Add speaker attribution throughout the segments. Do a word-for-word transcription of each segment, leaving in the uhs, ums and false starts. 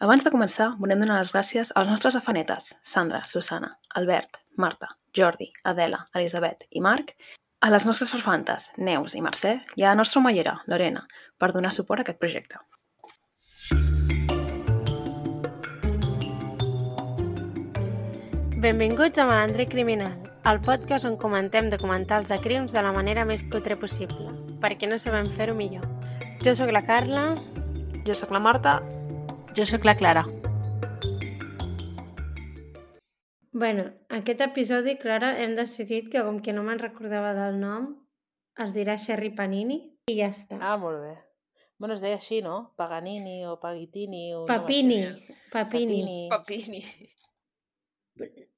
Speaker 1: Abans de començar, volem donar les gràcies als nostres afanetes, Sandra, Susana, Albert, Marta, Jordi, Adela, Elisabet i Marc, a les nostres farfantes, Neus i Mercè, i a la nostra omellera, Lorena, per donar suport a aquest projecte.
Speaker 2: Benvinguts a Malandre Criminal, el podcast on comentem documentals de crims de la manera més cutre possible, perquè no sabem fer-ho millor. Jo sóc la Carla.
Speaker 1: Jo sóc la Marta.
Speaker 3: Jo sóc la Clara.
Speaker 2: Bueno, aquest episodi, Clara, hem decidit que com que no me'n recordava del nom, es dirà Sherry Panini i ja està.
Speaker 3: Ah, molt bé. Bueno, es deia així, no? Paganini o Pagitini. O
Speaker 2: Papini.
Speaker 3: No
Speaker 2: Papini.
Speaker 1: Papini.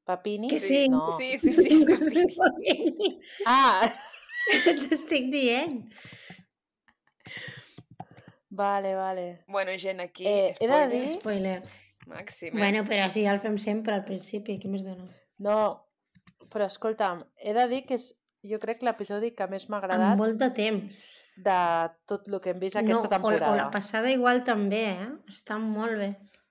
Speaker 3: Papini?
Speaker 2: Que sí.
Speaker 3: No.
Speaker 1: Sí, sí, sí, és Papini.
Speaker 2: Papini.
Speaker 3: Ah!
Speaker 2: T'estic dient.
Speaker 3: Vale, vale.
Speaker 1: Bueno, gent, aquí,
Speaker 3: Eh, he de
Speaker 1: spoiler
Speaker 3: dir...
Speaker 2: Spoiler.
Speaker 1: màxim, eh?
Speaker 2: Bueno, però així ja el fem sempre al principi. Què més dona?
Speaker 3: No, però escolta'm, he de dir que és, jo crec, l'episodi que més m'ha
Speaker 2: Amb
Speaker 3: agradat
Speaker 2: molt de temps.
Speaker 3: de tot el que hem vist aquesta
Speaker 2: no,
Speaker 3: temporada.
Speaker 2: O, o la passada igual també, eh? Està molt bé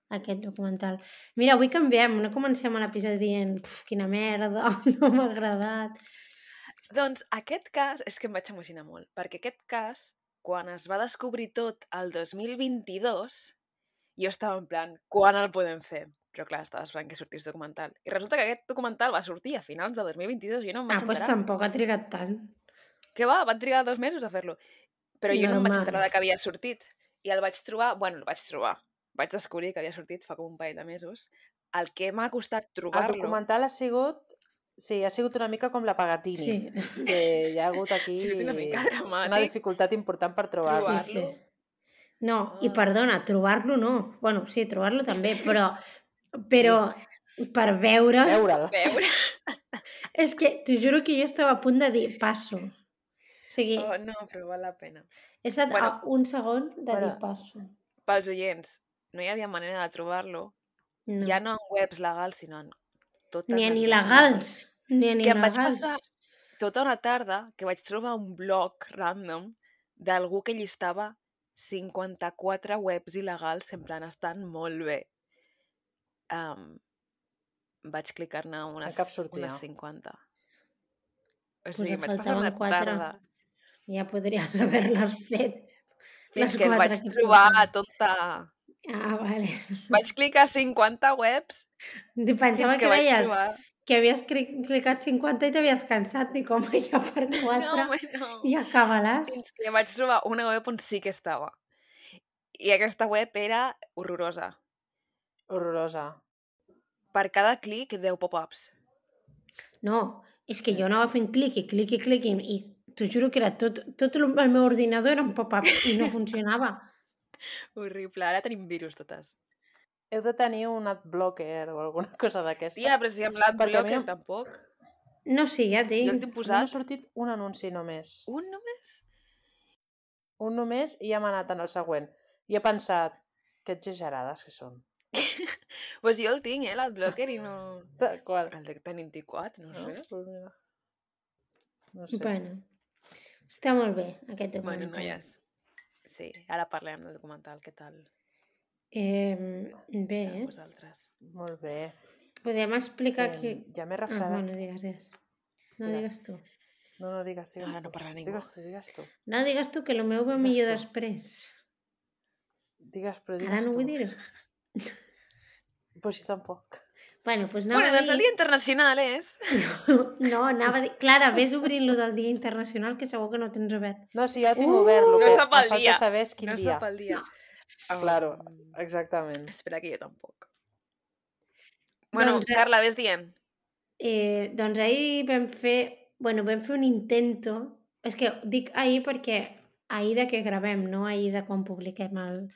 Speaker 2: aquest documental. Mira, avui canviem, no comencem a l'episodi dient "Puf, quina merda, no m'ha agradat".
Speaker 1: Doncs aquest cas és que em vaig emocionar molt, perquè aquest cas, quan es va descobrir tot el dos mil vint-i-dos, jo estava en plan, quan el podem fer? Però clar, estava esperant que sortís documental. I resulta que aquest documental va sortir a finals de dos mil vint-i-dos i jo no em
Speaker 2: Ah,
Speaker 1: vaig
Speaker 2: doncs
Speaker 1: enterar.
Speaker 2: tampoc ha trigat tant.
Speaker 1: Què va? Van trigar dos mesos a fer-lo. Però jo no em vaig
Speaker 2: Normal.
Speaker 1: enterar que havia sortit. I el vaig trobar, bueno, el vaig trobar. Vaig descobrir que havia sortit fa com un parell de mesos. El que m'ha costat
Speaker 3: El
Speaker 1: trobar-lo...
Speaker 3: documental ha sigut... Sí, ha sigut una mica com la Pagatini.
Speaker 2: Sí.
Speaker 3: Que hi ha hagut aquí
Speaker 1: Ha sigut una mica dramàtic.
Speaker 3: una dificultat important per trobar-lo.
Speaker 2: Sí, sí.
Speaker 1: Trobar-lo?
Speaker 2: No, i
Speaker 1: Ah.
Speaker 2: perdona, trobar-lo no. Bueno, sí, trobar-lo també, però, però per veure...
Speaker 3: Veure'l.
Speaker 1: Veure...
Speaker 2: És que t'ho juro que jo estava a punt de dir passo. O sigui,
Speaker 1: Oh, no, però val la pena.
Speaker 2: he estat
Speaker 1: bueno.
Speaker 2: a un segon de
Speaker 3: Bueno.
Speaker 2: dir passo.
Speaker 1: Pels oients, no hi havia manera de trobar-lo.
Speaker 2: No.
Speaker 1: Ja no en webs legals, sinó en totes
Speaker 2: Ni en
Speaker 1: les
Speaker 2: il·legals. Ni en
Speaker 1: Que em vaig
Speaker 2: il·legals.
Speaker 1: passar tota una tarda que vaig trobar un blog random d'algú que llistava cinquanta-quatre webs il·legals, en plan, estan molt bé. Um, vaig clicar-ne unes,
Speaker 3: En cap sortia.
Speaker 1: unes cinquanta. O
Speaker 2: Pues
Speaker 1: sigui,
Speaker 2: em
Speaker 1: em vaig passar una
Speaker 2: faltaven quatre.
Speaker 1: tarda
Speaker 2: Ja podries haver-les fet.
Speaker 1: fins
Speaker 2: Les
Speaker 1: que el
Speaker 2: quatre
Speaker 1: vaig
Speaker 2: que
Speaker 1: trobar,
Speaker 2: faltaven.
Speaker 1: tonta.
Speaker 2: Ah, vale.
Speaker 1: Vaig clicar cinquanta webs
Speaker 2: Pensava
Speaker 1: fins
Speaker 2: que
Speaker 1: que vaig
Speaker 2: deies
Speaker 1: trobar...
Speaker 2: que havies cri- clicat cinquanta i t'havies cansat. Dic, home, ja per
Speaker 1: No,
Speaker 2: quatre
Speaker 1: home, no.
Speaker 2: i acaba-les.
Speaker 1: Fins que vaig trobar una web on sí que estava. I aquesta web era horrorosa.
Speaker 3: Horrorosa.
Speaker 1: Per cada clic, deu pop-ups.
Speaker 2: No, és que jo anava fent clic i clic i clic i, i t'ho juro que era tot, tot el el meu ordinador era un pop-up i no funcionava.
Speaker 1: Horrible. Ara tenim virus totes.
Speaker 3: Heu de tenir un adblocker o alguna cosa d'aquestes.
Speaker 1: Tia, però si amb
Speaker 3: Perquè a mi
Speaker 1: l'adblocker
Speaker 3: no-
Speaker 1: tampoc.
Speaker 2: No, sí, ja
Speaker 1: Jo el
Speaker 2: tinc.
Speaker 1: tinc
Speaker 3: No m'ha
Speaker 1: posat.
Speaker 3: sortit un anunci només.
Speaker 1: Un només?
Speaker 3: Un només i ja m'ha anat en el següent. I he pensat, que exagerades que són.
Speaker 1: Pues jo el tinc, eh, l'adblocker, i no...
Speaker 3: Tal qual.
Speaker 1: El de tenim quatre, no
Speaker 3: No?
Speaker 1: sé.
Speaker 3: Pues mira. No sé.
Speaker 2: Bueno, està molt bé aquest
Speaker 1: Bueno,
Speaker 2: documental.
Speaker 1: noies. Sí, ara parlem del documental. Què tal?
Speaker 2: Eh, bé,
Speaker 1: Amb
Speaker 2: eh?
Speaker 1: vosaltres.
Speaker 3: Molt bé.
Speaker 2: Podem explicar
Speaker 3: Eh,
Speaker 2: que...
Speaker 3: ja m'he
Speaker 2: Ah,
Speaker 3: refredat.
Speaker 2: bueno, digues, digues. No
Speaker 3: Digues.
Speaker 2: digues tu.
Speaker 3: No, no, digues, digues
Speaker 1: Ara
Speaker 3: tu.
Speaker 1: no parla ningú.
Speaker 3: Digues tu, digues tu.
Speaker 2: No digues tu, que el meu va
Speaker 3: Digues
Speaker 2: millor
Speaker 3: tu.
Speaker 2: després.
Speaker 3: Digues, però digues
Speaker 2: Ara no
Speaker 3: tu.
Speaker 2: vull dir-ho.
Speaker 3: Pues sí, tampoc.
Speaker 2: Bueno, doncs anava
Speaker 1: Bueno,
Speaker 2: a
Speaker 1: doncs
Speaker 2: dir...
Speaker 1: el Dia Internacional és...
Speaker 2: No, anava a dir... Clara, vés obrint-lo del Dia Internacional, que segur que no tens obert.
Speaker 3: No, sí, ja ho tinc
Speaker 2: Uh,
Speaker 3: obert. Lo
Speaker 1: no
Speaker 3: que
Speaker 1: sap
Speaker 3: em
Speaker 1: el
Speaker 3: falta
Speaker 1: dia.
Speaker 3: saber és quin
Speaker 1: No
Speaker 3: dia.
Speaker 1: sap el dia.
Speaker 3: Claro,
Speaker 1: Um,
Speaker 3: exactament.
Speaker 1: espera que jo tampoc. Bueno,
Speaker 2: Doncs, eh,
Speaker 1: Carla, ves dient.
Speaker 2: Eh, doncs ahir vam fer... Bueno, vam fer un intento... És que dic ahir perquè ahir de que gravem, no ahir de quan publiquem el,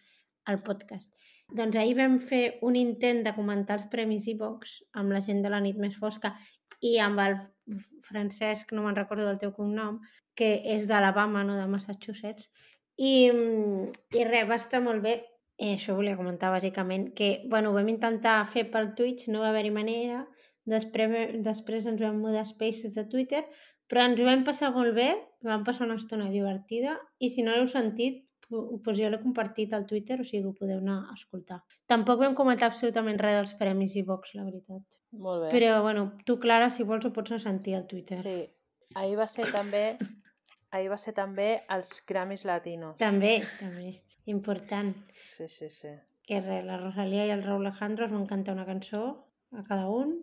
Speaker 2: el podcast. Doncs ahir vam fer un intent de comentar els Premis iVox amb la gent de la nit més fosca i amb el Francesc, no me'n recordo del teu cognom, que és d'Alabama, no de Massachusetts. I, i res, va estar molt bé. Eh, això volia comentar bàsicament, que bueno, ho vam intentar fer pel Twitch, no va haver-hi manera, després, després ens vam mudar a Spaces de Twitter, però ens ho vam passar molt bé, vam passar una estona divertida, i si no l'heu sentit, Pues jo l'he compartit al Twitter, o sigui, ho podeu anar a escoltar. Tampoc vam comentar absolutament res dels premis i Vox, la veritat.
Speaker 3: Molt bé.
Speaker 2: Però, bueno, tu, Clara, si vols ho pots anar a sentir al Twitter.
Speaker 3: Sí, ahir va ser també ahir va ser també els Grammys Latinos.
Speaker 2: També, també. Important.
Speaker 3: Sí, sí, sí.
Speaker 2: Que res, la Rosalía i el Raúl Alejandro es van cantar una cançó a cada un,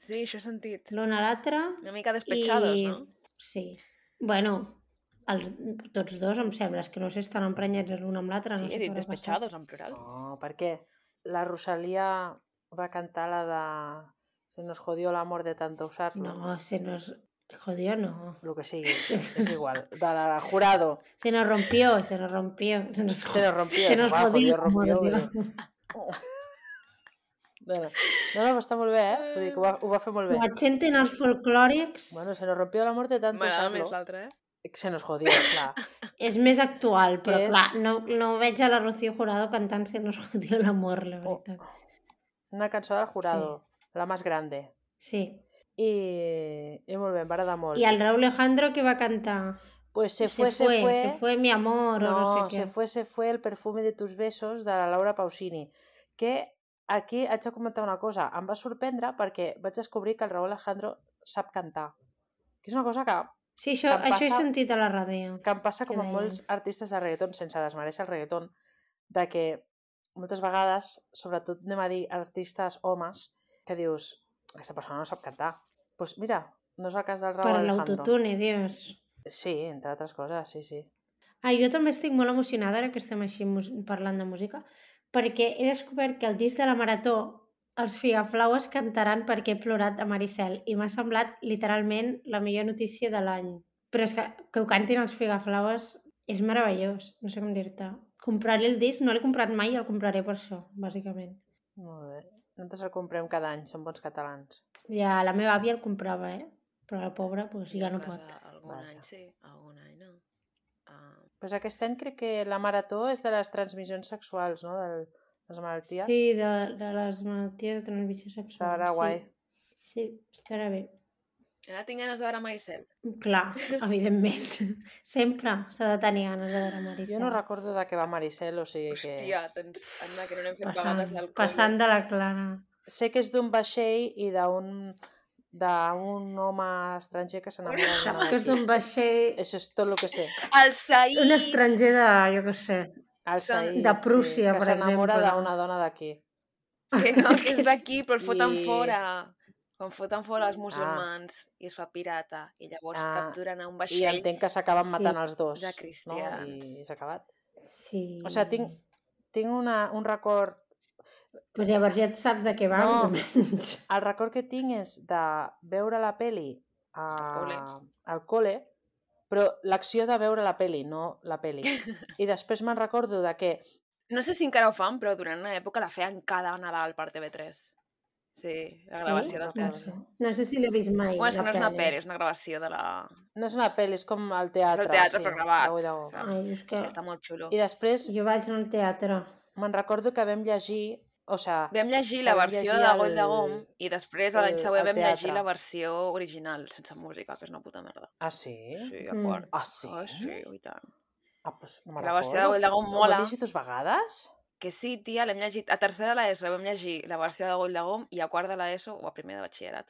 Speaker 1: Sí, això he sentit.
Speaker 2: l'un a l'altre.
Speaker 1: Una mica despechados,
Speaker 2: i...
Speaker 1: no?
Speaker 2: Sí. Bueno, els, tots dos em sembla, és que no sé, estan emprenyats l'un amb l'altre.
Speaker 1: Sí,
Speaker 2: no sé
Speaker 1: he dit
Speaker 2: què haurà passat.
Speaker 1: despechados en plural.
Speaker 3: No, perquè la Rosalía va cantar la de Se nos jodió l'amor de tanto usarlo.
Speaker 2: No, se nos jodió, no.
Speaker 3: Lo que sigui, és igual. De la jurado.
Speaker 2: Se nos rompió, se nos rompió. Se nos,
Speaker 3: Se nos rompió.
Speaker 2: se nos
Speaker 3: va,
Speaker 2: jodió,
Speaker 3: rompió.
Speaker 2: amor,
Speaker 3: Vull dir... No, no, no, no, està molt bé, eh? Vull dir que ho va, ho va fer molt bé.
Speaker 2: Ho senten els folclòrics.
Speaker 3: Bueno, se nos rompió l'amor de tanto
Speaker 1: M'agrada
Speaker 3: usarlo.
Speaker 1: més l'altre, eh?
Speaker 3: Se nos jodió, clar.
Speaker 2: És més actual, però
Speaker 3: És-
Speaker 2: clar, no, no veig a la Rocío Jurado cantant Se nos jodió l'amor, la
Speaker 3: Oh.
Speaker 2: veritat.
Speaker 3: Una cançó del jurado, la más grande.
Speaker 2: Sí.
Speaker 3: I, i molt bé, em va agradar molt.
Speaker 2: I el Raúl Alejandro que va cantar?
Speaker 3: Pues se fue, se fue...
Speaker 2: se fue mi amor,
Speaker 3: No,
Speaker 2: o no sé què.
Speaker 3: se fue, se fue el perfume de tus besos de la Laura Pausini. Que aquí haig de comentar una cosa. Em va sorprendre perquè vaig descobrir que el Raúl Alejandro sap cantar. Que és una cosa que,
Speaker 2: Sí, això,
Speaker 3: que em
Speaker 2: això he
Speaker 3: passa-
Speaker 2: sentit a la ràdio.
Speaker 3: que em passa
Speaker 2: Què
Speaker 3: com amb
Speaker 2: deien?
Speaker 3: molts artistes de reggaeton, sense desmereixer el reggaeton, de que moltes vegades, sobretot anem a dir artistes homes, que dius, aquesta persona no sap cantar. Doncs pues mira, no és el cas del Raúl
Speaker 2: Per
Speaker 3: Alejandro.
Speaker 2: l'autotune, dius.
Speaker 3: Sí, entre altres coses, sí, sí.
Speaker 2: Ah, jo també estic molt emocionada ara que estem així mus- parlant de música, perquè he descobert que el disc de la Marató els Figaflaues cantaran Perquè he plorat a Maricel i m'ha semblat literalment la millor notícia de l'any. Però és que que ho cantin els Figaflaues és meravellós, no sé com dir-te. Compraré el disc, no l'he comprat mai i el compraré per això, bàsicament.
Speaker 3: Molt bé. Nosaltres el comprem cada any, som bons catalans.
Speaker 2: Ja la meva àvia el comprava, eh? Però la pobra pues, ja
Speaker 1: A
Speaker 2: no
Speaker 1: casa
Speaker 2: pot.
Speaker 1: Algun
Speaker 3: Vaja.
Speaker 1: any sí, algun any no. Ah,
Speaker 3: Pues aquest any crec que la marató és de les transmissions sexuals, no? De les malalties.
Speaker 2: Sí, de, de les malalties de transmissió sexual.
Speaker 3: Estarà
Speaker 2: sí.
Speaker 3: guai.
Speaker 2: Sí, estarà bé.
Speaker 1: ara tinc ganes de veure Maricel.
Speaker 2: Clar, evidentment. Sempre s'ha de tenir ganes de veure Maricel.
Speaker 3: Jo no recordo de què va Maricel, o sigui que...
Speaker 1: Hòstia, tens... Anda, que no n'hem fet
Speaker 2: passant,
Speaker 1: vegades al col·le.
Speaker 2: passant de la Clara.
Speaker 3: Sé que és d'un vaixell i d'un d'un home estranger que s'enamora d'una
Speaker 2: Que és
Speaker 3: d'aquí.
Speaker 2: un vaixell...
Speaker 3: Això és tot el que sé.
Speaker 1: El Saïd!
Speaker 2: Un estranger de, jo què sé,
Speaker 3: El
Speaker 1: Són-
Speaker 3: Saïd,
Speaker 2: de Prússia,
Speaker 3: sí, que
Speaker 2: per
Speaker 3: s'enamora
Speaker 2: exemple.
Speaker 3: d'una dona d'aquí.
Speaker 1: Que no, que és d'aquí, però el foten
Speaker 3: I-
Speaker 1: fora. Quan foten fora els musulmans i es fa pirata. I llavors
Speaker 3: Ah,
Speaker 1: capturen a un
Speaker 3: I
Speaker 1: vaixell.
Speaker 3: entenc que s'acaben
Speaker 2: Sí,
Speaker 3: matant els dos.
Speaker 1: de
Speaker 3: No?
Speaker 1: cristians.
Speaker 3: I s'ha acabat.
Speaker 2: sí.
Speaker 3: O sigui, tinc, tinc una, un record...
Speaker 2: Pues llavors ja et saps de què va,
Speaker 3: No.
Speaker 2: més o menys.
Speaker 3: El record que tinc és de veure la peli a...
Speaker 1: Al col·le.
Speaker 3: al col·le, però l'acció de veure la peli, no la peli. I després me'n recordo de que...
Speaker 1: No sé si encara ho fan, però durant una època la feien cada Nadal per T V tres. Sí, la gravació del
Speaker 2: No
Speaker 1: teatre.
Speaker 2: sé. No sé si l'he vist mai.
Speaker 1: Bueno, és que
Speaker 2: la
Speaker 1: no és una
Speaker 2: peli.
Speaker 1: pel·li, és una gravació de la...
Speaker 3: No és una peli, és com el
Speaker 1: És
Speaker 3: teatre.
Speaker 1: el teatre,
Speaker 3: sí,
Speaker 1: però gravat.
Speaker 3: de Goi de Gom.
Speaker 1: saps?
Speaker 2: Ai, és que
Speaker 1: Està molt xulo.
Speaker 3: I després
Speaker 2: jo vaig al teatre.
Speaker 3: me'n recordo que vam llegir... O sea,
Speaker 1: Vam llegir
Speaker 3: que
Speaker 1: la
Speaker 3: vam
Speaker 1: versió
Speaker 3: llegir
Speaker 1: de
Speaker 3: el-
Speaker 1: Goll de Gom i després l'any
Speaker 3: el-
Speaker 1: següent
Speaker 3: el
Speaker 1: vam llegir
Speaker 3: teatre.
Speaker 1: la versió original, sense música, que és una puta merda.
Speaker 3: Ah, sí?
Speaker 1: Sí, a
Speaker 2: Mm.
Speaker 1: quart.
Speaker 3: Ah, sí?
Speaker 1: Oh, sí, i tant.
Speaker 3: Ah, pues no me'n
Speaker 1: La versió de
Speaker 3: recordo.
Speaker 1: Goll de Gom
Speaker 3: Ho
Speaker 1: mola.
Speaker 3: vam llegir dues vegades?
Speaker 1: Que sí, tia, l'hem llegit. A tercer de l'ESO vam llegir la versió de Goll de Gom i a quart de l'ESO, o a primer de batxillerat,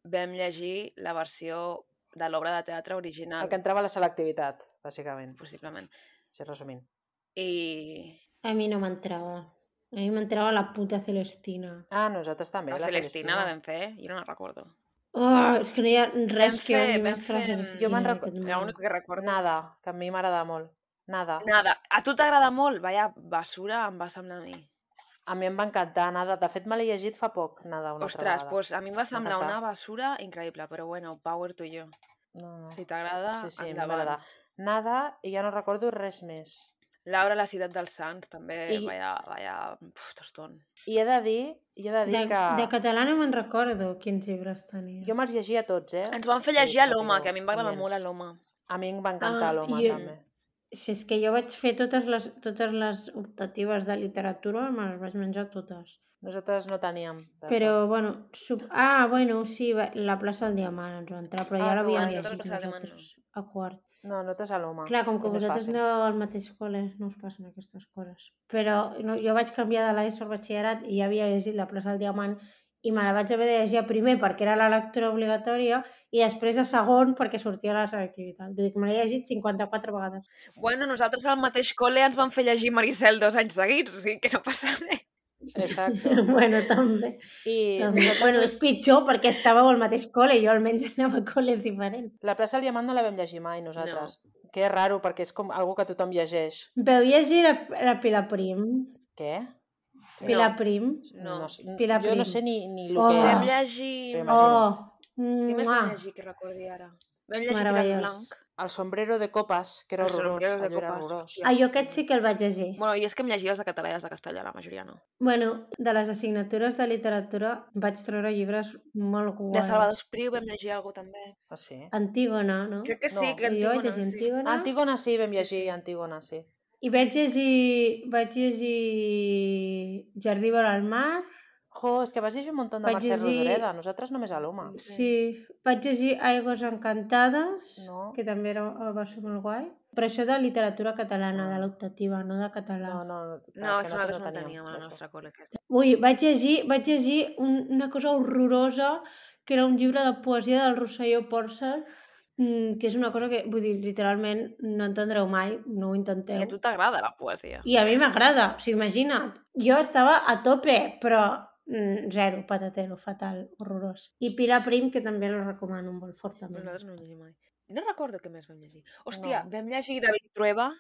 Speaker 1: vam llegir la versió de l'obra de teatre original,
Speaker 3: El que entrava a la selectivitat, bàsicament.
Speaker 1: possiblement.
Speaker 3: Així resumint.
Speaker 1: I
Speaker 2: A mi no m'entrava. A mi m'entrava la puta Celestina.
Speaker 3: Ah, nosaltres també,
Speaker 1: la
Speaker 3: la
Speaker 1: Celestina la
Speaker 3: Celestina.
Speaker 1: vam fer, jo no la recordo.
Speaker 2: Oh, és que no hi ha res
Speaker 1: Vam
Speaker 2: que
Speaker 1: fer-
Speaker 2: odi
Speaker 1: vam
Speaker 2: més que la
Speaker 1: fer-
Speaker 2: Celestina.
Speaker 3: Jo me'n
Speaker 2: en
Speaker 3: reco-
Speaker 2: aquest
Speaker 1: Era
Speaker 2: món.
Speaker 1: l'únic que recordo.
Speaker 3: Nada, que a mi m'agrada molt. Nada.
Speaker 1: Nada. A tu t'agrada molt? Vaya basura em va semblar a mi.
Speaker 3: A mi em va encantar, nada. De fet, me l'he llegit fa poc, nada, una
Speaker 1: Ostres,
Speaker 3: altra vegada.
Speaker 1: pues a mi em va semblar
Speaker 3: encantar.
Speaker 1: una basura increïble, però bueno, power to you.
Speaker 3: No, no.
Speaker 1: Si t'agrada,
Speaker 3: Sí, sí, a mi
Speaker 1: endavant.
Speaker 3: m'agrada. Nada, i ja no recordo res més.
Speaker 1: Laura, la ciutat dels Sants, també,
Speaker 3: I-
Speaker 1: vaya, vaya, uf, toston.
Speaker 3: I he de dir, i he de dir
Speaker 2: De,
Speaker 3: que...
Speaker 2: de català no me'n recordo quins llibres tenia.
Speaker 3: Jo me'ls llegia tots, eh?
Speaker 1: Ens van fer
Speaker 3: Sí,
Speaker 1: llegir a
Speaker 3: no
Speaker 1: l'Home,
Speaker 3: tinc
Speaker 1: que a mi em va agradar
Speaker 3: oients.
Speaker 1: molt a l'Home.
Speaker 3: A mi em va encantar
Speaker 2: Ah,
Speaker 3: l'home,
Speaker 2: i-
Speaker 3: també.
Speaker 2: Si és que jo vaig fer totes les, totes les optatives de literatura, me les vaig menjar totes.
Speaker 3: Nosaltres no teníem d'això.
Speaker 2: Però, bueno, sub... ah, bueno, sí, va- la plaça del Diamant ens va entrar, però
Speaker 3: Ah,
Speaker 2: ja
Speaker 3: que
Speaker 2: l'havíem
Speaker 3: guai.
Speaker 2: llegit
Speaker 1: Nosaltres la plaça del
Speaker 2: nosaltres, a quart.
Speaker 3: No, no te saloma.
Speaker 2: Clar, com que
Speaker 3: I no és
Speaker 2: vosaltres
Speaker 3: fàcil.
Speaker 2: aneu al mateix col·le, no us passen aquestes coses. Però no, jo vaig canviar de l'ESO al batxillerat i ja havia llegit La plaça del Diamant i me la vaig haver de llegir a primer perquè era la lectura obligatòria i després a segon perquè sortia la selectivitat. Vull dir que me l'he llegit cinquanta-quatre vegades.
Speaker 1: Bueno, nosaltres al mateix col·le ens van fer llegir Maricel dos anys seguits, o sigui que no passa res.
Speaker 3: Exacto.
Speaker 2: Bueno, també.
Speaker 3: I
Speaker 2: també.
Speaker 3: nosaltres...
Speaker 2: Bueno, és pitjor perquè estàveu al mateix col·le i jo almenys anava a col·les diferents.
Speaker 3: La plaça del Diamant no la vam llegir mai, nosaltres. No. Que és raro, perquè és com algo que tothom llegeix.
Speaker 2: Veu llegir la, la Pilar Prim?
Speaker 3: Què?
Speaker 2: Pilar
Speaker 1: No.
Speaker 2: Prim?
Speaker 1: No.
Speaker 3: no sé-
Speaker 2: Pilar
Speaker 3: jo no
Speaker 2: Prim.
Speaker 3: sé ni, ni el
Speaker 2: Oh.
Speaker 3: que
Speaker 1: Vam
Speaker 3: és.
Speaker 1: llegir...
Speaker 3: Però imagina't.
Speaker 2: Oh!
Speaker 1: Què més
Speaker 2: Mua.
Speaker 1: vam llegir que recordi ara? Vam llegir Tirant
Speaker 2: Meravellós.
Speaker 1: Blanc.
Speaker 3: El sombrero de copes, que era
Speaker 1: Els
Speaker 3: horrorós.
Speaker 1: sombreros de
Speaker 3: Allò era
Speaker 1: copes,
Speaker 3: horrorós.
Speaker 1: hòstia.
Speaker 2: Ah, jo aquest sí que el vaig llegir.
Speaker 1: Bueno, i és que em llegia els de català i els de castellà, la majoria no.
Speaker 2: Bueno, de les assignatures de literatura vaig treure llibres molt guais.
Speaker 1: De Salvador Espriu vam llegir alguna també.
Speaker 3: Ah, sí?
Speaker 2: Antígona, no?
Speaker 1: Crec que sí,
Speaker 3: No.
Speaker 1: que
Speaker 2: Jo vaig
Speaker 1: Antígona,
Speaker 2: llegir
Speaker 1: sí.
Speaker 2: Antígona.
Speaker 3: Antígona sí, vam
Speaker 1: Sí, sí,
Speaker 3: llegir
Speaker 1: sí.
Speaker 3: Antígona, sí.
Speaker 2: I vaig llegir... Vaig llegir Jardí vora el mar.
Speaker 3: Jo, és que vas llegir un munt de
Speaker 2: Vaig
Speaker 3: Mercè
Speaker 2: llegir-
Speaker 3: Rodoreda, nosaltres només a l'Oma.
Speaker 2: Sí. Vaig llegir Aigües encantades,
Speaker 3: No.
Speaker 2: que també era, va ser molt guai. Però això de literatura catalana,
Speaker 3: Ah.
Speaker 2: de l'optativa, no de català.
Speaker 3: No, no,
Speaker 1: No,
Speaker 3: és
Speaker 1: és
Speaker 3: que
Speaker 1: que nosaltres
Speaker 3: nosaltres
Speaker 1: no
Speaker 3: no teníem.
Speaker 1: teníem al
Speaker 3: d'això.
Speaker 1: nostre col·le. aquesta.
Speaker 2: Ui, vaig llegir, vaig llegir un, una cosa horrorosa, que era un llibre de poesia del Rosselló Porcel, mm, que és una cosa que, vull dir, literalment no entendreu mai, no ho intenteu.
Speaker 1: I a tu t'agrada la poesia.
Speaker 2: I a mi m'agrada, o sigui, imagina't. Jo estava a tope, però mm, zero, patatero, fatal, horrorós. I Pilar Prim, que també la recomano molt fortament.
Speaker 1: Nosaltres no ho llegim mai. No recordo què més vam llegir. Hòstia,
Speaker 3: No.
Speaker 1: vam llegir David Trueba.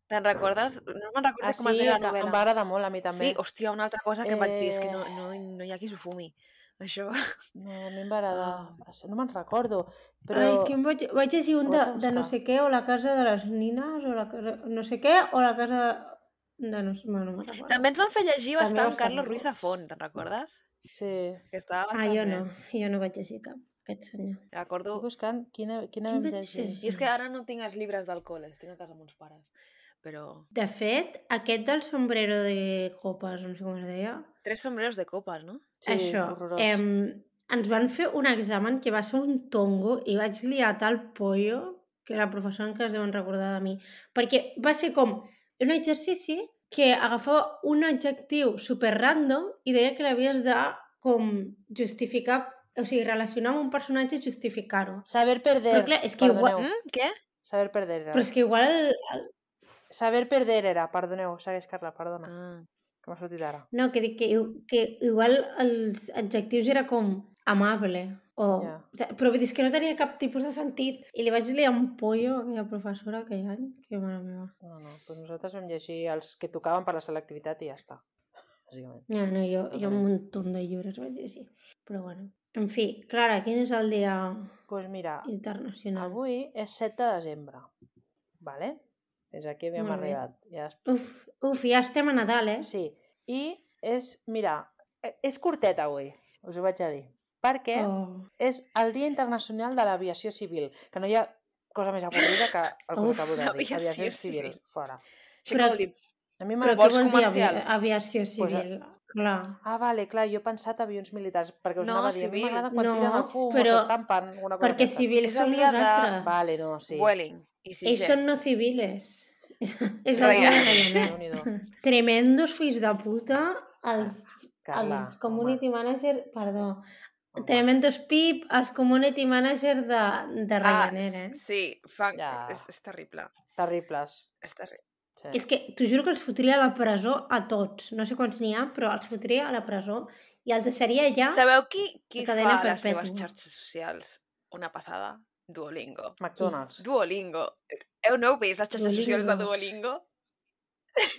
Speaker 1: Te'n recordes? No me'n recordo
Speaker 3: Ah,
Speaker 1: com es
Speaker 3: sí,
Speaker 1: deia la
Speaker 3: que
Speaker 1: novel·la.
Speaker 3: em va agradar molt a mi també.
Speaker 1: Sí, hòstia, una altra cosa que em vaig dir és que no,
Speaker 3: Eh.
Speaker 1: no, no hi ha qui s'ho fumi. Això...
Speaker 3: No, a mi em va agradar.
Speaker 1: Ah.
Speaker 3: No me'n recordo, però...
Speaker 2: Ai, que em vaig, vaig llegir un
Speaker 3: Ho
Speaker 2: de,
Speaker 3: vaig a
Speaker 2: de no
Speaker 3: buscar.
Speaker 2: sé què, o la casa de les nines, o la casa... no sé què, o la casa de no sé... Bueno, no me'n recordo.
Speaker 1: També ens van fer llegir
Speaker 2: També
Speaker 1: bastant
Speaker 2: bastant
Speaker 1: Carlos
Speaker 2: bo.
Speaker 1: Ruiz Zafón, te'n recordes?
Speaker 3: Sí.
Speaker 1: Que estava
Speaker 2: Ah,
Speaker 1: bastant
Speaker 2: jo
Speaker 1: bé.
Speaker 2: no, jo no vaig llegir cap, aquest senyor.
Speaker 1: Recordo...
Speaker 3: Estic buscant quina, quina
Speaker 2: Quin
Speaker 3: vam
Speaker 2: vaig
Speaker 3: llegir.
Speaker 2: llegir?
Speaker 1: I és que ara no tinc els llibres del col·le, els tinc a casa amb uns pares. Però...
Speaker 2: De fet, aquest del sombrero de copes, no sé com es deia,
Speaker 1: Tres sombreros de copes, no?
Speaker 3: Sí,
Speaker 2: això,
Speaker 3: horrorós.
Speaker 2: em, ens van fer un examen que va ser un tongo i vaig liar tal pollo que la professora encara es deuen recordar de mi. Perquè va ser com un exercici que agafava un adjectiu super random i deia que l'havies de com justificar, o sigui, relacionar amb un personatge i justificar-ho.
Speaker 3: Saber perder.
Speaker 2: Però clar, és que igual-
Speaker 3: Perdoneu.
Speaker 1: Mm? Què?
Speaker 3: Saber perder era.
Speaker 2: Però és que igual... El, el,
Speaker 3: Saber perder era. Perdoneu, segueix, Carla, perdona.
Speaker 1: Ah.
Speaker 3: Que m'ha sortit ara.
Speaker 2: no, que dic que, que igual els adjectius era com amable. O,
Speaker 3: Ja.
Speaker 2: o sigui, però vull dir, és que no tenia cap tipus de sentit. I li vaig liar un pollo a aquella professora aquell any. Que mare meva.
Speaker 3: No, no, doncs nosaltres vam llegir els que tocaven per la selectivitat i ja està. Bàsicament.
Speaker 2: Ja, no, jo,
Speaker 3: Més
Speaker 2: jo
Speaker 3: o
Speaker 2: un
Speaker 3: menys.
Speaker 2: muntó de llibres vaig llegir. Però bueno. En fi, Clara, quin és el dia
Speaker 3: Doncs pues mira,
Speaker 2: internacional?
Speaker 3: avui és set de desembre. Vale? Fins aquí havíem
Speaker 2: Molt bé.
Speaker 3: arribat. Ja es...
Speaker 2: Uf, uf, ja estem a Nadal, eh?
Speaker 3: Sí. I és, mira, eh, és curtet avui, us ho vaig a dir. Perquè
Speaker 2: Oh.
Speaker 3: és el Dia Internacional de l'Aviació Civil, que no hi ha cosa més avorrida que el que us
Speaker 2: Uf,
Speaker 3: acabo de dir.
Speaker 1: aviació
Speaker 3: Aviació civil,
Speaker 1: civil.
Speaker 3: fora.
Speaker 1: Això
Speaker 2: Però-
Speaker 1: què vol dir?
Speaker 3: A mi
Speaker 2: Però
Speaker 3: m'agrada...
Speaker 2: què
Speaker 1: vols
Speaker 2: vol dir avi
Speaker 1: comercials?
Speaker 2: aviació civil? Clar.
Speaker 3: Ah, vale, clar, jo he pensat avions militars, perquè us
Speaker 1: No,
Speaker 3: anava a dir, a mi
Speaker 1: civil.
Speaker 3: m'agrada quan
Speaker 2: No,
Speaker 3: tiren el fum
Speaker 2: però-
Speaker 3: o s'estampen, una cosa
Speaker 2: Perquè
Speaker 3: d'aquestes.
Speaker 2: civils
Speaker 1: És el
Speaker 2: som
Speaker 1: dia de-
Speaker 2: nosaltres.
Speaker 3: Vale, no, sí.
Speaker 1: Vueling. I si
Speaker 2: Ells són no civiles. És el dia de Ryanair.
Speaker 3: Déu-n'hi-do.
Speaker 2: Tremendos fills de puta, els,
Speaker 3: Carla,
Speaker 2: els community manager, perdó,
Speaker 3: home.
Speaker 2: tremendos pip, els community manager de, de Ryanair, eh?
Speaker 1: Ah, sí, fan...
Speaker 3: Ja.
Speaker 1: és, és terrible.
Speaker 3: Terribles.
Speaker 1: És terrible.
Speaker 3: Sí.
Speaker 2: És que t'ho juro que els fotria a la presó a tots. No sé quants n'hi ha, però els fotria a la presó i els deixaria allà.
Speaker 1: Sabeu qui, qui
Speaker 2: De cadena
Speaker 1: fa les
Speaker 2: perpètua.
Speaker 1: seves xarxes socials una passada? Duolingo.
Speaker 3: McDonald's.
Speaker 1: Duolingo. Heu no heu vist les xarxes
Speaker 2: Duolingo.
Speaker 1: socials de Duolingo?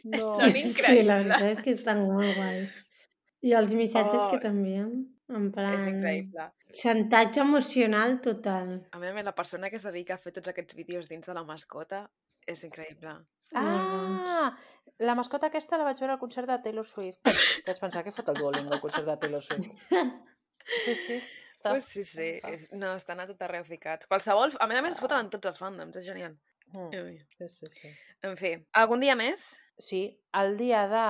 Speaker 3: No.
Speaker 1: Són
Speaker 2: Sí,
Speaker 1: increïbles.
Speaker 2: la veritat és que estan molt guais. I els missatges
Speaker 1: Oh,
Speaker 2: que
Speaker 1: és-
Speaker 2: t'envien, en plan...
Speaker 1: És increïble.
Speaker 2: Xantatge emocional total.
Speaker 1: A mi, a mi, la persona que es dedica a fer tots aquests vídeos dins de la mascota és increïble.
Speaker 3: Ah! La mascota aquesta la vaig veure al concert de Taylor Swift. Vaig pensar que fot el Duolingo al concert de Taylor Swift. Sí, sí. Està...
Speaker 1: Pues sí, sí. És, no, estan a tot arreu ficats. Qualsevol... A més a més, es foten en tots els fandoms. És genial.
Speaker 3: Mm.
Speaker 1: Ui.
Speaker 3: Sí, sí, sí.
Speaker 1: En fi, algun dia més?
Speaker 3: Sí, el dia de...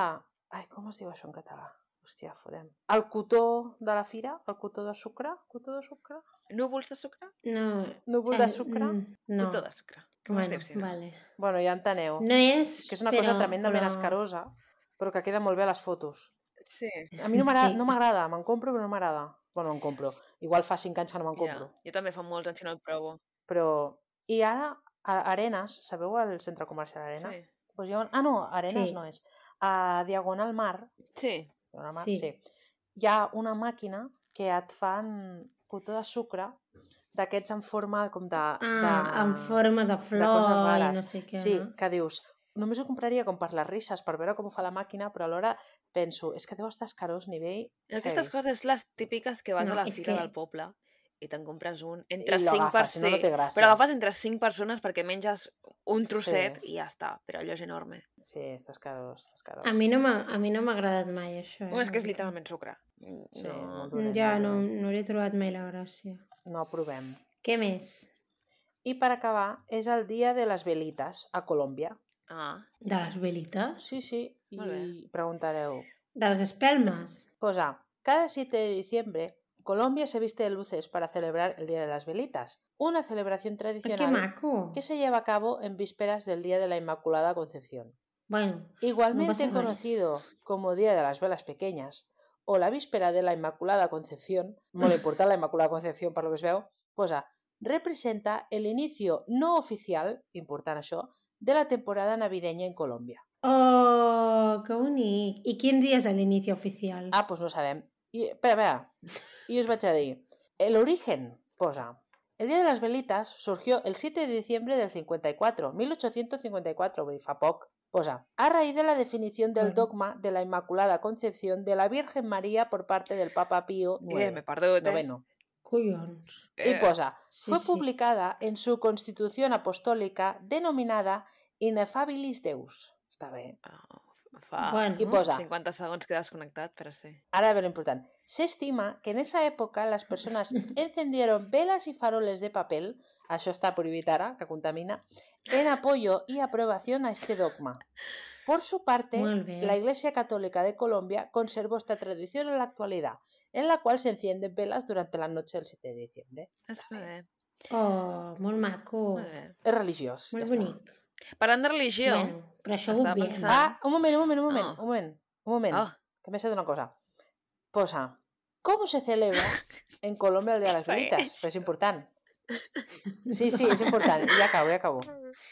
Speaker 3: Ai, com es diu això en català? Hòstia, fodem. El cotó de la fira? El cotó de sucre? Cotó de sucre?
Speaker 1: Núvols de sucre?
Speaker 2: No.
Speaker 3: Núvol de sucre?
Speaker 2: mm, No.
Speaker 1: Cotó de sucre. Que
Speaker 2: Bueno,
Speaker 1: m'estic dient?
Speaker 2: vale.
Speaker 3: Bueno, ja enteneu.
Speaker 2: No és,
Speaker 3: Que és una
Speaker 2: però,
Speaker 3: cosa tremendament
Speaker 2: però...
Speaker 3: escarosa, però que queda molt bé a les fotos.
Speaker 1: Sí.
Speaker 3: A mi no m'agrada,
Speaker 2: Sí.
Speaker 3: no m'agrada, me'n compro però no m'agrada. Bueno, me'n compro. Igual fa cinc anys que no me'n
Speaker 1: Ja.
Speaker 3: compro.
Speaker 1: Jo també fa molts anys que no el provo.
Speaker 3: Però... I ara, a Arenas, sabeu el centre comercial Arenas?
Speaker 1: Sí.
Speaker 3: Pues hi ha... Ah, no, Arenas
Speaker 2: Sí.
Speaker 3: no és. A Diagonal Mar,
Speaker 1: Sí.
Speaker 3: Diagonal Mar,
Speaker 2: Sí.
Speaker 3: sí. Hi ha una màquina que et fan cotó de sucre d'aquests en forma com de...
Speaker 2: Ah,
Speaker 3: de...
Speaker 2: en forma de
Speaker 3: de
Speaker 2: flor
Speaker 3: coses
Speaker 2: i
Speaker 3: rares.
Speaker 2: no sé què,
Speaker 3: Sí,
Speaker 2: no?
Speaker 3: que dius, només ho compraria com per les risses, per veure com ho fa la màquina, però alhora penso, és que deu estar escarós nivell
Speaker 1: I aquestes
Speaker 3: heavy.
Speaker 1: coses les típiques que vas
Speaker 2: No,
Speaker 1: a la
Speaker 2: és
Speaker 1: fira
Speaker 2: que-
Speaker 1: del poble i te'n compres un entre
Speaker 3: I lo
Speaker 1: cinc per
Speaker 3: agafes, si no, no
Speaker 1: ser.
Speaker 3: té gràcia.
Speaker 1: Però agafes entre cinc persones perquè menges un trosset
Speaker 3: Sí.
Speaker 1: i ja està, però allò és enorme.
Speaker 3: Sí, està escarós, està escarós.
Speaker 2: A mi no m'ha a mi no m'ha agradat mai, això. Eh?
Speaker 1: Bueno, és que és
Speaker 2: la veritat.
Speaker 1: literalment sucre.
Speaker 3: Sí,
Speaker 1: No.
Speaker 3: molt dolent,
Speaker 2: Ja,
Speaker 3: molt
Speaker 2: no,
Speaker 3: dolent.
Speaker 2: no li he trobat mai la gràcia.
Speaker 3: No aprovem.
Speaker 2: Què més?
Speaker 3: I per acabar, és el dia de les velites a Colòmbia.
Speaker 1: Ah,
Speaker 2: De les velites?
Speaker 3: Sí, sí,
Speaker 1: Molt
Speaker 3: i preguntareu.
Speaker 2: De les espelmes?
Speaker 3: Posa, cada siete de diciembre, Colombia se viste de luces para celebrar el Día de las Velitas, una celebración
Speaker 2: Ah, que
Speaker 3: tradicional
Speaker 2: maco!
Speaker 3: que se lleva a cabo en vísperas del Día de la Inmaculada Concepción.
Speaker 2: Bueno,
Speaker 3: Igualmente
Speaker 2: pasa nada.
Speaker 3: conocido como Día de las Velas Pequeñas o la víspera de la Inmaculada Concepción, molt important la Inmaculada Concepción per lo que es veu, posa, representa el inicio no oficial, important això, de la temporada navideña en Colòmbia.
Speaker 2: oh, que bonic. I quin dia és l'inici oficial?
Speaker 3: Ah, pues no sabem. I, espera, espera. Y os vaig a dir. El origen, posa. El Día de las Velitas surgió el siete de diciembre del cincuenta y cuatro, mil ochocientos cincuenta y cuatro, vull dir, fa poc. Posa. A raíz de la definición del
Speaker 2: Bueno.
Speaker 3: dogma de la Inmaculada Concepción de la Virgen María por parte del Papa Pío
Speaker 1: eh,
Speaker 3: noveno.
Speaker 1: m'he perdut, eh?
Speaker 3: noveno.
Speaker 2: Collons.
Speaker 3: Y
Speaker 1: Eh,
Speaker 3: posa.
Speaker 2: sí,
Speaker 3: Fue
Speaker 2: sí.
Speaker 3: publicada en su constitución apostólica denominada Ineffabilis Deus. Està bé.
Speaker 1: ah, fa
Speaker 2: Bueno.
Speaker 3: Y posa.
Speaker 1: cinquanta segons que he desconnectat, però sí.
Speaker 3: Ahora ve lo importante. Se estima que en esa época las personas encendieron velas y faroles de papel, això està prohibit ara, que contamina, en apoyo y aprobación a este dogma. Por su parte,
Speaker 2: Molt bé.
Speaker 3: la Iglesia Católica de Colombia conservó esta tradición en la actualidad, en la cual se encienden velas durante la noche del siete de diciembre.
Speaker 1: Està bé.
Speaker 2: Oh, molt maco.
Speaker 1: Molt bé.
Speaker 3: És religiós.
Speaker 2: Molt
Speaker 3: ja està.
Speaker 2: bonic.
Speaker 1: Parlant de religió,
Speaker 2: Bueno, però això ho
Speaker 1: estava
Speaker 2: obviem.
Speaker 1: pensant-
Speaker 3: Ah, un moment, un moment, un moment,
Speaker 1: Ah.
Speaker 3: un moment, un moment,
Speaker 1: Ah.
Speaker 3: que me he una cosa. Posa, ¿cómo se celebra en Colombia el Día de las
Speaker 1: Què
Speaker 3: Velitas?
Speaker 1: és?
Speaker 3: Pues es important. Sí, sí, es importante. Ya acabo, ya acabo.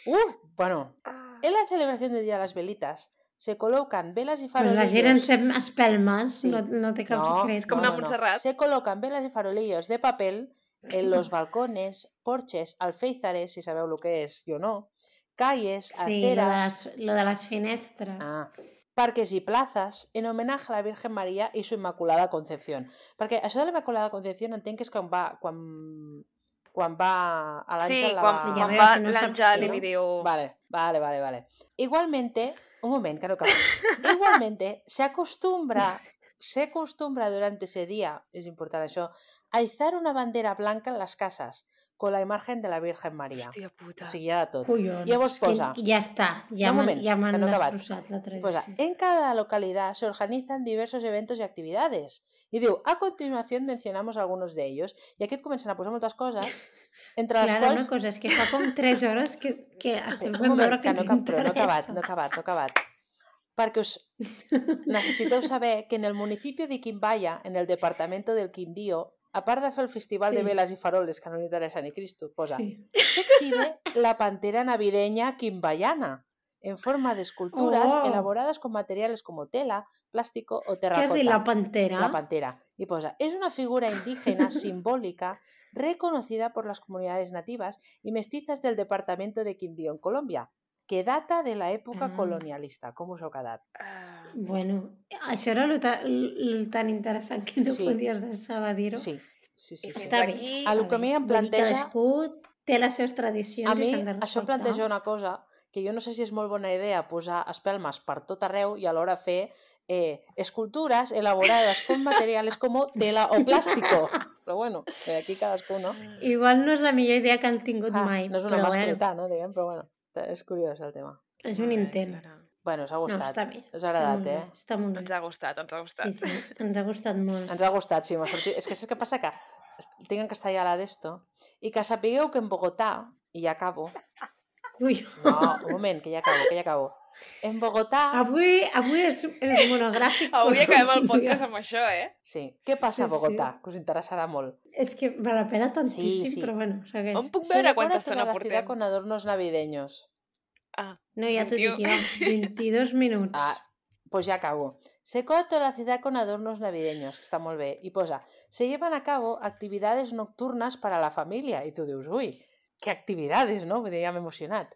Speaker 3: Uh, bueno, en la celebración del Día de las Velitas se colocan velas y
Speaker 2: Però la gent
Speaker 3: farolillos.
Speaker 2: encén espelmes,
Speaker 3: Sí.
Speaker 2: no, no té cap
Speaker 3: No,
Speaker 2: secret.
Speaker 1: És com una Montserrat.
Speaker 3: Se colocan velas y farolillos de papel en los balcones, porches, alféizares, si sabeu lo que és, jo no, calles,
Speaker 2: Sí, lo de,
Speaker 3: aceras,
Speaker 2: les, lo de les finestres.
Speaker 3: ah, parques y plazas en homenaje a la Virgen María y su Inmaculada Concepción. Perquè això de la Inmaculada Concepción entenc que és quan va, quan, quan va a l'Àngel
Speaker 1: sí,
Speaker 3: la
Speaker 1: quan,
Speaker 3: va...
Speaker 2: Ja
Speaker 1: quan
Speaker 2: veus,
Speaker 1: va
Speaker 2: si no saps
Speaker 1: l'Àngel
Speaker 2: si
Speaker 1: i
Speaker 2: no.
Speaker 1: li diu...
Speaker 3: Vale, vale, vale, vale. Igualmente, un moment, que no acabo. Igualmente, se acostumbra, se acostumbra durante ese día, es importante això, a izar una bandera blanca en las casas con la imagen de la Virgen María.
Speaker 1: Hòstia puta.
Speaker 3: O sigui, hi ha de tot.
Speaker 2: Collons.
Speaker 3: Llavors posa-
Speaker 2: Que ja està, ja
Speaker 3: No, un
Speaker 2: m'han
Speaker 3: moment,
Speaker 2: ja
Speaker 3: que
Speaker 2: m'han
Speaker 3: no he acabat.
Speaker 2: destrossat la tradició.
Speaker 3: Posa, en cada localidad se organizan diversos eventos y actividades. I diu, a continuación mencionamos algunos de ellos. I aquí et comencen a posar moltes coses, entre les
Speaker 2: Clara,
Speaker 3: quals...
Speaker 2: una cosa, és que fa com tres hores que, que estem
Speaker 3: Un
Speaker 2: fent
Speaker 3: moment,
Speaker 2: veure que
Speaker 3: que no,
Speaker 2: ens
Speaker 3: cap, però no he acabat,
Speaker 2: interessa.
Speaker 3: no he acabat, no he acabat. Perquè us necessiteu saber que en el municipio de Quimbaya, en el departamento del Quindío, a part de fer el festival
Speaker 2: Sí.
Speaker 3: de velas y faroles, que no li interessa ni Cristo, posa,
Speaker 2: Sí.
Speaker 3: se exhibe la pantera navideña quimbayana, en forma de esculturas
Speaker 2: Oh.
Speaker 3: elaboradas con materiales como tela, plástico o
Speaker 2: Què has
Speaker 3: terracota.
Speaker 2: dit, la pantera?
Speaker 3: La pantera. Y posa, es una figura indígena simbólica reconocida por las comunidades nativas y mestizas del departamento de Quindío, en Colombia, que data de la època
Speaker 2: Ah.
Speaker 3: colonialista. Com us heu quedat?
Speaker 1: Ah,
Speaker 2: Bueno, això era lo, ta, lo tan interessant que no
Speaker 3: Sí.
Speaker 2: podies deixar de dir-ho.
Speaker 3: Sí, sí, sí.
Speaker 1: I
Speaker 3: sí.
Speaker 1: fins
Speaker 2: Està bé.
Speaker 1: aquí...
Speaker 3: A lo que a mi em
Speaker 2: Vull dir que
Speaker 3: planteja...
Speaker 2: cadascú té les seves tradicions
Speaker 3: A
Speaker 2: i
Speaker 3: mi
Speaker 2: s'han de respectar.
Speaker 3: això planteja una cosa que jo no sé si és molt bona idea posar espelmes per tot arreu i alhora fer eh, escultures elaborades con materiales como tela o plástico. Però bueno, eh, aquí cadascú, no?
Speaker 2: Igual no és la millor idea que han tingut
Speaker 3: Ah,
Speaker 2: mai,
Speaker 3: no és una
Speaker 2: però
Speaker 3: mascleta,
Speaker 2: bueno,
Speaker 3: no? Diguem, però bueno, és curiós el tema.
Speaker 2: és un
Speaker 1: Molt bé,
Speaker 2: intent.
Speaker 1: Clara.
Speaker 3: Bueno, us ha
Speaker 2: No,
Speaker 3: gustat.
Speaker 2: està bé.
Speaker 3: Us ha agradat,
Speaker 2: està molt
Speaker 3: eh?
Speaker 2: Bé, està molt
Speaker 1: Ens
Speaker 2: bé.
Speaker 1: ha gustat, ens ha gustat.
Speaker 2: Sí, sí, ens ha gustat molt.
Speaker 3: Ens ha gustat, sí, m'ha sortit... És que saps què passa? Que tinc en castellà la d'esto i que sapigueu que en Bogotà, i ja acabo...
Speaker 2: Ui.
Speaker 3: No, un moment, que ja acabo, que ja acabo. En Bogotà...
Speaker 2: Avui, avui és, és monogràfic.
Speaker 1: Avui acabem el
Speaker 2: Colòmbia.
Speaker 1: podcast amb això, eh?
Speaker 3: Sí. Què passa a
Speaker 2: Sí, sí.
Speaker 3: Bogotà? Que us interessarà molt.
Speaker 2: És que val la pena tantíssim,
Speaker 3: Sí, sí.
Speaker 2: però bueno, segueix.
Speaker 1: On puc
Speaker 3: Se
Speaker 1: veure
Speaker 3: decora
Speaker 1: quanta
Speaker 3: toda
Speaker 1: estona
Speaker 3: la ciudad
Speaker 1: portem?
Speaker 3: con adornos navideños.
Speaker 1: Ah,
Speaker 2: No, ja t'ho dic
Speaker 1: vint-i-u.
Speaker 2: jo. vint-i-dos minuts.
Speaker 3: Ah, pues ya acabo. Se decora toda la ciudad con adornos navideños, que està molt bé. I posa, se llevan a cabo actividades nocturnas para la familia. I tu dius, ui, què actividades, no? Vull dir, ja m'he emocionat.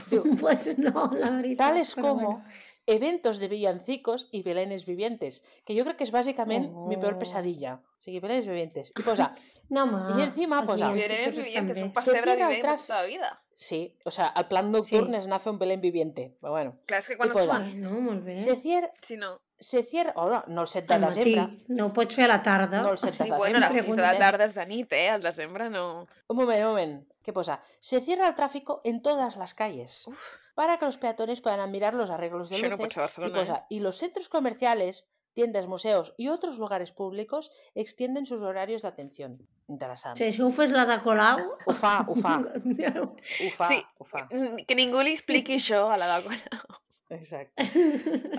Speaker 3: Diu,
Speaker 2: Pues no, la veritat.
Speaker 3: tales
Speaker 2: però
Speaker 3: como
Speaker 2: bueno.
Speaker 3: eventos de villancicos y belenes vivientes, que yo creo que es básicamente
Speaker 2: Oh.
Speaker 3: mi peor pesadilla. O sigui, belenes vivientes. I posa,
Speaker 2: No, home.
Speaker 3: I encima
Speaker 2: els
Speaker 3: posa-
Speaker 1: Villanes
Speaker 2: villancicos estan
Speaker 1: vivientes,
Speaker 2: bé.
Speaker 1: un pessebre
Speaker 3: cierra el
Speaker 1: vivent de
Speaker 3: tràfic.
Speaker 1: tota la vida.
Speaker 3: sí, o sea, el plan nocturn
Speaker 2: Sí.
Speaker 3: és anar a fer un belén viviente. Però bueno,
Speaker 1: Clar, és que quan
Speaker 3: I
Speaker 1: els
Speaker 3: posa,
Speaker 1: fan,
Speaker 2: Bueno, molt bé.
Speaker 3: se cierra,
Speaker 1: si no...
Speaker 3: se cierra, oh, no, no el set de
Speaker 2: Al matí.
Speaker 3: desembre,
Speaker 2: No ho pots fer a la tarda.
Speaker 3: no el set de
Speaker 1: Sí,
Speaker 3: desembre.
Speaker 1: bueno, a les sis de la
Speaker 3: preguntem.
Speaker 1: tarda és de nit, eh? Al desembre no...
Speaker 3: Un moment, un moment. ¿Qué posa? Se cierra el tráfico en todas las calles para que los peatones puedan admirar los arreglos de
Speaker 1: Això no pot
Speaker 3: luces.
Speaker 1: ser a Barcelona,
Speaker 3: y posa, y los centros comerciales, tiendas, museos y otros lugares públicos extienden sus horarios de atención. Interessant.
Speaker 2: Si això ho fes la de Colau...
Speaker 3: Ho fa, ho fa, ho fa,
Speaker 1: Sí.
Speaker 3: ho fa.
Speaker 1: Mm, Que ningú li expliqui això a la Dagona.
Speaker 3: Exacte.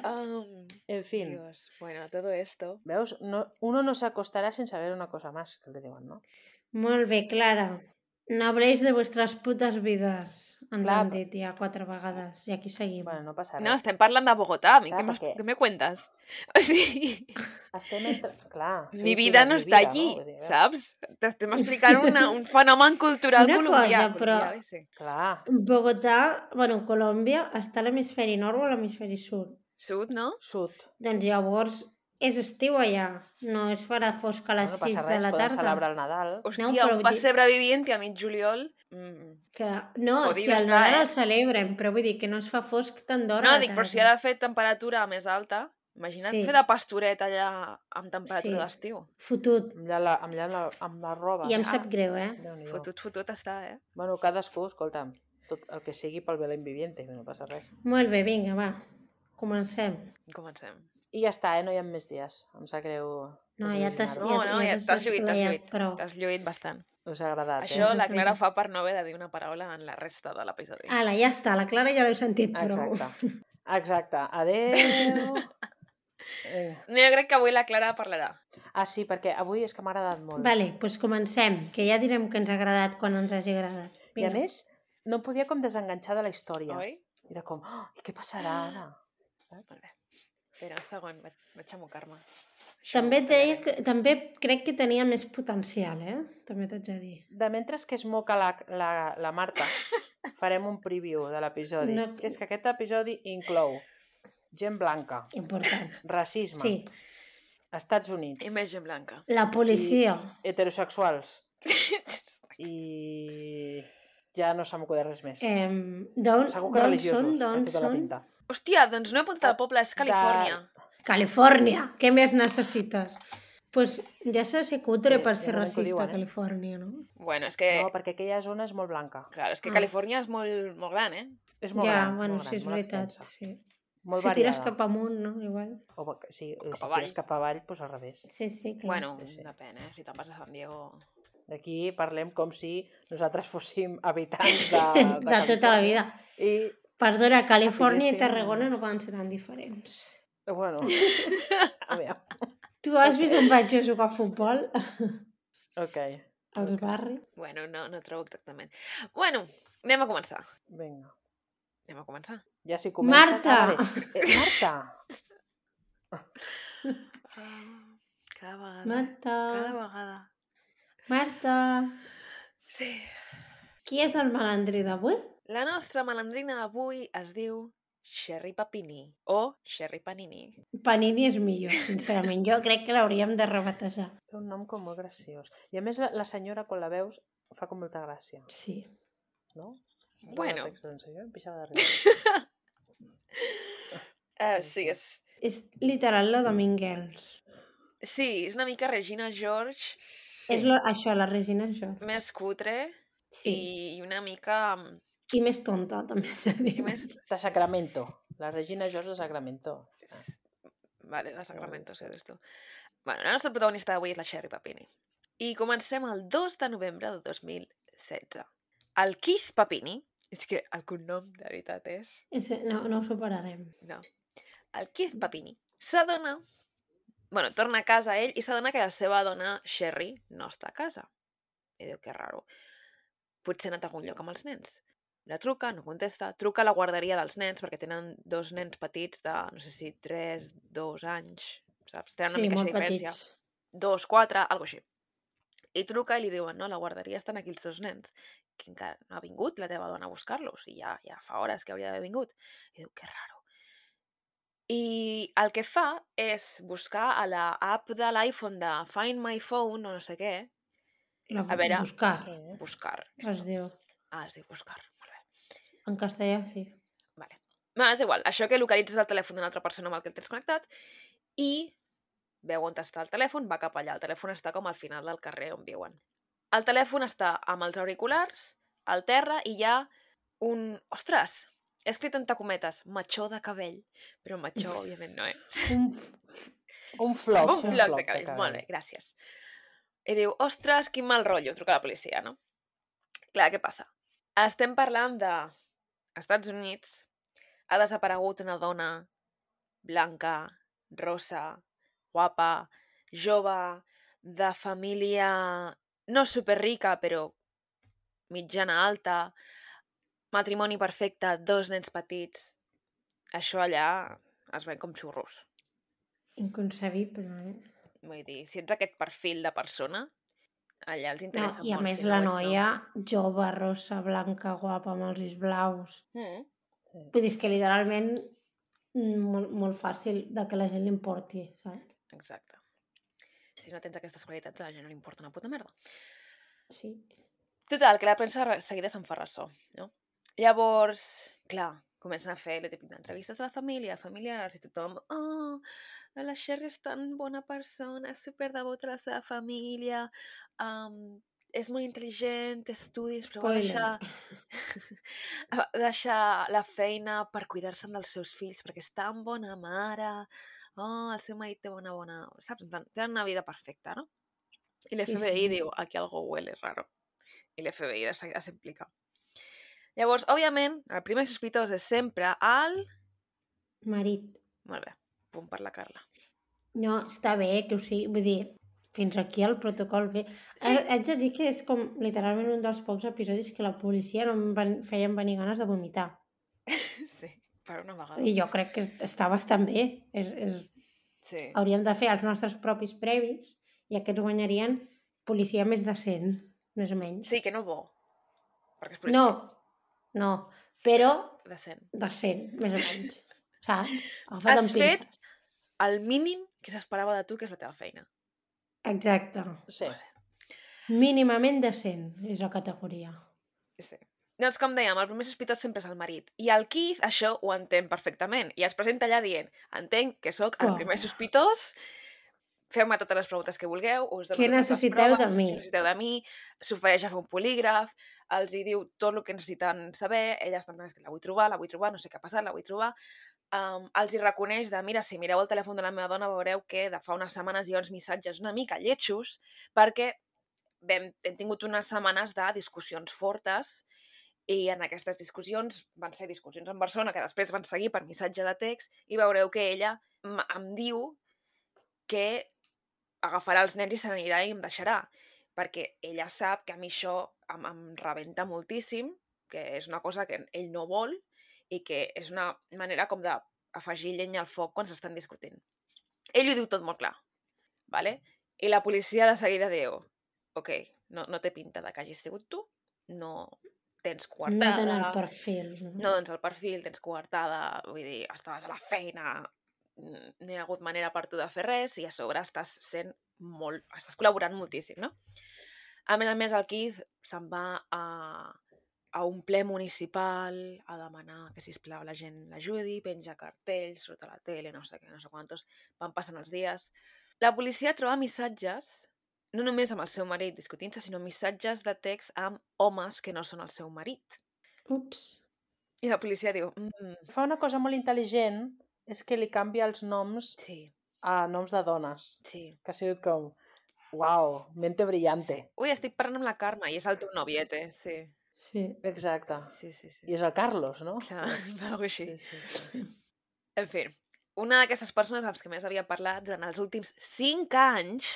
Speaker 1: Um,
Speaker 3: En fin,
Speaker 1: Dios, bueno, todo esto...
Speaker 3: veus? No, uno no se acostará sin saber una cosa más, que le diuen, no?
Speaker 2: Molt bé, Clara. No habléis de vuestras putas vides. Ens
Speaker 3: Clar,
Speaker 2: han dit ja quatre vegades. I aquí seguim.
Speaker 3: Bueno, no passa res.
Speaker 1: No, estem parlant de Bogotà, a mi,
Speaker 3: Clar,
Speaker 1: què, m'has-
Speaker 3: perquè-
Speaker 1: què me cuentes? O sigui,
Speaker 3: Estem entre... Clar, sí,
Speaker 1: mi
Speaker 3: sí,
Speaker 1: vida
Speaker 3: és
Speaker 1: no
Speaker 3: mi
Speaker 1: està
Speaker 3: vida,
Speaker 1: allí,
Speaker 3: no? Vull dir, veus?
Speaker 1: saps? T'estem explicant una, un fenomen cultural
Speaker 2: Una
Speaker 1: colombià.
Speaker 2: cosa, però-
Speaker 1: colombià, sí.
Speaker 3: Clar,
Speaker 2: Bogotà, bueno, Colòmbia, està a l'hemisferi nord o a l'hemisferi sud.
Speaker 1: Sud, no?
Speaker 3: sud.
Speaker 2: Doncs llavors és estiu allà. No es farà fosc a les
Speaker 3: no
Speaker 2: sis
Speaker 3: passa
Speaker 2: de
Speaker 3: res,
Speaker 2: la
Speaker 3: poden
Speaker 2: tarda.
Speaker 3: celebrar el Nadal.
Speaker 1: Hòstia,
Speaker 2: però
Speaker 1: un
Speaker 2: vull dir-
Speaker 1: pessebre vivint i a mig juliol... Mm.
Speaker 2: Que, no,
Speaker 1: Jodido
Speaker 2: si el
Speaker 1: està,
Speaker 2: Nadal
Speaker 1: eh?
Speaker 2: el celebren, però vull dir que no es fa fosc tant d'hora
Speaker 1: No,
Speaker 2: a la
Speaker 1: dic, però si
Speaker 2: tarda.
Speaker 1: ha de fer temperatura més alta, imagina't
Speaker 2: Sí.
Speaker 1: fer de pastoret allà amb temperatura
Speaker 2: Sí.
Speaker 1: d'estiu.
Speaker 2: Fotut.
Speaker 3: Amb la, amb la, amb la roba.
Speaker 2: I em
Speaker 3: Ah,
Speaker 2: sap greu, eh?
Speaker 3: Déu-n'hi-do.
Speaker 1: Fotut, fotut està, eh?
Speaker 3: Bueno, cadascú, escolta'm, tot el que sigui pel Belén Viviente, que no passa res.
Speaker 2: Molt bé, vinga, va. Comencem.
Speaker 1: Comencem.
Speaker 3: I ja està, eh? No hi ha més dies. Em sap greu
Speaker 2: No, ja t'has-
Speaker 3: desil·lusionar-vos.
Speaker 1: No, no, ja
Speaker 2: t'has
Speaker 1: t'has lluït, t'has
Speaker 2: desplayat
Speaker 1: lluït.
Speaker 2: prou.
Speaker 1: T'has lluït bastant.
Speaker 3: Us ha agradat,
Speaker 1: Això
Speaker 3: eh?
Speaker 1: la Clara fa per no haver de dir una paraula en la resta de l'episodi.
Speaker 2: Ala, ja està, la Clara ja l'heu sentit prou.
Speaker 3: Exacte. Exacte. Adéu. Vinga.
Speaker 1: No, jo crec que avui la Clara parlarà.
Speaker 3: Ah, sí, perquè avui és que m'ha agradat molt.
Speaker 2: Vale, doncs comencem, que ja direm que ens ha agradat quan ens hagi agradat.
Speaker 3: I a més, no em podia com desenganxar de la història.
Speaker 1: Oi?
Speaker 3: Era com, oh, i què passarà ara?
Speaker 1: Molt bé. Espera un segon, vaig, vaig a mocar-me. Això
Speaker 2: També,
Speaker 1: ho
Speaker 2: deia
Speaker 1: tallaré.
Speaker 2: que, també crec que tenia més potencial, eh? També t'haig de dir.
Speaker 3: De mentre que es moca la, la, la Marta, farem un preview de l'episodi.
Speaker 2: No-
Speaker 3: Que és que aquest episodi inclou gent blanca,
Speaker 2: Important.
Speaker 3: racisme,
Speaker 2: Sí,
Speaker 3: Estats Units,
Speaker 1: I més gent blanca.
Speaker 2: la policia.
Speaker 3: heterosexuals i ja no se m'acuda res més.
Speaker 2: Eh, D'on
Speaker 3: Segur que
Speaker 2: d'on
Speaker 3: religiosos,
Speaker 2: són?
Speaker 3: té
Speaker 2: D'on
Speaker 3: tota la
Speaker 2: són?
Speaker 3: pinta.
Speaker 1: Hòstia, doncs no he apuntat el poble, és Califòrnia.
Speaker 2: Califòrnia. Què més necessites? Pues ja s'ha de ser cutre
Speaker 3: Sí,
Speaker 2: per
Speaker 3: ja
Speaker 2: ser
Speaker 3: veurem què ho
Speaker 2: racista
Speaker 3: diuen,
Speaker 2: a
Speaker 3: eh?
Speaker 2: Califòrnia, no?
Speaker 1: Bueno, és que...
Speaker 3: No, perquè aquella zona és molt blanca.
Speaker 1: Clar, és que
Speaker 2: Ah.
Speaker 1: Califòrnia és molt, molt gran, eh?
Speaker 3: És molt
Speaker 2: ja,
Speaker 3: gran,
Speaker 2: bueno,
Speaker 3: molt gran,
Speaker 2: sí, és
Speaker 3: molt
Speaker 2: veritat.
Speaker 3: extensa.
Speaker 2: Sí.
Speaker 3: Molt
Speaker 2: si tires
Speaker 3: variada.
Speaker 2: cap amunt, no? Igual.
Speaker 3: O, va- sí,
Speaker 1: cap
Speaker 3: si
Speaker 1: avall.
Speaker 3: tires cap avall, doncs al revés.
Speaker 2: Sí, sí, clar.
Speaker 1: Bueno,
Speaker 3: Sí, sí.
Speaker 1: depèn, eh? Si te'n vas a San Diego...
Speaker 3: Aquí parlem com si nosaltres fóssim habitants de, de,
Speaker 2: de tota la vida.
Speaker 3: I,
Speaker 2: Perdona, Califòrnia i
Speaker 3: Sapiguéssim-
Speaker 2: Tarragona no poden ser tan diferents.
Speaker 3: bueno, a veure,
Speaker 2: Tu has vist on vaig jo a jugar a futbol?
Speaker 3: ok,
Speaker 2: Als barris?
Speaker 1: Bueno, no, no trobo exactament. Bueno, anem a començar.
Speaker 3: vinga.
Speaker 1: Anem a començar.
Speaker 3: Ja s'hi comença.
Speaker 2: Marta!
Speaker 3: Ah, vale. eh, Marta!
Speaker 1: Ah, cada vegada.
Speaker 2: Marta,
Speaker 1: Cada vegada.
Speaker 2: Marta,
Speaker 1: Sí.
Speaker 2: qui és el malandrí d'avui?
Speaker 1: La nostra malandrina d'avui es diu Sherry Papini o Sherry Panini.
Speaker 2: Panini és millor, sincerament. Jo crec que l'hauríem de rebatejar.
Speaker 3: Té un nom com molt graciós. I a més la, la senyora, quan la veus, fa com molta gràcia,
Speaker 2: Sí.
Speaker 3: no?
Speaker 1: Bueno.
Speaker 3: El text, doncs, jo em pixava de riure.
Speaker 1: Uh, sí, és...
Speaker 2: És literal la de Mingels.
Speaker 1: Sí, és una mica Regina George,
Speaker 3: Sí.
Speaker 2: És lo, això, la Regina això.
Speaker 1: més cutre
Speaker 2: Sí.
Speaker 1: i una mica...
Speaker 2: I més tonta, també s'ha de dir.
Speaker 1: I més...
Speaker 3: De Sacramento, La Regina George de Sacramento. Ah.
Speaker 1: Vale, de Sacramento, sí, eres tu. Bueno, la nostra protagonista d'avui és la Sherry Papini. I comencem el dos de novembre del dos mil setze. El Keith Papini, és que el cognom de veritat és...
Speaker 2: No, no ho superarem.
Speaker 1: No. El Keith Papini s'adona... Bueno, torna a casa ell i s'adona que la seva dona, Sherry, no està a casa. I diu, que raro. Potser ha anat a algun lloc amb els nens. La truca, no contesta, truca a la guarderia dels nens, perquè tenen dos nens petits de, no sé si, tres, dos anys, saps? Tenen una
Speaker 2: Sí,
Speaker 1: mica
Speaker 2: molt
Speaker 1: de diferència.
Speaker 2: petits.
Speaker 1: Dos, quatre, algo així. I truca i li diuen, no, a la guarderia estan aquí els dos nens, que encara no ha vingut la teva dona a buscar-los, i ja, ja fa hores que hauria d'haver vingut. I diu, que raro. I el que fa és buscar a la app de l'iPhone de Find My Phone, o no sé què,
Speaker 2: La,
Speaker 1: a veure,
Speaker 2: buscar,
Speaker 3: Sí.
Speaker 1: buscar.
Speaker 2: es
Speaker 1: Esto.
Speaker 2: diu.
Speaker 1: Ah, es diu buscar, molt bé.
Speaker 2: En castellà, sí.
Speaker 1: Vale. No, és igual, això que localitzes el telèfon d'una altra persona amb el que el tens connectat i veu on està el telèfon, va cap allà. El telèfon està com al final del carrer on viuen. El telèfon està amb els auriculars, al terra, i hi ha un... Ostres! He escrit entre cometes, matxó de cabell, però matxó, òbviament, no és.
Speaker 2: Un,
Speaker 3: Un floc.
Speaker 1: Un floc de cabell, molt bé, gràcies. I diu, ostres, quin mal rotllo, truca a la policia, no? Clar, què passa? Estem parlant de... Estats Units, ha desaparegut una dona blanca, rosa, guapa, jove, de família no superrica, però mitjana alta, matrimoni perfecte, dos nens petits. Això allà es ven com xurros.
Speaker 2: inconcebible, eh?
Speaker 1: Vull dir, si ets aquest perfil de persona, allà els
Speaker 2: No,
Speaker 1: interessa
Speaker 2: i a
Speaker 1: molt.
Speaker 2: més
Speaker 1: si
Speaker 2: la
Speaker 1: no ho ets,
Speaker 2: noia jove, rossa, blanca, guapa, amb els ulls blaus.
Speaker 1: No. Mm.
Speaker 2: Vull dir, és que literalment mm, molt, molt fàcil de que la gent l'importi, saps?
Speaker 1: Exacte. Si no tens aquestes qualitats, a la gent no li importa una puta merda.
Speaker 2: Sí.
Speaker 1: Total, que la premsa de seguida se'n fa ressò, no? Llavors, clar, comencen a fer el típic d'entrevistes a la família, familiars, i tothom, oh, la Sherry és tan bona persona, és superdevota a la seva família, um, és molt intel·ligent, té estudis, però va
Speaker 2: Spoiler.
Speaker 1: deixar, va deixar la feina per cuidar-se'n dels seus fills, perquè és tan bona mare, oh, el seu marit té bona, bona... Saps? En plan, tenen una vida perfecta, no? I l'F B I
Speaker 2: Sí, sí.
Speaker 1: diu, aquí algo huele raro. I l'F B I de seguida s'implica. Llavors, òbviament, el primer sospitós és sempre el...
Speaker 2: Marit.
Speaker 1: Molt bé, punt per la Carla.
Speaker 2: No, està bé que ho sigui, vull dir, fins aquí el protocol bé.
Speaker 1: Sí.
Speaker 2: Sí. Haig de dir que és com literalment un dels pocs episodis que la policia no em van, feien venir ganes de vomitar.
Speaker 1: Sí, per una vegada.
Speaker 2: I jo crec que està bastant bé. És, és...
Speaker 1: Sí.
Speaker 2: Hauríem de fer els nostres propis previs i aquests guanyarien policia més decent, més o menys.
Speaker 1: Sí, que no bo. Perquè és policia.
Speaker 2: No, no, però
Speaker 1: Decent.
Speaker 2: decent, més o menys. Saps? Agafat
Speaker 1: Has
Speaker 2: amb
Speaker 1: fet
Speaker 2: pinces.
Speaker 1: el mínim que s'esperava de tu, que és la teva feina.
Speaker 2: Exacte.
Speaker 3: Sí.
Speaker 2: Mínimament decent és la categoria.
Speaker 1: Sí. Doncs, com dèiem, el primer sospitós sempre és el marit. I el Keith això ho entén perfectament. I es presenta allà dient, entenc que sóc el
Speaker 2: Uau.
Speaker 1: primer sospitós, feu-me totes les preguntes que vulgueu, us dono
Speaker 2: Què
Speaker 1: totes les
Speaker 2: necessiteu de
Speaker 1: proves,
Speaker 2: mi?
Speaker 1: què necessiteu de mi, s'ofereix a fer un polígraf, els hi diu tot el que necessiten saber, ella està en plan, "És que la vull trobar, la vull trobar, no sé què ha passat, la vull trobar. Um, els hi reconeix de, mira, si mireu el telèfon de la meva dona veureu que de fa unes setmanes hi ha uns missatges una mica lletjos, perquè vam, hem tingut unes setmanes de discussions fortes i en aquestes discussions van ser discussions en persona que després van seguir per missatge de text i veureu que ella m- em diu que agafarà els nens i se n'anirà i em deixarà, perquè ella sap que a mi això em, em rebenta moltíssim, que és una cosa que ell no vol i que és una manera com d'afegir llenya al foc quan s'estan discutint. Ell ho diu tot molt clar, ¿vale? I la policia de seguida diu, ok, no, no té pinta de que hagis sigut tu, no tens
Speaker 2: No
Speaker 1: coartada,
Speaker 2: tenen el perfil. No?
Speaker 1: no tens el perfil, tens coartada, vull dir, estaves a la feina, mm, no hi ha hagut manera per tu de fer res i a sobre estàs sent molt, estàs col·laborant moltíssim, no? A més a més, el Keith se'n va a, a un ple municipal a demanar que, sisplau, la gent l'ajudi, penja cartells, surt a la tele, no sé què, no sé quantos, van passant els dies. La policia troba missatges, no només amb el seu marit discutint-se, sinó missatges de text amb homes que no són el seu marit.
Speaker 2: Ups.
Speaker 1: I la policia diu... Mm,
Speaker 3: Fa una cosa molt intel·ligent, és que li canvia els noms
Speaker 1: sí,
Speaker 3: a noms de dones.
Speaker 1: sí.
Speaker 3: Que ha sigut com, uau, mente brillante.
Speaker 1: sí. Ui, estic parlant amb la Carme i és el teu noviete, sí.
Speaker 2: Sí.
Speaker 3: Exacte.
Speaker 1: Sí, sí, sí.
Speaker 3: I és el Carlos, no?
Speaker 1: Clar, algo així.
Speaker 3: Sí, sí, sí.
Speaker 1: En fi, una d'aquestes persones amb les que més havia parlat durant els últims cinc anys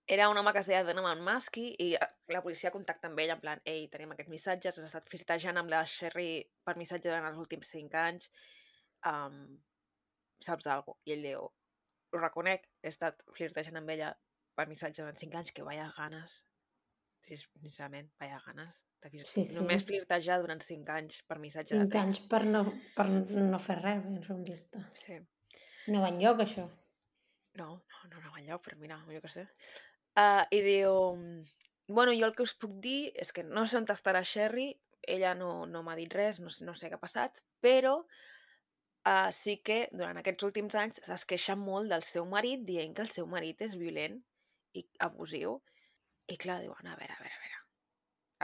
Speaker 1: era un home que es deia Donovan Muskie i eh, la policia contacta amb ell en plan, ei, tenim aquests missatges, has estat flirtejant amb la Sherry per missatge durant els últims cinc anys, um, saps alguna cosa? I ell diu, ho reconec, he estat flirtejant amb ella per missatge durant cinc anys, que vaya ganes, sí, sincerament, vaya ganes. De flir...
Speaker 2: Sí, sí.
Speaker 1: Només flirtejar durant cinc anys per missatge de
Speaker 2: Cinc
Speaker 1: text.
Speaker 2: anys per no, per no fer res, ben som dir-te.
Speaker 1: Sí.
Speaker 2: No va enlloc, això.
Speaker 1: No, no, no, no va enlloc, però mira, jo què sé. Uh, I diu, bueno, jo el que us puc dir és que no sé on està la Sherry, ella no, no m'ha dit res, no, sé- no sé què ha passat, però uh, sí que durant aquests últims anys es queixa molt del seu marit, dient que el seu marit és violent i abusiu. I clar, diuen, a veure, a veure, a veure.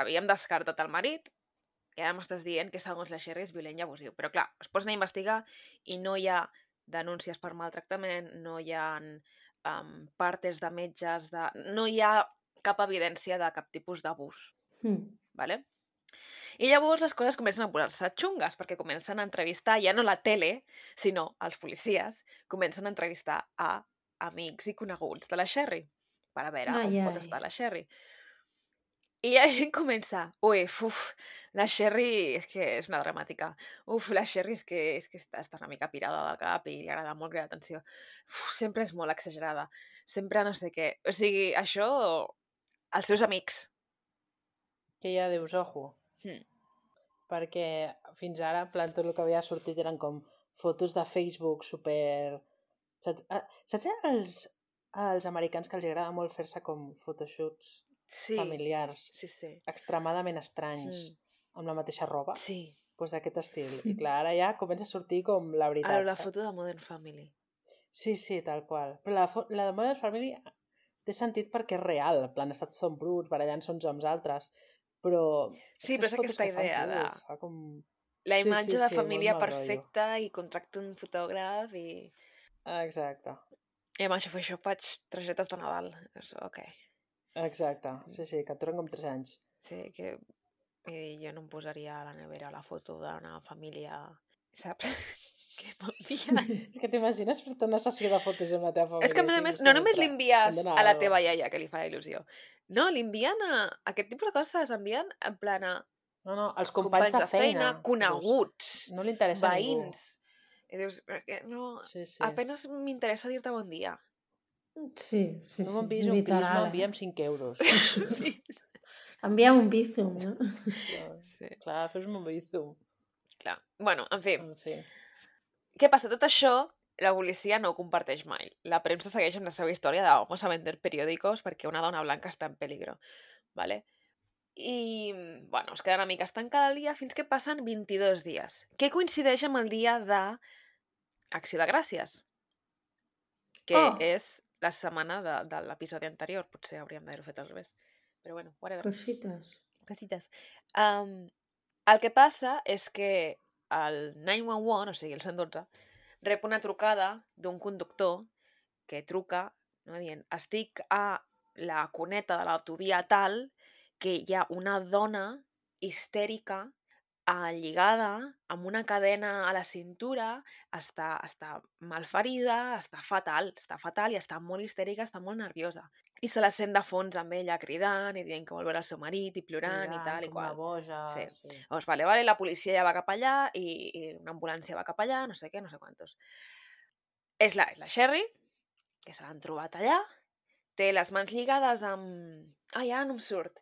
Speaker 1: Havíem descartat el marit i ara m'estàs dient que segons la Sherry és violent i abusiu. Però clar, es posen a investigar i no hi ha denúncies per maltractament, no hi ha um, partes de metges, de... no hi ha cap evidència de cap tipus d'abús.
Speaker 2: Mm.
Speaker 1: ¿Vale? I llavors les coses comencen a posar-se xungues, perquè comencen a entrevistar, ja no la tele, sinó els policies, comencen a entrevistar a amics i coneguts de la Sherry, per a veure
Speaker 2: Ai,
Speaker 1: on pot
Speaker 2: ai.
Speaker 1: estar la Sherry. I la gent comença, ui, uf, la Sherry és que és una dramàtica. Uf, la Sherry és que, és que està, està una mica pirada del cap i li agrada molt cridar atenció. Uf, sempre és molt exagerada. Sempre no sé què. O sigui, això, els seus amics.
Speaker 3: Que ja dius, ojo.
Speaker 1: Hmm.
Speaker 3: Perquè fins ara, en plan, tot el que havia sortit eren com fotos de Facebook super... Saps, ah, saps els, els americans que els agrada molt fer-se com photoshoots
Speaker 1: Sí,
Speaker 3: familiars
Speaker 1: sí, sí.
Speaker 3: extremadament estranys
Speaker 1: Mm.
Speaker 3: amb la mateixa roba?
Speaker 1: Sí.
Speaker 3: Pues d'aquest estil. I clar, ara ja comença a sortir com la veritat.
Speaker 1: Ara la
Speaker 3: saps?
Speaker 1: foto de Modern Family.
Speaker 3: Sí, sí, tal qual. Però la, fo- la de Modern Family té sentit perquè és real. En plan, estats són bruts, barallant-se uns amb els altres. Però...
Speaker 1: Sí, però és
Speaker 3: aquestes fotos
Speaker 1: aquesta
Speaker 3: que fan,
Speaker 1: idea
Speaker 3: tio,
Speaker 1: de...
Speaker 3: Fa com...
Speaker 1: La
Speaker 3: Sí,
Speaker 1: imatge
Speaker 3: sí,
Speaker 1: de
Speaker 3: sí,
Speaker 1: família
Speaker 3: molt mal rotllo.
Speaker 1: perfecta i contracta un fotògraf i...
Speaker 3: Ah, exacte.
Speaker 1: I amb això, això faig targetes de Nadal. És, ok.
Speaker 3: Exacte. Sí, sí, que et duren com tres anys.
Speaker 1: Sí, que i jo no em posaria a la nevera la foto d'una família, saps? que m'envien.
Speaker 3: És que t'imagines fer-te una sessió de fotos amb la teva família.
Speaker 1: És que a més a
Speaker 3: així,
Speaker 1: més,
Speaker 3: és
Speaker 1: no
Speaker 3: com,
Speaker 1: només
Speaker 3: "Ostres,
Speaker 1: l'envies
Speaker 3: em dóna
Speaker 1: a la
Speaker 3: algo".
Speaker 1: teva iaia, que li fa il·lusió. No, l'envien a... Aquest tipus de coses s'envien en plan a
Speaker 3: No, no, els companys, de feina. que dius,
Speaker 1: coneguts,
Speaker 3: no li interessa a ningú.
Speaker 1: veïns. I dius, "Eh, no,
Speaker 3: Sí, sí.
Speaker 1: apenas m'interessa dir-te bon dia.
Speaker 2: Sí, sí,
Speaker 3: No
Speaker 2: sí.
Speaker 3: m'han vist un
Speaker 2: literal,
Speaker 3: crisma,
Speaker 2: eh?
Speaker 3: enviem cinc euros.
Speaker 1: sí.
Speaker 2: Enviem un bizum, no?
Speaker 1: sí.
Speaker 3: Clar, fes-me un bizum.
Speaker 1: Clar. Bueno, en fi.
Speaker 3: En fi.
Speaker 1: Què passa? Tot això la policia no ho comparteix mai. La premsa segueix amb la seva història de vamos a vender periòdicos perquè una dona blanca està en peligro. ¿Vale? I, bueno, es queda una mica estancada el dia fins que passen vint-i-dos dies, que coincideix amb el dia de Acció de Gràcies, que
Speaker 2: Oh.
Speaker 1: és la setmana de, de l'episodi anterior. Potser hauríem d'haver-ho fet al revés. Però bueno, whatever.
Speaker 2: Cosites.
Speaker 1: Cosites. Um, el que passa és que el nou un un, o sigui, el cent i dotze, rep una trucada d'un conductor que truca, no, dient, estic a la cuneta de l'autovia tal que hi ha una dona histèrica eh, lligada amb una cadena a la cintura, està, està malferida, està fatal, està fatal i està molt histèrica, està molt nerviosa. I se la sent de fons amb ella cridant i dient que vol veure el seu marit i plorant i tal i
Speaker 3: com
Speaker 1: qual.
Speaker 3: una boja.
Speaker 1: Sí.
Speaker 3: Sí.
Speaker 1: Doncs vale, vale, la policia ja va cap allà i, i una ambulància va cap allà, no sé què, no sé quantos. És la, és la Sherry, que se l'han trobat allà, té les mans lligades amb... Ai, ara no em surt.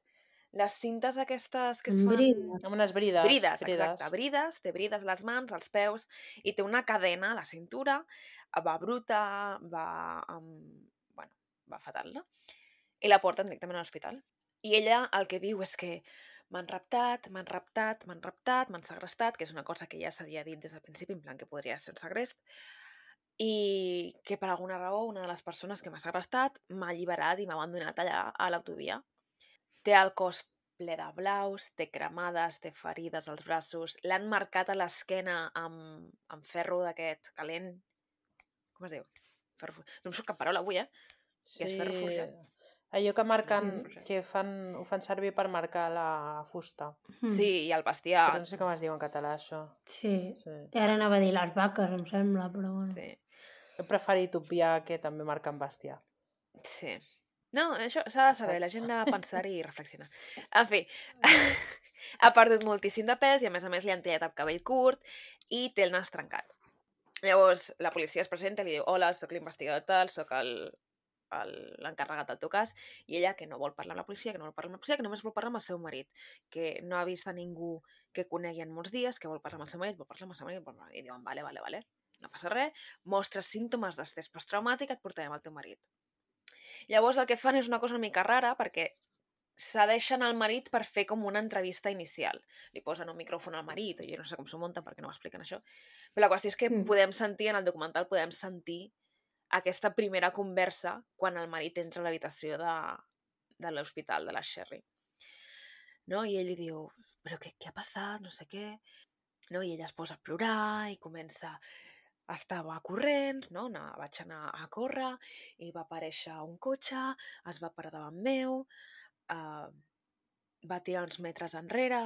Speaker 1: Les cintes aquestes que es
Speaker 2: Amb
Speaker 1: fan...
Speaker 2: brides.
Speaker 3: Amb unes brides.
Speaker 1: Brides, exacte, brides, té brides a les mans, als peus, i té una cadena a la cintura, va bruta, va... Amb... Bueno, va fatal, no? I la porten directament a l'hospital. I ella el que diu és que m'han raptat, m'han raptat, m'han raptat, m'han segrestat, que és una cosa que ja s'havia dit des del principi, en plan que podria ser un segrest, i que per alguna raó una de les persones que m'ha segrestat m'ha alliberat i m'ha abandonat allà a l'autovia. Té el cos ple de blaus, té cremades, té ferides als braços, l'han marcat a l'esquena amb, amb ferro d'aquest calent. Com es diu? Ferro... No em surt cap paraula avui, eh?
Speaker 3: Sí,
Speaker 1: és ferro forjat.
Speaker 3: allò que marquen,
Speaker 1: Sí.
Speaker 3: que fan, ho fan servir per marcar la fusta.
Speaker 2: Mm.
Speaker 1: Sí, i el bestiar.
Speaker 3: Però no sé com es diu en català, això.
Speaker 2: Sí.
Speaker 3: Sí.
Speaker 2: I ara anava a dir les vaques, em sembla, però bueno.
Speaker 1: Sí.
Speaker 3: He preferit obviar que també marquen bestiar.
Speaker 1: Sí. No, això s'ha de saber,
Speaker 3: Saps?
Speaker 1: la gent ha de pensar i reflexionar. En fi, ha perdut moltíssim de pes i a més a més li han tallat el cabell curt i té el nas trencat. Llavors la policia es presenta i li diu: hola, sóc l'investigador tal, sóc el l'encarregat del teu cas, i ella que no vol parlar amb la policia, que no vol parlar amb la policia, que només vol parlar amb el seu marit, que no ha vist a ningú que conegui en molts dies, que vol parlar amb el seu marit, vol parlar amb el seu marit, vol parlar... i diuen, vale, vale, vale, no passa res, mostres símptomes d'estrès postraumátic, et portarem al teu marit. Llavors el que fan és una cosa una mica rara, perquè cedeixen al marit per fer com una entrevista inicial. Li posen un micròfon al marit, jo no sé com s'ho munten perquè no m'expliquen això, però la qüestió és que
Speaker 2: Mm.
Speaker 1: podem sentir, en el documental podem sentir aquesta primera conversa quan el marit entra a l'habitació de, de l'hospital de la Sherry. No? I ell li diu, però què, què ha passat? No sé què. No? I ella es posa a plorar i comença... Estava corrents, no? No, vaig anar a córrer i va aparèixer un cotxe, es va parar davant meu, uh, va tirar uns metres enrere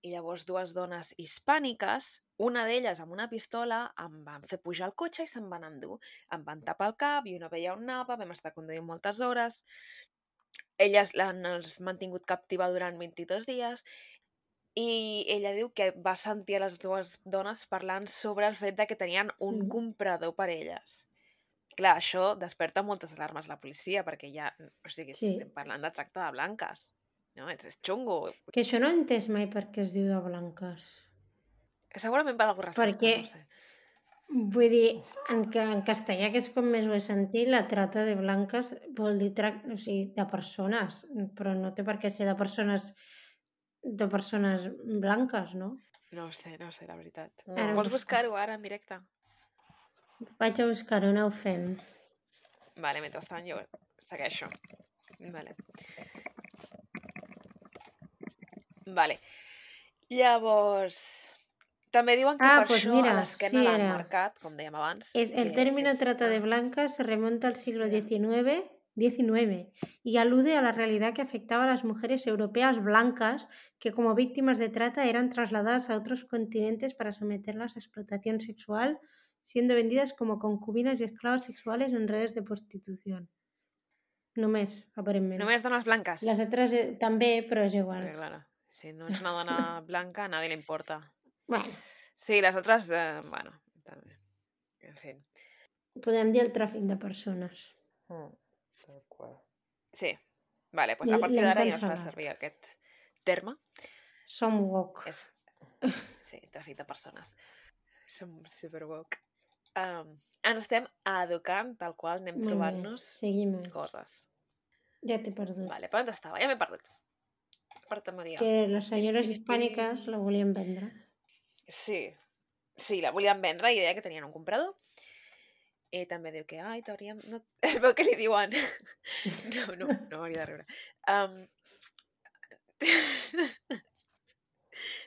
Speaker 1: i llavors dues dones hispàniques, una d'elles amb una pistola, em van fer pujar al cotxe i se'n van endur. Em van tapar el cap, jo no veia on anava, vam estar conduint moltes hores. Elles l'han mantingut captiva durant vint-i-dos dies i ella diu que va sentir a les dues dones parlant sobre el fet de que tenien un
Speaker 2: Mm.
Speaker 1: comprador per elles. Clar, això desperta moltes alarmes a la policia, perquè ja, o sigui,
Speaker 2: Sí.
Speaker 1: estem parlant de tracte de blanques. No? És, és xungo.
Speaker 2: Que això no he entès mai per què es diu de blanques.
Speaker 1: Segurament per algú racista,
Speaker 2: Perquè,
Speaker 1: no sé.
Speaker 2: vull dir, en, que, en castellà, que és com més ho he sentit, la trata de blanques vol dir trac, o sigui, de persones, però no té per què ser de persones de persones blanques, no?
Speaker 1: No ho sé, no ho sé, la veritat.
Speaker 3: No.
Speaker 2: Ara
Speaker 1: Vols
Speaker 2: busco.
Speaker 1: buscar-ho ara en directe?
Speaker 2: Vaig a buscar-ho, aneu fent.
Speaker 1: Vale, mentrestant jo segueixo. Vale. Vale. Llavors, també diuen que
Speaker 2: Ah,
Speaker 1: per
Speaker 2: pues
Speaker 1: això
Speaker 2: mira,
Speaker 1: a l'esquena
Speaker 2: sí
Speaker 1: l'han
Speaker 2: era.
Speaker 1: marcat, com dèiem abans.
Speaker 2: Es, el
Speaker 1: que
Speaker 2: término
Speaker 1: és...
Speaker 2: trata de
Speaker 1: Ah,
Speaker 2: blancas se remonta al siglo
Speaker 1: sí.
Speaker 2: diecinueve, diecinueve y alude a la realidad que afectaba a las mujeres europeas blancas que como víctimas de trata eran trasladadas a otros continentes para someterlas a explotación sexual, siendo vendidas como concubinas y esclavas sexuales en redes de prostitución. Només, aparentment.
Speaker 1: Només dones blanques.
Speaker 2: Les altres eh, també, però és igual.
Speaker 1: Perquè, claro, si no ets una dona blanca, a nadie le importa.
Speaker 2: Bueno,
Speaker 1: Sí, les altres, eh, bueno, també. En fi.
Speaker 2: podem dir el tràfic de persones.
Speaker 3: Mm, tal qual.
Speaker 1: Sí. Vale, doncs
Speaker 2: I
Speaker 1: a partir
Speaker 2: l'hem
Speaker 1: d'ara ja no es fa
Speaker 2: cancel·lat.
Speaker 1: servir aquest terme.
Speaker 2: Som woke.
Speaker 1: És, sí, tràfic de persones. Som super woke. Um, ens estem educant tal qual anem
Speaker 2: Molt bé,
Speaker 1: trobant-nos
Speaker 2: seguim.
Speaker 1: coses.
Speaker 2: Ja t'he perdut.
Speaker 1: Vale, per on estava? Ja m'he perdut. Per tant, m'ho digue.
Speaker 2: Que les senyores
Speaker 1: Pim, pim,
Speaker 2: hispàniques
Speaker 1: pim.
Speaker 2: la volien vendre.
Speaker 1: Sí, sí, la volien vendre i deia que tenien un comprador. I també diu que, ai, t'hauríem... No... Es veu que li diuen... No, no, no m'hauria de riure. Um...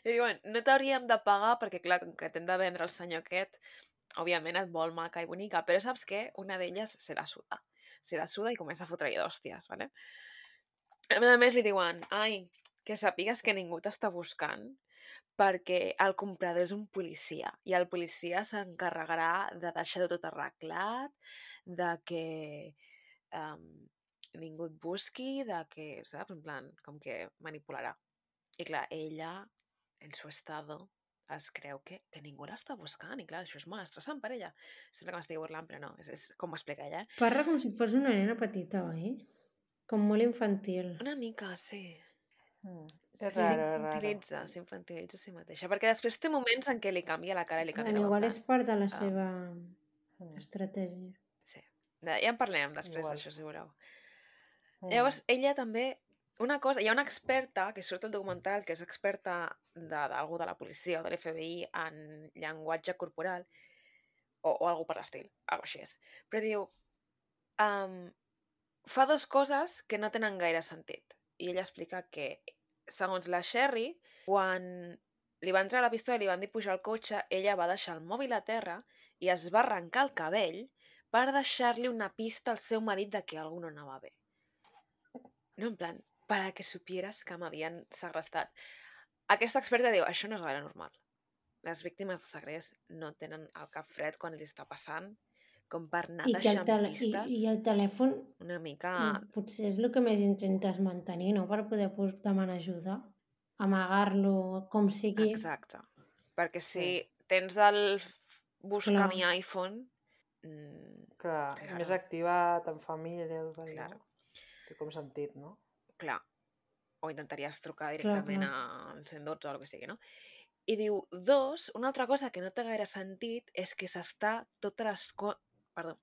Speaker 1: li diuen, no t'hauríem de pagar perquè, clar, com que t'hem de vendre el senyor aquest, òbviament et vol maca i bonica, però saps què? Una d'elles se la suda. Se la suda i comença a fotre-hi d'hòsties, ¿vale? A més a més li diuen, ai, que sàpigues que ningú t'està buscant perquè el comprador és un policia i el policia s'encarregarà de deixar-ho tot arreglat, de que um, ningú et busqui, de que, saps? En plan, com que manipularà. I clar, ella, en su estado, es creu que, que ningú l'està buscant i clar, això és molt estressant per ella. Sembla que m'estigui burlant, però no, és, és com m'explica ella. Eh?
Speaker 2: Parla com si fos una nena petita, oi? Com molt infantil.
Speaker 1: Una mica, sí.
Speaker 3: Mm. És
Speaker 1: Sí,
Speaker 3: raro, és raro.
Speaker 1: s'infantilitza, s'infantilitza a si mateixa. Perquè després té moments en què li canvia la cara i li canvia
Speaker 2: Bueno,
Speaker 1: la
Speaker 2: igual
Speaker 1: boca.
Speaker 2: és part de la
Speaker 1: Ah.
Speaker 2: seva
Speaker 3: Mm.
Speaker 2: estratègia.
Speaker 1: Sí. De- Ja en parlarem després
Speaker 3: Igual.
Speaker 1: d'això, si voleu.
Speaker 3: Mm.
Speaker 1: Llavors, ella també... Una cosa, hi ha una experta, que surt al documental, que és experta d'algú de, de la policia o de l'F B I en llenguatge corporal, o, o algú per l'estil, algo així és. Però diu, um, fa dues coses que no tenen gaire sentit. I ella explica que segons la Sherry, quan li van treure la pistola i li van dir pujar al cotxe, ella va deixar el mòbil a terra i es va arrencar el cabell per deixar-li una pista al seu marit de que algú no anava bé. No, en plan, para que supieras que m'havien segrestat. Aquesta experta diu, això no és gaire normal. Les víctimes de segrest no tenen el cap fred quan els està passant, com per anar
Speaker 2: I, que el
Speaker 1: deixant
Speaker 2: tele... I,
Speaker 1: pistes.
Speaker 2: I el telèfon
Speaker 1: Una mica...
Speaker 2: mm, potser és el que més intentes mantenir, no? Per poder pues, demanar ajuda. Amagar-lo, com sigui.
Speaker 1: Exacte. Perquè si
Speaker 3: Sí.
Speaker 1: tens el f- buscar
Speaker 2: Clar.
Speaker 1: mi iPhone... Mm,
Speaker 3: Clar,
Speaker 1: Claro.
Speaker 3: més activat, en família, tot allò.
Speaker 1: Claro.
Speaker 3: Té com sentit, no?
Speaker 1: clar, o intentaries trucar
Speaker 2: Clar,
Speaker 1: directament
Speaker 2: clar.
Speaker 1: al cent dotze o el que sigui, no? I diu, dos, una altra cosa que no té gaire sentit és que s'està tota l'esco... Perdó.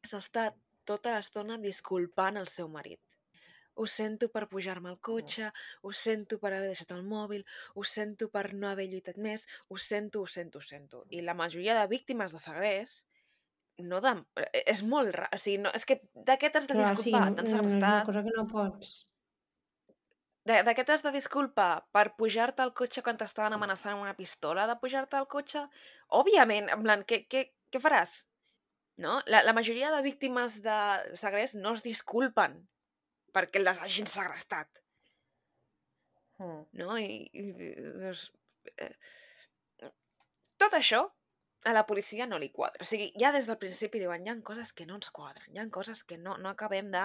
Speaker 1: S'està tota l'estona disculpant el seu marit. Ho sento per pujar-me al cotxe, ho sento per haver deixat el mòbil, ho sento per no haver lluitat més, ho sento, ho sento, ho sento. I la majoria de víctimes de segrest no de... és molt rar. O sigui, no... és que de què t'has de
Speaker 2: Clar, sí,
Speaker 1: disculpar?
Speaker 2: no,
Speaker 1: T'han
Speaker 2: no és una
Speaker 1: segrestat.
Speaker 2: cosa que no pots.
Speaker 1: De, de què t'has de disculpar? Per pujar-te al cotxe quan t'estaven amenaçant amb una pistola de pujar-te al cotxe? Òbviament, en plan, què, què, què faràs? No? La, la majoria de víctimes de segrest no es disculpen perquè les hagin segrestat.
Speaker 3: Mm.
Speaker 1: No? I, i doncs, eh, tot això a la policia no li quadra. O sigui, ja des del principi diuen, hi ha coses que no ens quadren, hi ha coses que no, no acabem de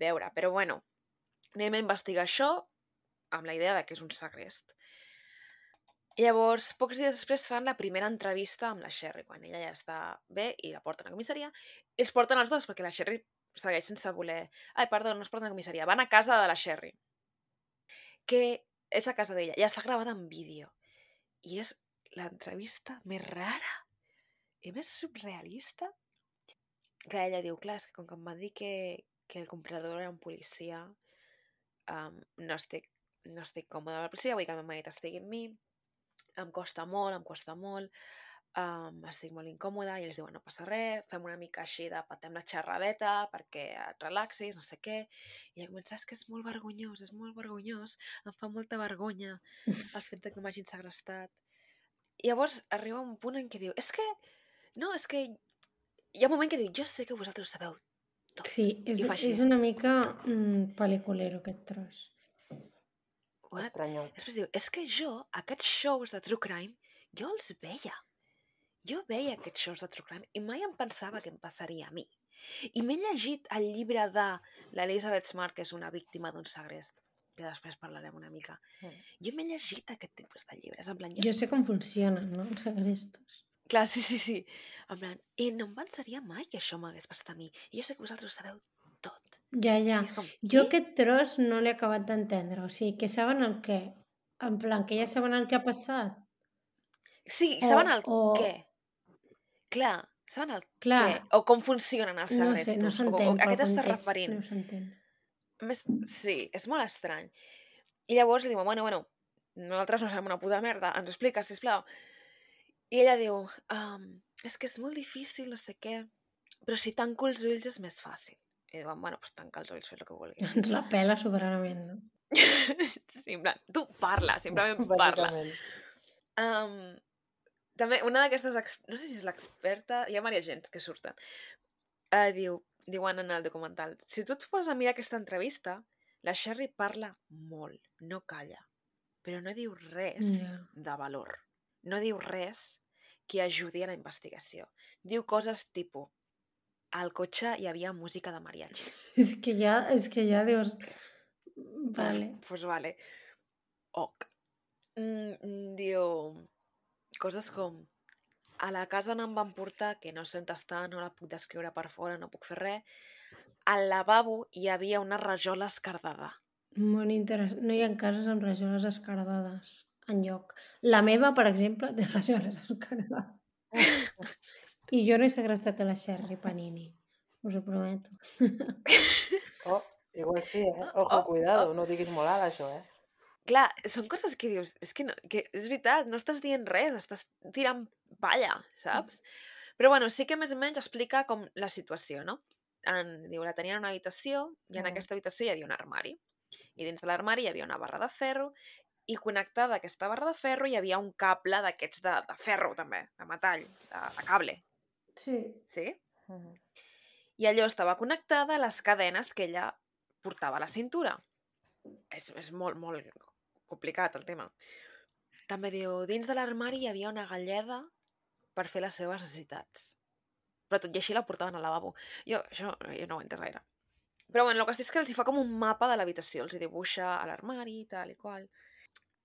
Speaker 1: veure. Però bueno, anem a investigar això amb la idea de que és un segrest. Llavors, pocs dies després fan la primera entrevista amb la Sherry, quan ella ja està bé i la porten a comissaria. I els porten els dos, perquè la Sherry segueix sense voler... Ai, perdó, no es porten a comissaria. Van a casa de la Sherry, que és a casa d'ella. Ja està gravada en vídeo. I és l'entrevista més rara i més surrealista. Clar, ella diu, clar, és que com que em va dir que, que el comprador era un policia, um, no, estic, no estic còmode amb la policia, vull que el meu marit estigui amb mi, em costa molt, em costa molt, um, estic molt incòmoda, i ells diuen, no passa res, fem una mica així de patem la xerradeta perquè et relaxis, no sé què, i ella comença, és que és molt vergonyós, és molt vergonyós, em fa molta vergonya el fet de que m'hagin segrestat. I llavors arriba un punt en què diu, és que, no, és que hi ha un moment que diu, jo sé que vosaltres ho sabeu tot.
Speaker 2: Sí, és,
Speaker 1: I fa així,
Speaker 2: és una mica mm, pel·liculero aquest tros.
Speaker 1: what?
Speaker 3: Estranyot.
Speaker 1: Després diu, és que jo, aquests shows de True Crime, jo els veia. Jo veia aquests shows de True Crime i mai em pensava que em passaria a mi. I m'he llegit el llibre de l'Elizabeth Smart, que és una víctima d'un segrest, que després parlarem una mica.
Speaker 3: Mm.
Speaker 1: Jo m'he llegit aquest tipus de llibres, en plan...
Speaker 2: Jo sé com funcionen, no?, els segrestos.
Speaker 1: Clar, sí, sí, sí. En plan, i no em pensaria mai que això m'hagués passat a mi. I jo sé que vosaltres ho sabeu tot.
Speaker 2: Ja, ja.
Speaker 1: I és com,
Speaker 2: Jo
Speaker 1: eh?
Speaker 2: aquest tros no l'he acabat d'entendre. O sigui, que saben el què? En plan, que ja saben el que ha passat?
Speaker 1: Sí,
Speaker 2: O-
Speaker 1: saben el
Speaker 2: o-
Speaker 1: què. Clar, saben el
Speaker 2: Clar.
Speaker 1: què. O com funcionen els
Speaker 2: No
Speaker 1: segrestos.
Speaker 2: sé, no
Speaker 1: o,
Speaker 2: s'entén
Speaker 1: o, a
Speaker 2: pel
Speaker 1: què t'estàs
Speaker 2: context.
Speaker 1: referint?
Speaker 2: No s'entén.
Speaker 1: Més, sí, és molt estrany. I llavors li diuen, bueno, bueno, nosaltres no sabem una puta merda, ens ho expliques, sisplau. I ella diu, um, és que és molt difícil, no sé què, però si tanco els ulls és més fàcil. I diuen, bueno, doncs tanca els ulls, fes el que vulguis.
Speaker 2: Ens la pela soberanament, no?
Speaker 1: Sí, en plan, tu parla, simplement parla.
Speaker 3: Bàsicament.
Speaker 1: Um, també, una d'aquestes, ex- no sé si és l'experta, hi ha diverses gent que surten, uh, diu, diuen en el documental, si tu et poses a mirar aquesta entrevista, la Sherry parla molt, no calla, però no diu res
Speaker 2: Ja.
Speaker 1: de valor. No diu res que ajudi a la investigació. Diu coses tipus, al cotxe hi havia música de mariachi.
Speaker 2: És que ja, és que ja dius... Vale.
Speaker 1: Pues, pues vale. Ok. Mm, mm, diu coses com a la casa on em van portar, que no sé on està, no la puc descriure per fora, no puc fer res, al lavabo hi havia una rajola escardada.
Speaker 2: Molt interessant. No hi ha cases amb rajoles escardades enlloc. La meva, per exemple, té rajoles escardades. I jo no he segrestat a la Sherry Panini. Us ho prometo.
Speaker 3: Oh, igual sí, eh? Ojo,
Speaker 1: Oh,
Speaker 3: cuidado, no ho diguis molt alt, això, eh?
Speaker 1: Clar, són coses que dius, és que, no, que és veritat, no estàs dient res, estàs tirant palla, saps? Però bueno, sí que més o menys explica com la situació, no? En, diu, la tenien en una habitació i en
Speaker 3: Mm.
Speaker 1: aquesta habitació hi havia un armari. I dins de l'armari hi havia una barra de ferro i connectada a aquesta barra de ferro hi havia un cable d'aquests de, de ferro també, de metall, de, de cable.
Speaker 2: Sí.
Speaker 1: Sí?
Speaker 3: Uh -huh.
Speaker 1: I allò estava connectada a les cadenes que ella portava a la cintura. És, és molt, molt complicat el tema. També diu, dins de l'armari hi havia una galleda per fer les seves necessitats. Però tot i així la portaven al lavabo. Jo, això jo no ho he entès gaire. Però bueno, el que és que els hi fa com un mapa de l'habitació, els hi dibuixa a l'armari, tal i qual.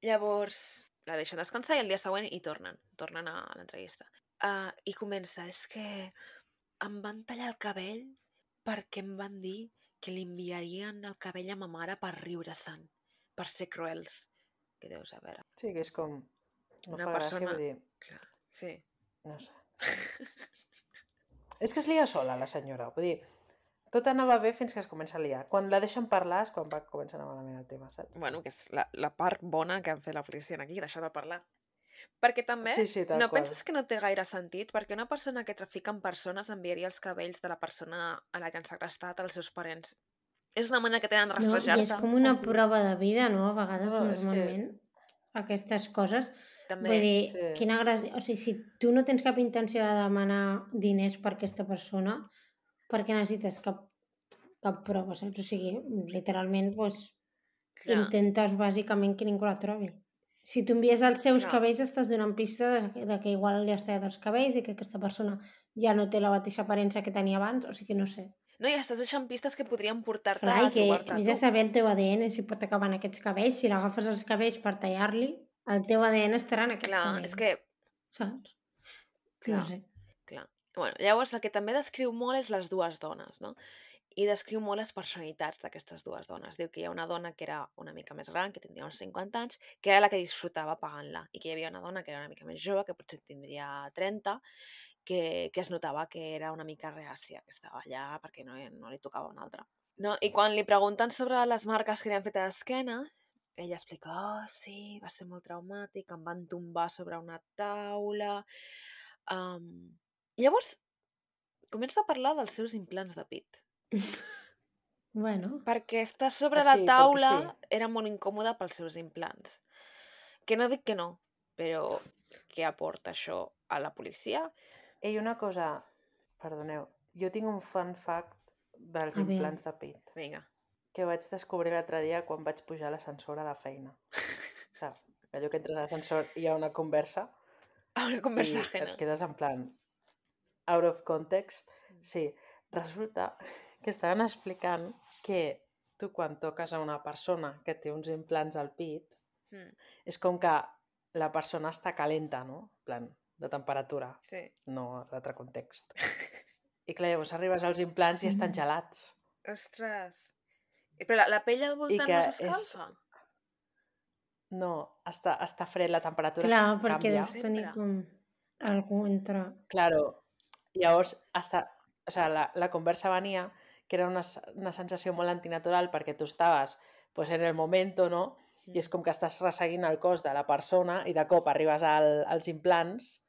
Speaker 1: Llavors, la deixen descansar i el dia següent hi tornen, tornen a l'entrevista. Uh, I comença, és que em van tallar el cabell perquè em van dir que li enviarien el cabell a ma mare per riure-se'n, per ser cruels. Què deus saber?
Speaker 3: Sí, que és com... No
Speaker 1: Una
Speaker 3: fa
Speaker 1: persona...
Speaker 3: gràcia, vull dir...
Speaker 1: Clar, sí.
Speaker 3: No sé. És que es lia sola, la senyora. Vull dir, tot anava bé fins que es comença a liar. Quan la deixen parlar és quan va començar a anar malament el tema, saps?
Speaker 1: Bueno, que és la, la part bona que han fet la policia aquí, deixar de parlar. Perquè també
Speaker 3: Sí, sí, tal
Speaker 1: no
Speaker 3: qual.
Speaker 1: penses que no té gaire sentit? Perquè una persona que trafica amb persones enviaria els cabells de la persona a la que han segrestat als seus parents. És una manera que tenen de
Speaker 2: No, i
Speaker 1: rastrejar-te.
Speaker 2: és com una
Speaker 3: sentit.
Speaker 2: prova de vida, no? A vegades,
Speaker 3: No, és que-
Speaker 2: normalment, aquestes coses.
Speaker 1: També.
Speaker 2: Vull dir,
Speaker 3: Sí.
Speaker 2: quina gràcia... O sigui, si tu no tens cap intenció de demanar diners per aquesta persona, per què necessites cap, cap prova, saps? O sigui, literalment, doncs,
Speaker 1: Clar.
Speaker 2: intentes bàsicament que ningú la trobi. Si tu envies els seus
Speaker 1: Clar.
Speaker 2: cabells, estàs donant pista de, de que igual li has tallat els cabells i que aquesta persona ja no té la mateixa aparença que tenia abans, o sigui, no sé.
Speaker 1: No, i estàs deixant pistes que podrien portar-te
Speaker 2: Clar,
Speaker 1: a
Speaker 2: i que
Speaker 1: trobar-te a
Speaker 2: vés a
Speaker 1: tu.
Speaker 2: saber el teu A D N si pot acabar en aquests cabells. Si l'agafes els cabells per tallar-li, el teu A D N estarà en aquests
Speaker 1: Clar,
Speaker 2: cabells.
Speaker 1: és que...
Speaker 2: Saps?
Speaker 1: Clar,
Speaker 2: No sé.
Speaker 1: clar. Bueno, llavors el que també descriu molt és les dues dones, no? I descriu molt les personalitats d'aquestes dues dones. Diu que hi ha una dona que era una mica més gran, que tindria uns cinquanta anys, que era la que disfrutava pagant-la, i que hi havia una dona que era una mica més jove, que potser tindria trenta, que, que es notava que era una mica reàcia, que estava allà perquè no, no li tocava una altra. No? I quan li pregunten sobre les marques que li han fet a l'esquena, ella explica, oh, sí, va ser molt traumàtic, em van tombar sobre una taula... Um... Llavors, comença a parlar dels seus implants de pit.
Speaker 2: Bueno,
Speaker 1: Perquè estar sobre
Speaker 3: Ah,
Speaker 1: la
Speaker 3: sí, perquè
Speaker 1: taula
Speaker 3: sí.
Speaker 1: era molt incòmode pels seus implants. Que no dic que no, però què aporta això a la policia?
Speaker 3: Ei, una cosa, perdoneu, jo tinc un fun fact dels
Speaker 2: A veure.
Speaker 3: implants de pit
Speaker 1: Vinga.
Speaker 3: que vaig descobrir l'altre dia quan vaig pujar a l'ascensor a la feina. Saps? Allò que entres a l'ascensor i hi ha una conversa
Speaker 1: Una
Speaker 3: i
Speaker 1: conversa
Speaker 3: et
Speaker 1: ajena.
Speaker 3: quedes en plan out of context. Sí, resulta que estaven explicant que tu quan toques a una persona que té uns implants al pit
Speaker 1: Mm,
Speaker 3: és com que la persona està calenta, no? En plan, de temperatura,
Speaker 1: sí.
Speaker 3: no l'altre context. I clar, llavors arribes als implants i estan
Speaker 2: Mm.
Speaker 3: gelats.
Speaker 1: Ostres. I Però la, la pell al voltant
Speaker 3: que
Speaker 1: no
Speaker 3: és-
Speaker 1: s'escalfa?
Speaker 3: No, està, està fred, la temperatura
Speaker 2: clar,
Speaker 3: es
Speaker 2: perquè
Speaker 3: canvia.
Speaker 2: deus tenir
Speaker 1: Sempre.
Speaker 2: com algú entre...
Speaker 3: Claro, llavors hasta, o sea, la, la conversa venia que era una, s- una sensació molt antinatural perquè tu estaves pues, en el momento, no? I és com que estàs resseguint el cos de la persona i de cop arribes al, als implants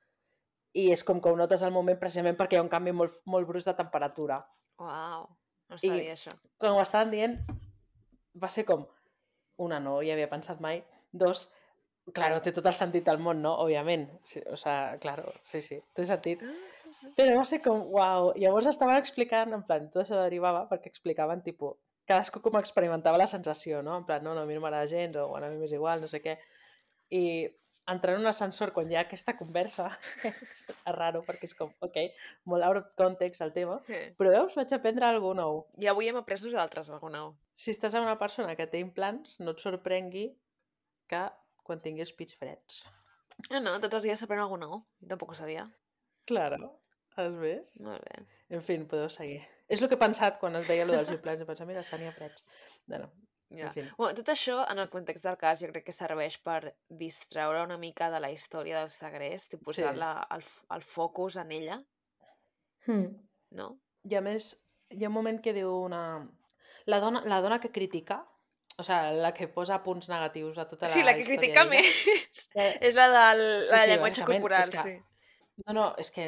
Speaker 3: i és com que ho notes al moment precisament perquè hi ha un canvi molt, molt brusc de temperatura.
Speaker 1: Uau, no
Speaker 3: I-
Speaker 1: sabia això.
Speaker 3: Quan ho estaven dient va ser com, una, no hi havia pensat mai, dos, claro, té tot el sentit del món, no? Òbviament. Sí, o sea, claro, sí, sí, té sentit. Però va ser com, uau, llavors estaven explicant, en plan, tot això derivava perquè explicaven, tipus, cadascú com experimentava la sensació, no? En plan, no, no, a mi no m'agrada gens, o bueno, a mi m'és igual, no sé què. I entrar en un ascensor quan hi ha aquesta conversa és raro perquè és com, ok, molt out of context el tema,
Speaker 1: Sí.
Speaker 3: però veus, vaig aprendre alguna nou.
Speaker 1: I avui hem après nosaltres alguna nou.
Speaker 3: Si estàs amb una persona que té implants, no et sorprengui que quan tinguis pits freds.
Speaker 1: No, no, tots els dies s'aprèn alguna nou. Jo tampoc ho sabia.
Speaker 3: Claro, has vist?
Speaker 1: Molt bé.
Speaker 3: En fi, podeu seguir. És el que he pensat quan es deia allò dels implants. He pensat, mira, els tenia freds. No, no.
Speaker 1: Ja.
Speaker 3: En fi.
Speaker 1: Bueno, tot això, en el context del cas, jo crec que serveix per distreure una mica de la història del segrest i posar
Speaker 3: Sí.
Speaker 1: la, el, el focus en ella,
Speaker 2: Hmm.
Speaker 1: no?
Speaker 3: I a més, hi ha un moment que diu una... La dona, la dona que critica, o sigui, la que posa punts negatius a tota la
Speaker 1: Sí, la que
Speaker 3: història
Speaker 1: critica
Speaker 3: d'ella,
Speaker 1: més
Speaker 3: eh,
Speaker 1: és la del
Speaker 3: sí,
Speaker 1: la
Speaker 3: sí,
Speaker 1: llenguatge
Speaker 3: bàsicament,
Speaker 1: corporal,
Speaker 3: és que-
Speaker 1: sí.
Speaker 3: No, no, és que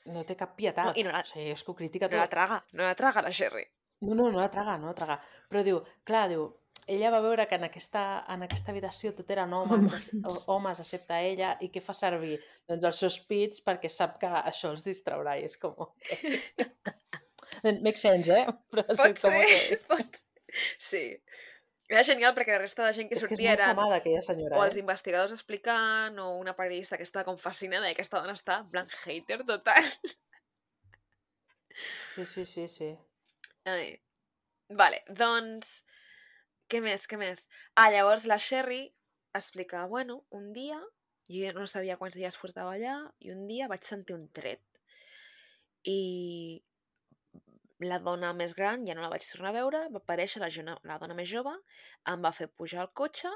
Speaker 3: no té cap pietat.
Speaker 1: No, i no la-
Speaker 3: O sigui, és que ho critica
Speaker 1: No la
Speaker 3: tot.
Speaker 1: traga, no la traga la Sherry.
Speaker 3: No, no, no la traga, no la traga. Però diu, clar, diu, ella va veure que en aquesta, en aquesta habitació tot eren homes, homes. homes excepte ella, i què fa servir? Doncs els seus pits perquè sap que això els distraurà i és com, ok. Makes sense, eh? Però
Speaker 1: Pot
Speaker 3: sí, com,
Speaker 1: ser,
Speaker 3: ok.
Speaker 1: pot... Sí. Era genial perquè la resta de gent que
Speaker 3: És que és
Speaker 1: sortia
Speaker 3: molt
Speaker 1: eren
Speaker 3: samada, aquella senyora,
Speaker 1: o
Speaker 3: eh?
Speaker 1: els investigadors explicant o una periodista que estava com fascinada i aquesta dona està en plan hater total.
Speaker 3: Sí, sí, sí, sí.
Speaker 1: Ai. Vale, doncs... Què més, què més? Ah, llavors la Sherry explica, bueno, un dia, jo no sabia quants dies portava allà, i un dia vaig sentir un tret. I la dona més gran ja no la vaig tornar a veure, va aparèixer la, jona, la dona més jove, em va fer pujar al cotxe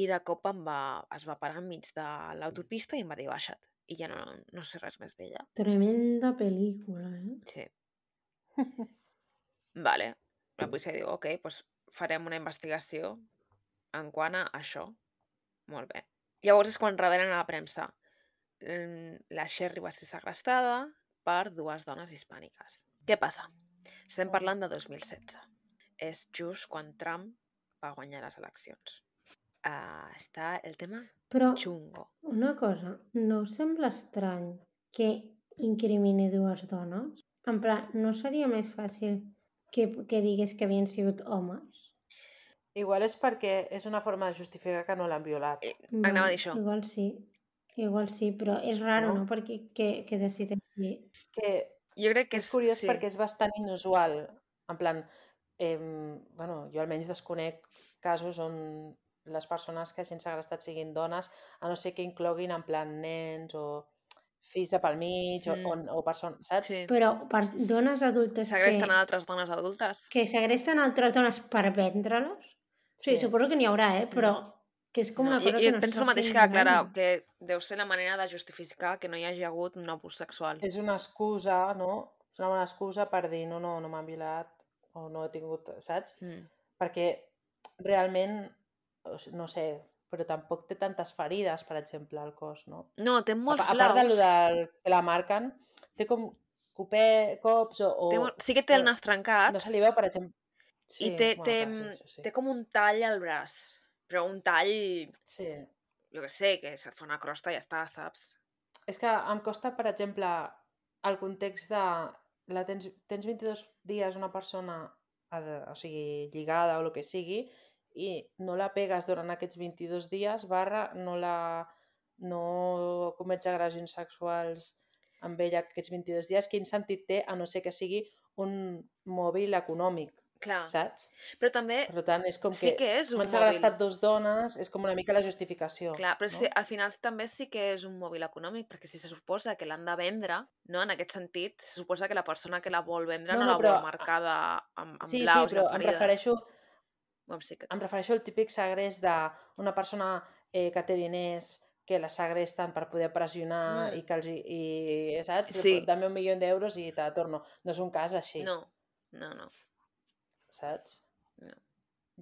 Speaker 1: i de cop em va, es va parar enmig de l'autopista i em va dir baixa't. I ja no, no sé res més d'ella.
Speaker 2: Tremenda pel·lícula, eh?
Speaker 1: Sí. Vale. La policia diu, ok, doncs farem una investigació en quant a això. Molt bé. Llavors és quan revelen a la premsa. La Sherry va ser segrestada per dues dones hispàniques. Què passa? Estem parlant de dos mil setze. És just quan Trump va guanyar les eleccions. Uh, està el tema
Speaker 2: Però
Speaker 1: xungo.
Speaker 2: una cosa, no us sembla estrany que incrimini dues dones? En plan, no seria més fàcil que, que digués que havien sigut homes?
Speaker 3: Igual és perquè és una forma de justificar que no l'han violat.
Speaker 1: Eh, anava a dir això.
Speaker 2: Igual sí, igual sí, però és raro,
Speaker 3: No?
Speaker 2: no? Perquè que, que decideixi...
Speaker 3: Que
Speaker 1: Jo crec que
Speaker 3: és
Speaker 1: és...
Speaker 3: curiós
Speaker 1: sí.
Speaker 3: perquè és bastant inusual. En plan, eh, bueno, jo almenys desconec casos on les persones que hagin segrestat siguin dones, a no ser que incloguin en plan nens o fills de pel mig o,
Speaker 1: Mm.
Speaker 3: o, o persones, saps?
Speaker 1: Sí.
Speaker 2: Però per dones adultes
Speaker 1: Segresten
Speaker 2: que,
Speaker 1: a altres dones adultes.
Speaker 2: que segresten altres dones per vendre-les? Sí,
Speaker 3: Sí.
Speaker 2: suposo que n'hi haurà, eh? Però que és com
Speaker 1: No,
Speaker 2: una cosa
Speaker 1: i,
Speaker 2: que
Speaker 1: i
Speaker 2: no
Speaker 1: penso
Speaker 2: se
Speaker 1: el mateix
Speaker 2: sent
Speaker 1: que la Clara,
Speaker 2: gaire.
Speaker 1: que deu ser la manera de justificar que no hi hagi hagut un abús sexual.
Speaker 3: És una excusa, no? És una bona excusa per dir no, no, no m'han violat o no he tingut, saps?
Speaker 1: Mm.
Speaker 3: Perquè realment, no sé, però tampoc té tantes ferides, per exemple, al cos, no?
Speaker 1: No, té molts
Speaker 3: a, a
Speaker 1: blaus.
Speaker 3: part de lo del, que la marquen, té com copé, cops o... o
Speaker 1: té, sí que té el nas trencat.
Speaker 3: No se li veu, per exemple... Sí,
Speaker 1: I té,
Speaker 3: bueno,
Speaker 1: té,
Speaker 3: clar, sí, sí.
Speaker 1: té com un tall al braç. Però un tall...
Speaker 3: Sí.
Speaker 1: Jo què sé, que se't fa una crosta i ja està, saps?
Speaker 3: És que em costa, per exemple, el context de... La tens, tens vint-i-dos dies una persona, o sigui, lligada o el que sigui, i no la pegues durant aquests vint-i-dos dies, barra, no la... no comets agressions sexuals amb ella aquests vint-i-dos dies, quin sentit té, a no ser que sigui un mòbil econòmic,
Speaker 1: Clar.
Speaker 3: saps?
Speaker 1: Però també
Speaker 3: Per tant, és com
Speaker 1: sí
Speaker 3: que,
Speaker 1: que és un
Speaker 3: m'han
Speaker 1: mòbil.
Speaker 3: segrestat dos dones, és com una mica la justificació.
Speaker 1: Clar, però
Speaker 3: no?
Speaker 1: sí, al final també sí que és un mòbil econòmic, perquè si se suposa que l'han de vendre, no? En aquest sentit, se suposa que la persona que la vol vendre no,
Speaker 3: No,
Speaker 1: no
Speaker 3: no,
Speaker 1: la
Speaker 3: però...
Speaker 1: vol marcada amb, amb
Speaker 3: Sí, sí,
Speaker 1: blaus i
Speaker 3: però
Speaker 1: amb
Speaker 3: em
Speaker 1: ferides.
Speaker 3: refereixo,
Speaker 1: Bueno, sí que...
Speaker 3: em refereixo al típic segrest d'una persona eh, que té diners que la segresten per poder pressionar
Speaker 1: Mm.
Speaker 3: i que els... I, i, saps?
Speaker 1: Sí.
Speaker 3: Dame un milió d'euros i te torno. No és un cas així,
Speaker 1: No, no, no.
Speaker 3: saps?
Speaker 1: No.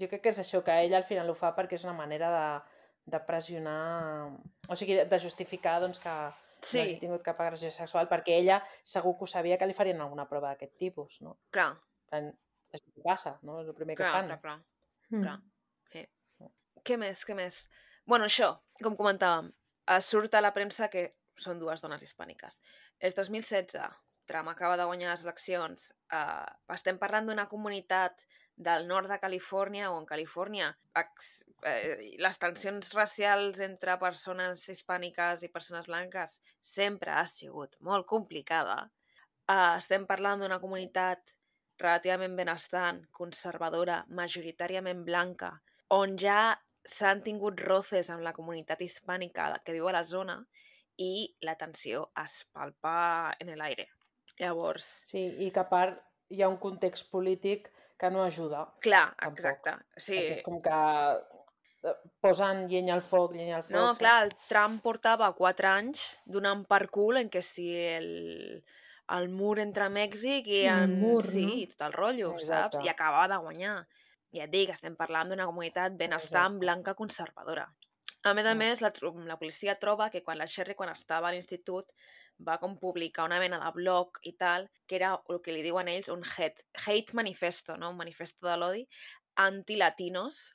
Speaker 3: Jo crec que és això, que ella al final ho fa perquè és una manera de, de pressionar... O sigui, de justificar doncs, que
Speaker 1: Sí.
Speaker 3: no hagi tingut cap agressió sexual, perquè ella segur que ho sabia que li farien alguna prova d'aquest tipus, no?
Speaker 1: Clar,
Speaker 3: És el que passa, no? És el primer que
Speaker 1: clar,
Speaker 3: fan.
Speaker 1: clar, clar.
Speaker 2: Mm.
Speaker 1: Clar. Sí. Què més, què més? Bueno, això, com comentàvem, es surt a la premsa que són dues dones hispàniques. És dos mil setze, Trump acaba de guanyar les eleccions, uh, estem parlant d'una comunitat del nord de Califòrnia, o en Califòrnia ex, eh, les tensions racials entre persones hispàniques i persones blanques sempre ha sigut molt complicada. Uh, estem parlant d'una comunitat relativament benestant, conservadora, majoritàriament blanca, on ja s'han tingut roces amb la comunitat hispànica que viu a la zona i la tensió es palpa en l'aire. Llavors...
Speaker 3: Sí, i que a part hi ha un context polític que no ajuda.
Speaker 1: Clar,
Speaker 3: tampoc.
Speaker 1: exacte. Sí.
Speaker 3: Perquè és com que posen llenya al foc, llenya al foc.
Speaker 1: No,
Speaker 3: saps?
Speaker 1: clar, el Trump portava quatre anys donant per cul en què si el, el mur entre Mèxic i
Speaker 2: El
Speaker 1: en...
Speaker 2: mur,
Speaker 1: sí,
Speaker 2: no?
Speaker 1: tot el rotllo,
Speaker 3: Exacte.
Speaker 1: saps? I acabava de guanyar. Ja et dic, estem parlant d'una comunitat benestant,
Speaker 3: Exacte.
Speaker 1: blanca, conservadora. A més a
Speaker 3: Mm.
Speaker 1: més, la, tro- la policia troba que quan la Sherry, quan estava a l'institut, va com publicar una mena de blog i tal, que era el que li diuen ells un hate, hate manifesto, no? Un manifesto de l'odi, antilatinos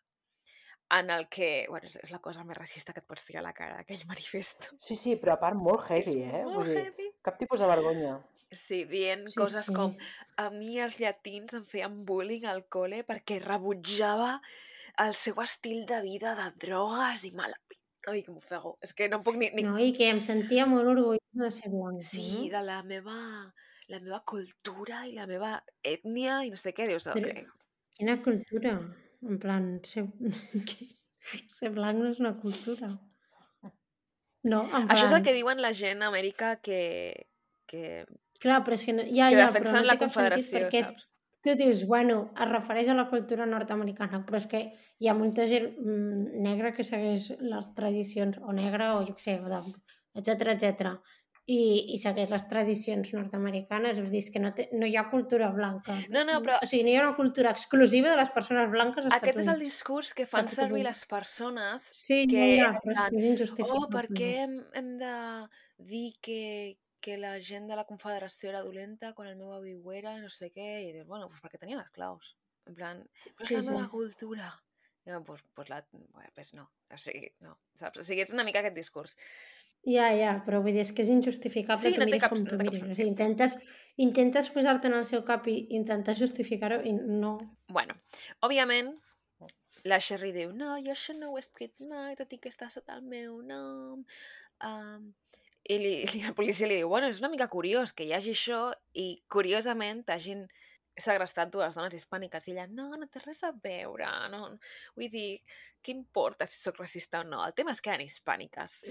Speaker 1: en el que... Bueno, és, és la cosa més racista que et pots tirar a la cara, aquell manifesto.
Speaker 3: Sí, sí, però a part molt heavy,
Speaker 1: És
Speaker 3: eh?
Speaker 1: molt
Speaker 3: Vull dir,
Speaker 1: heavy.
Speaker 3: cap tipus de vergonya.
Speaker 1: Sí, dient
Speaker 2: Sí,
Speaker 1: coses
Speaker 2: sí.
Speaker 1: com a mi els llatins em feien bullying al col·le perquè rebutjava el seu estil de vida de drogues i mala... Ai, que m'ofego. És que no puc ni... ni...
Speaker 2: No, i que em sentia molt orgullosa de ser blanca,
Speaker 1: Sí,
Speaker 2: no?
Speaker 1: de la meva, la meva cultura i la meva ètnia i no sé què. Dius,
Speaker 2: Però
Speaker 1: ok.
Speaker 2: quina cultura? En plan, ser, ser blanc no és una cultura. No, en
Speaker 1: Això és el
Speaker 2: plan...
Speaker 1: que diuen la gent a Amèrica que, que,
Speaker 2: Clar, però és que no, ja,
Speaker 1: que
Speaker 2: ja, però
Speaker 1: defensen
Speaker 2: no
Speaker 1: la
Speaker 2: té cap sentit
Speaker 1: confederació,
Speaker 2: perquè és,
Speaker 1: saps?
Speaker 2: tu dius, bueno, es refereix a la cultura nord-americana, però és que hi ha molta gent mm, negra que segueix les tradicions, o negra, o jo què sé, etcètera, etcètera, i, i segueix les tradicions nord-americanes, és a dir, és que no, té, no hi ha cultura blanca.
Speaker 1: No, no, però
Speaker 2: O sigui, no hi ha una cultura exclusiva de les persones blanques als
Speaker 1: aquest
Speaker 2: Estats
Speaker 1: és el
Speaker 2: Units.
Speaker 1: discurs que fan
Speaker 2: Saps què
Speaker 1: servir
Speaker 2: vull dir?
Speaker 1: les persones
Speaker 2: Sí,
Speaker 1: que,
Speaker 2: ja, ja,
Speaker 1: en
Speaker 2: però és
Speaker 1: plan,
Speaker 2: que és
Speaker 1: oh,
Speaker 2: injustificable.
Speaker 1: per què hem, hem de dir que, que la gent de la confederació era dolenta quan el meu avi ho era, no sé què, i dius, bueno, pues perquè tenien esclaus. En plan, però és
Speaker 2: Sí,
Speaker 1: la
Speaker 2: sí.
Speaker 1: meva cultura. I bueno, pues, pues, la, bueno, pues no, o sigui, no, saps? O sigui, és una mica aquest discurs.
Speaker 2: Ja, ja, però vull dir, és que és injustificable,
Speaker 1: Sí,
Speaker 2: tu
Speaker 1: no té
Speaker 2: miris
Speaker 1: cap,
Speaker 2: com
Speaker 1: no
Speaker 2: tu
Speaker 1: té cap
Speaker 2: miris. O sigui,
Speaker 1: sentit.
Speaker 2: intentes, intentes posar-te en el seu cap i intentar justificar-ho i no.
Speaker 1: Bueno, òbviament, la Sherry diu, no, jo això no ho he escrit mai, tot i que està sota el meu nom. Um, I li, li, la policia li diu, bueno, és una mica curiós que hi hagi això i, curiosament, t'hagin segrestat dues dones hispàniques. I ella, no, no té res a veure. No. Vull dir, què importa si sóc racista o no? El tema és que eren hispàniques.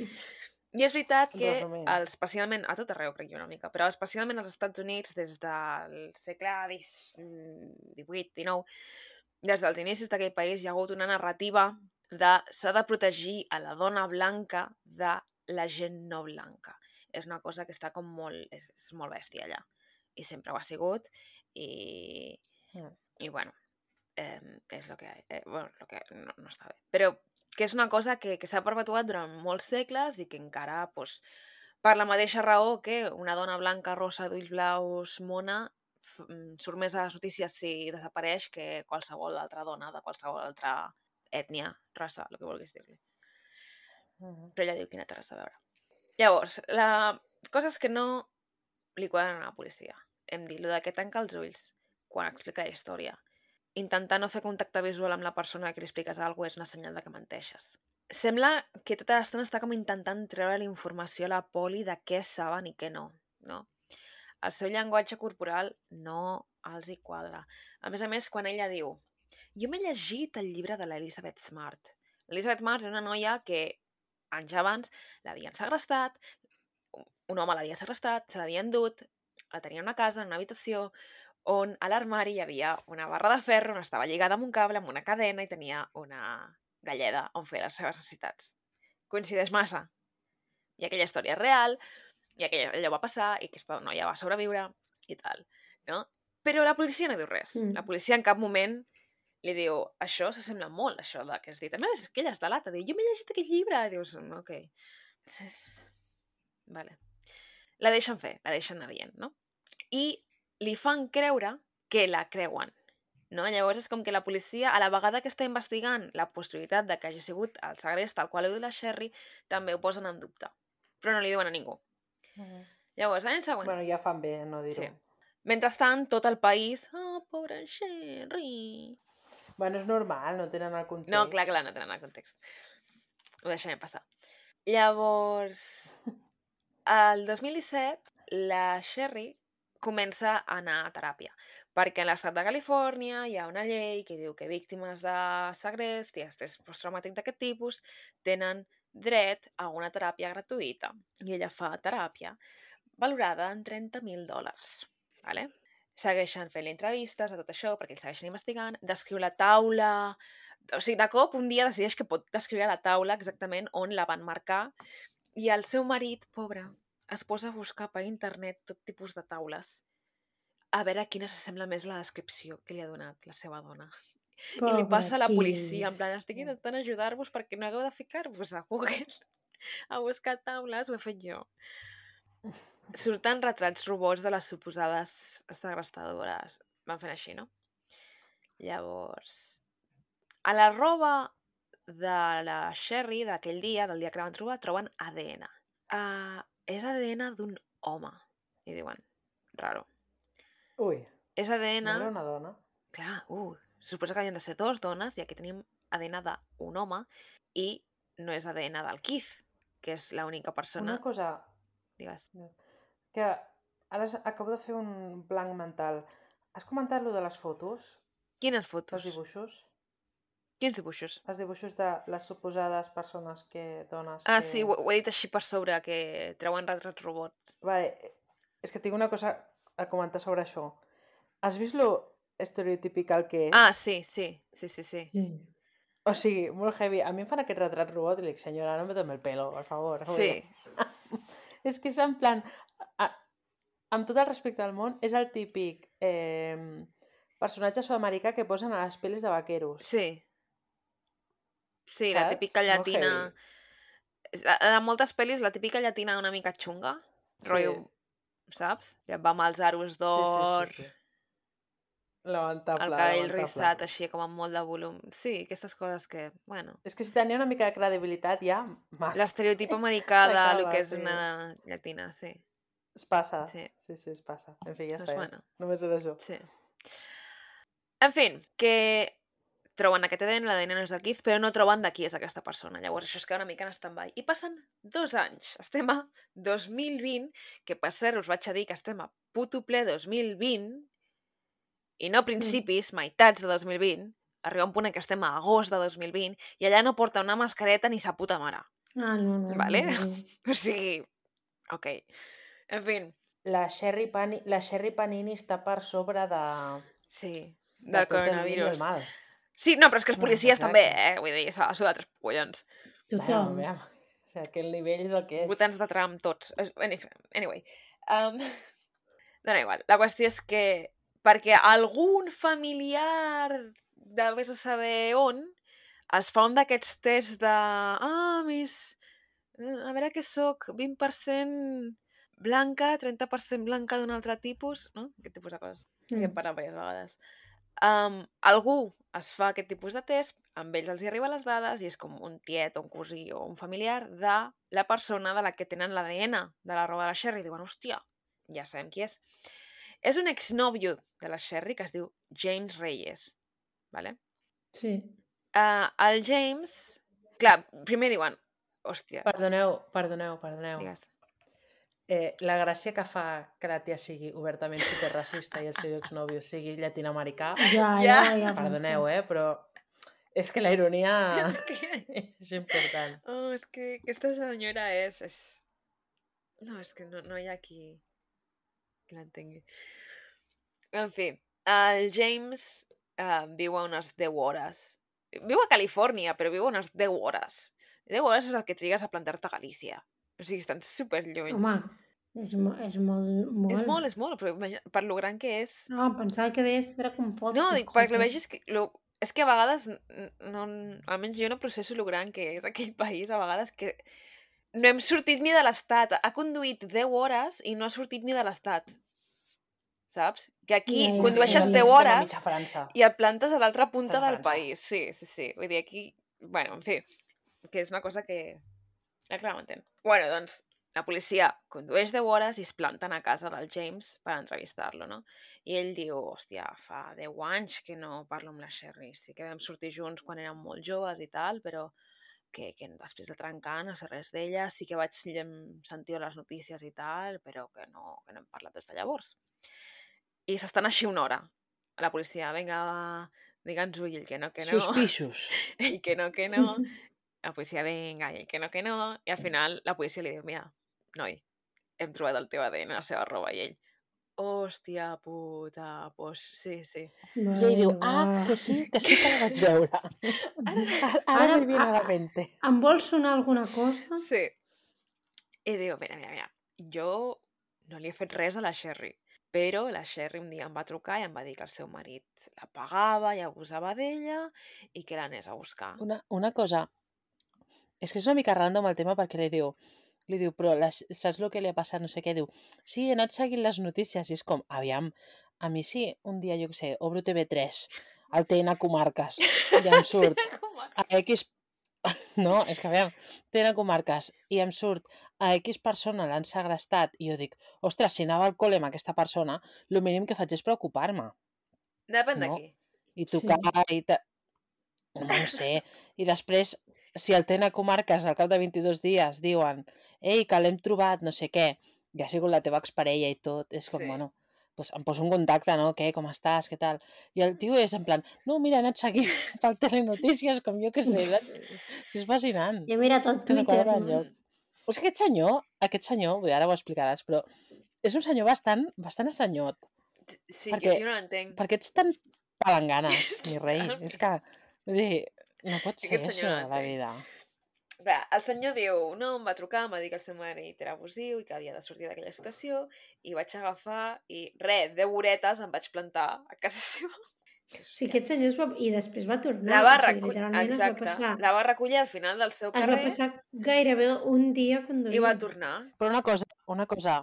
Speaker 1: I és veritat que,
Speaker 3: Resumint.
Speaker 1: especialment, a tot arreu, crec jo una mica, però especialment als Estats Units, des del segle divuit dinou, des dels inicis d'aquell país hi ha hagut una narrativa de s'ha de protegir a la dona blanca de la gent no blanca. És una cosa que està com molt... És, és molt bèstia allà. I sempre ho ha sigut. I,
Speaker 3: Mm.
Speaker 1: i bueno, eh, és el que... Eh, bueno, lo que no, no està bé. Però que és una cosa que, que s'ha perpetuat durant molts segles i que encara, pues, per la mateixa raó que una dona blanca, rosa, d'ulls blaus, mona, surt més a les notícies si desapareix que qualsevol altra dona de qualsevol altra ètnia, raça, el que vulguis dir-li.
Speaker 3: Mm.
Speaker 1: Però ella diu que no té res a veure. Llavors, la cosa és que no li quadren a la policia. Hem dit, lo de que tanca els ulls quan explica la història. Intentar no fer contacte visual amb la persona que li expliques alguna cosa és una senyal de que menteixes. Sembla que tota l'estona està com intentant treure la informació a la poli de què saben i què no, no? El seu llenguatge corporal no els hi quadra. A més a més, quan ella diu jo m'he llegit el llibre de l'Elizabeth Smart. L'Elizabeth Smart és una noia que anys abans l'havien segrestat, un home l'havia segrestat, se l'havia endut, la tenia en una casa, en una habitació, on a l'armari hi havia una barra de ferro on estava lligada amb un cable, amb una cadena i tenia una galleda on fer les seves necessitats. Coincideix massa. I aquella història és real, i aquella, allò va passar, i aquesta noia va sobreviure, i tal, no? Però la policia no diu res.
Speaker 2: Mm.
Speaker 1: La policia en cap moment li diu, això s'assembla molt, això que has dit. A més, és que ella es delata, diu, jo m'he llegit aquest llibre, i dius, ok. Vale. La deixen fer, la deixen anar dient, no? I li fan creure que la creuen, no? Llavors és com que la policia, a la vegada que està investigant la possibilitat de que hagi sigut el segrest tal qual ho diu la Sherry, també ho posen en dubte. Però no li diuen a ningú.
Speaker 3: Mm.
Speaker 1: Llavors, l'any següent...
Speaker 3: Bueno, ja fan bé no dir-ho.
Speaker 1: Sí. Mentrestant, tot el país... Oh, pobra Sherry...
Speaker 3: Bueno, és normal, no tenen el context.
Speaker 1: No, clar, clar, no tenen el context. Ho deixem passar. Llavors, el dos mil disset, la Sherry comença a anar a teràpia, perquè en l'estat de Califòrnia hi ha una llei que diu que víctimes de segrest i estrès posttraumàtic d'aquest tipus tenen dret a una teràpia gratuïta. I ella fa teràpia valorada en trenta mil dòlars. Vale? Segueixen fent entrevistes a tot això perquè el segueixen investigant, descriu la taula... O sigui, de cop un dia decideix que pot descriure la taula exactament on la van marcar i el seu marit, pobre, es posa a buscar per internet tot tipus de taules a veure quina s'assembla més a la descripció que li ha donat la seva dona. I li passa a la policia, en plan, estic intentant ajudar-vos perquè no hagueu de ficar-vos a Google a buscar taules, ho he fet jo. Surten retrats robots de les suposades segrestadores. Van fent així, no? Llavors, A la roba de la Sherry d'aquell dia, del dia que la van trobar, troben A D N. Uh, és A D N d'un home. I diuen, raro.
Speaker 3: Ui,
Speaker 1: És A D N...
Speaker 3: no era una dona.
Speaker 1: Clar, uh, suposa que havien de ser dues dones i aquí tenim A D N d'un home i no és A D N del Keith, que és l'única persona...
Speaker 3: Una cosa...
Speaker 1: Digues.
Speaker 3: Que ara acabo de fer un blanc mental. Has comentat lo de les fotos?
Speaker 1: Quines
Speaker 3: Els
Speaker 1: fotos?
Speaker 3: dibuixos?
Speaker 1: Quins dibuixos?
Speaker 3: Els dibuixos de les suposades persones que... dones
Speaker 1: Ah,
Speaker 3: que...
Speaker 1: sí, ho, ho he dit així per sobre, que treuen retrats robot.
Speaker 3: Vale, és que tinc una cosa a comentar sobre això. Has vist lo estereotipical que és?
Speaker 1: Ah, sí, sí, sí, sí, sí.
Speaker 2: Sí.
Speaker 3: O sigui, molt heavy. A mi em fan aquest retrat robot i li dic, senyora, no me tome el pelo, per favor.
Speaker 1: Sí.
Speaker 3: És que és en plan... A, amb tot el respecte del món, és el típic eh, personatge sud-americà que posen a les pel·lis de vaqueros.
Speaker 1: Sí. Sí,
Speaker 3: Saps?
Speaker 1: la típica
Speaker 3: Molt
Speaker 1: llatina...
Speaker 3: heavy.
Speaker 1: En moltes pel·lis, la típica llatina una mica xunga.
Speaker 3: Sí.
Speaker 1: Rotllo, saps? Ja va amb els aros d'or,
Speaker 3: Sí, sí, sí, sí. Lamentable,
Speaker 1: el cabell
Speaker 3: lamentable.
Speaker 1: rissat així com amb molt de volum. Sí, aquestes coses que, bueno...
Speaker 3: És que si tenia una mica de credibilitat ja... mal.
Speaker 1: L'estereotip americà de
Speaker 3: S'acaba,
Speaker 1: lo que és
Speaker 3: sí.
Speaker 1: una llatina, sí.
Speaker 3: Es passa.
Speaker 1: Sí.
Speaker 3: Sí, sí, es passa. En fi, ja
Speaker 1: Doncs
Speaker 3: està.
Speaker 1: bueno.
Speaker 3: Ja. Només era això.
Speaker 1: Sí. En fi, que troben aquest A D N, l'A D N no és de Keith, però no troben de qui és aquesta persona. Llavors això es queda una mica en stand-by. I passen dos anys. Estem a dos mil vint, que per cert us vaig a dir que estem a puto ple dos mil vint, i no principis, mm. meitats de dos mil vint, arriba un punt en què estem a agost de dos mil vint, i allà no porta una mascareta ni sa puta mare.
Speaker 2: Ah, no, no.
Speaker 1: Vale?
Speaker 2: No, no.
Speaker 1: O sigui, ok. En fi.
Speaker 3: La Sherry, Pani... la Sherry Panini està per sobre de...
Speaker 1: Sí,
Speaker 3: de
Speaker 1: del
Speaker 3: tot el bien i el
Speaker 1: coronavirus.
Speaker 3: mal.
Speaker 1: Sí, no, però és que els
Speaker 3: No,
Speaker 1: policies
Speaker 3: exacte.
Speaker 1: també, eh? Vull dir, s'ha de sudar tres collons.
Speaker 2: Tothom.
Speaker 3: Bueno, aviam. O sigui, aquell nivell és el que és.
Speaker 1: Votants de Trump, tots. Es- Anyway. Um, dona igual. La qüestió és que perquè algun familiar de vés a saber on es fa un d'aquests tests de... Ah, mis... A veure què sóc, vint per cent blanca, trenta per cent blanca d'un altre tipus, no? Aquest tipus de coses. Mm. Que hem parlat diverses vegades. Um, algú es fa aquest tipus de test, amb ells els hi arriben les dades i és com un tiet o un cosí o un familiar de la persona de la que tenen l'A D N de la roba de la Sherry. Diuen, hòstia, ja sabem qui és. És un exnòvio de la Sherry que es diu James Reyes. Vale?
Speaker 2: Sí.
Speaker 1: Uh, el James... Clar, primer diuen, hòstia,
Speaker 3: Perdoneu, perdoneu, perdoneu.
Speaker 1: digues.
Speaker 3: Eh, la gràcia que fa que la tia sigui obertament superracista i el seu exnòvio sigui llatinoamericà,
Speaker 2: Ja,
Speaker 1: Ja.
Speaker 2: ja, ja.
Speaker 3: perdoneu, eh, però és que la ironia
Speaker 1: És que...
Speaker 3: és important.
Speaker 1: Oh, és que aquesta senyora és... és... No, és que no, no hi ha qui, qui l'entengui. En fi, el James uh, viu a unes deu hores. Viu a Califòrnia, però viu a unes deu hores. deu hores és el que trigues a plantar-te a Galícia. O sigui, estan superlluny.
Speaker 2: Home, és, mo és molt, molt.
Speaker 1: És molt, és molt, però imagina, per lo gran que és...
Speaker 2: No, pensava que deies que era com poc.
Speaker 1: No, dic, perquè lo vegis que... Lo... És que a vegades, n- no, almenys jo no processo lo gran que és aquell país, a vegades que no hem sortit ni de l'estat. Ha conduït deu hores i no ha sortit ni de l'estat. Saps? Que aquí
Speaker 2: Ja, ja,
Speaker 1: condueixes
Speaker 2: ja, ja.
Speaker 1: deu
Speaker 3: Estem a
Speaker 1: hores
Speaker 3: mitja França.
Speaker 1: i et plantes a l'altra punta
Speaker 3: Estem a
Speaker 1: del
Speaker 3: França.
Speaker 1: país. Sí, sí, sí. Vull dir, aquí... Bueno, en fi, que és una cosa que... Ja, clar, m'entén. Bueno, doncs, la policia condueix deu hores i es planten a casa del James per entrevistar-lo, no? I ell diu, hòstia, fa deu anys que no parlo amb la Sherry. Sí que vam sortir junts quan érem molt joves i tal, però que, que després de trencar no sé res d'ella. Sí que vaig llen- sentir les notícies i tal, però que no, que no hem parlat des de llavors. I s'estan així una hora. La policia, vinga, digue'ns-ho, i ell que no, que no.
Speaker 3: Suspixos.
Speaker 1: Ell que no, que no. La policia, vinga, i ell que no, que no. I al final la policia li diu, mira, noi, hem trobat el teu A D N a la seva roba. I ell, hòstia puta, pues sí, sí.
Speaker 3: I ell diu, ah, que sí, que sí que la vaig veure. Ara, ara me viene a la mente.
Speaker 2: Em vol sonar alguna cosa?
Speaker 1: Sí. I diu, mira, mira, mira, jo no li he fet res a la Sherry, però la Sherry un dia em va trucar i em va dir que el seu marit la pagava i abusava d'ella i que l'anés a buscar.
Speaker 3: Una, una cosa, és que és una mica random el tema perquè li diu, li diu, però les, saps el que li ha passat, no sé què, diu, sí, he anat seguint les notícies i és com, aviam, a mi sí, un dia, jo què sé, obro T V tres, al T N Comarques i em surt a X... No, és que a veure, T N Comarques i em surt a X persona l'han segrestat i jo dic, ostres, si anava al col·le amb aquesta persona, el mínim que faig és preocupar-me.
Speaker 1: Depèn
Speaker 3: No?
Speaker 1: d'aquí.
Speaker 3: I trucar i... Ta... Home, no sé. I després, si el T N Comarques al cap de vint-i-dos dies diuen ei, que l'hem trobat, no sé què, i ha sigut la teva exparella i tot, és com,
Speaker 1: Sí.
Speaker 3: bueno, pues em poso en contacte, no? Què, com estàs, què tal? I el tio és en plan, no, mira, he anat seguint pel Telenotícies, com jo que sé. És fascinant.
Speaker 2: Jo he mirat el
Speaker 3: Hòstia, no
Speaker 2: Twitter.
Speaker 3: quadra enlloc. O sigui, aquest senyor, aquest senyor, vull dir, ara ho explicaràs, però és un senyor bastant, bastant estranyot.
Speaker 1: Sí,
Speaker 3: Perquè-
Speaker 1: jo, jo no l'entenc.
Speaker 3: Per què ets tan palanganes, mi rei?
Speaker 1: Totalment.
Speaker 3: És que, vull dir, no pot ser
Speaker 1: Aquest senyor
Speaker 3: això
Speaker 1: no
Speaker 3: a la
Speaker 1: l'entenc.
Speaker 3: vida.
Speaker 1: Bé, el senyor diu, no, em va trucar, em va dir que el seu marit era abusiu i que havia de sortir d'aquella situació i vaig agafar i, res, deu horetes em vaig plantar a casa seva.
Speaker 2: Sí, aquest senyor es va... I després va tornar.
Speaker 1: La va
Speaker 2: o sigui,
Speaker 1: recollir,
Speaker 2: literalment es va
Speaker 1: exacte,
Speaker 2: passar...
Speaker 1: la va recollir al final del seu
Speaker 2: Es va
Speaker 1: carrer
Speaker 2: passar gairebé un dia conduint.
Speaker 1: i va tornar.
Speaker 3: Però una cosa, una cosa,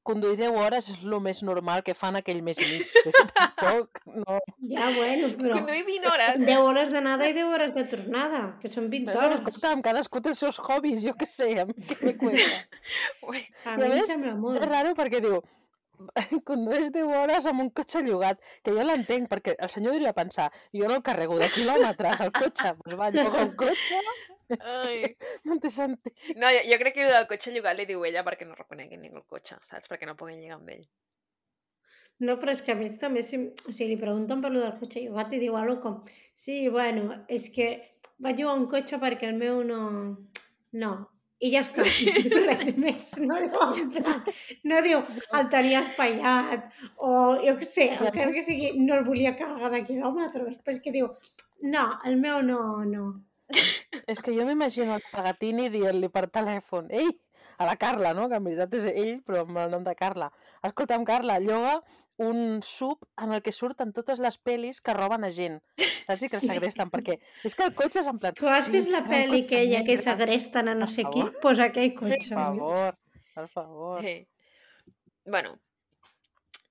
Speaker 3: conduir deu hores és el més normal que fan aquell mes i mig. Vull dir, tampoc, no...
Speaker 2: Ja, bueno, però...
Speaker 1: Conduir vint hores.
Speaker 2: deu hores d'anada i deu hores de tornada, que són vint
Speaker 3: No,
Speaker 2: hores.
Speaker 3: escolta'm, cadascú té els seus hobbies, jo què sé, a mi què me cuenta.
Speaker 1: Ui,
Speaker 2: A
Speaker 3: I a
Speaker 2: mi em
Speaker 3: més,
Speaker 2: sembla
Speaker 3: és
Speaker 2: molt.
Speaker 3: raro perquè diu, condueix deu hores amb un cotxe llogat, que jo l'entenc, perquè el senyor diria pensar, jo no el carrego de quilòmetres, el cotxe, doncs va, lloga un cotxe, és
Speaker 1: ai.
Speaker 3: que no té sentit.
Speaker 1: No, jo, jo crec que el del cotxe llogat li diu ella perquè no reconeguin ningú el cotxe, saps? Perquè no puguin lligar amb ell.
Speaker 2: No, però és que a més també, si, o sigui, li pregunten per lo del cotxe llogat i diu algo com, sí, bueno, és que vaig llogar un cotxe perquè el meu no... No. I ja està. Res més. No diu, en plan, no diu, el tenia espaiat, o jo què sé,
Speaker 3: Ja
Speaker 2: encara que
Speaker 3: ves-
Speaker 2: sigui, no el volia carregar de quilòmetres, però és que diu, no, el meu no, no.
Speaker 3: És que jo m'imagino el Pagatini dient-li per telèfon, ei, a la Carla, no? Que en veritat és ell, però amb el nom de Carla. Escolta'm, Carla, lloga un sub en el que surten totes les pel·lis que roben a gent. Saps? I que el
Speaker 2: Sí.
Speaker 3: segresten, perquè és que el cotxe és en plan...
Speaker 2: Tu has
Speaker 3: sí,
Speaker 2: vist la
Speaker 3: era un
Speaker 2: pel·li
Speaker 3: cotxe
Speaker 2: aquella que
Speaker 3: negre.
Speaker 2: segresten a no
Speaker 3: Per
Speaker 2: sé qui?
Speaker 3: favor.
Speaker 2: Pues aquell
Speaker 3: Per
Speaker 2: cotxe.
Speaker 3: favor, per favor.
Speaker 1: Sí. Bueno,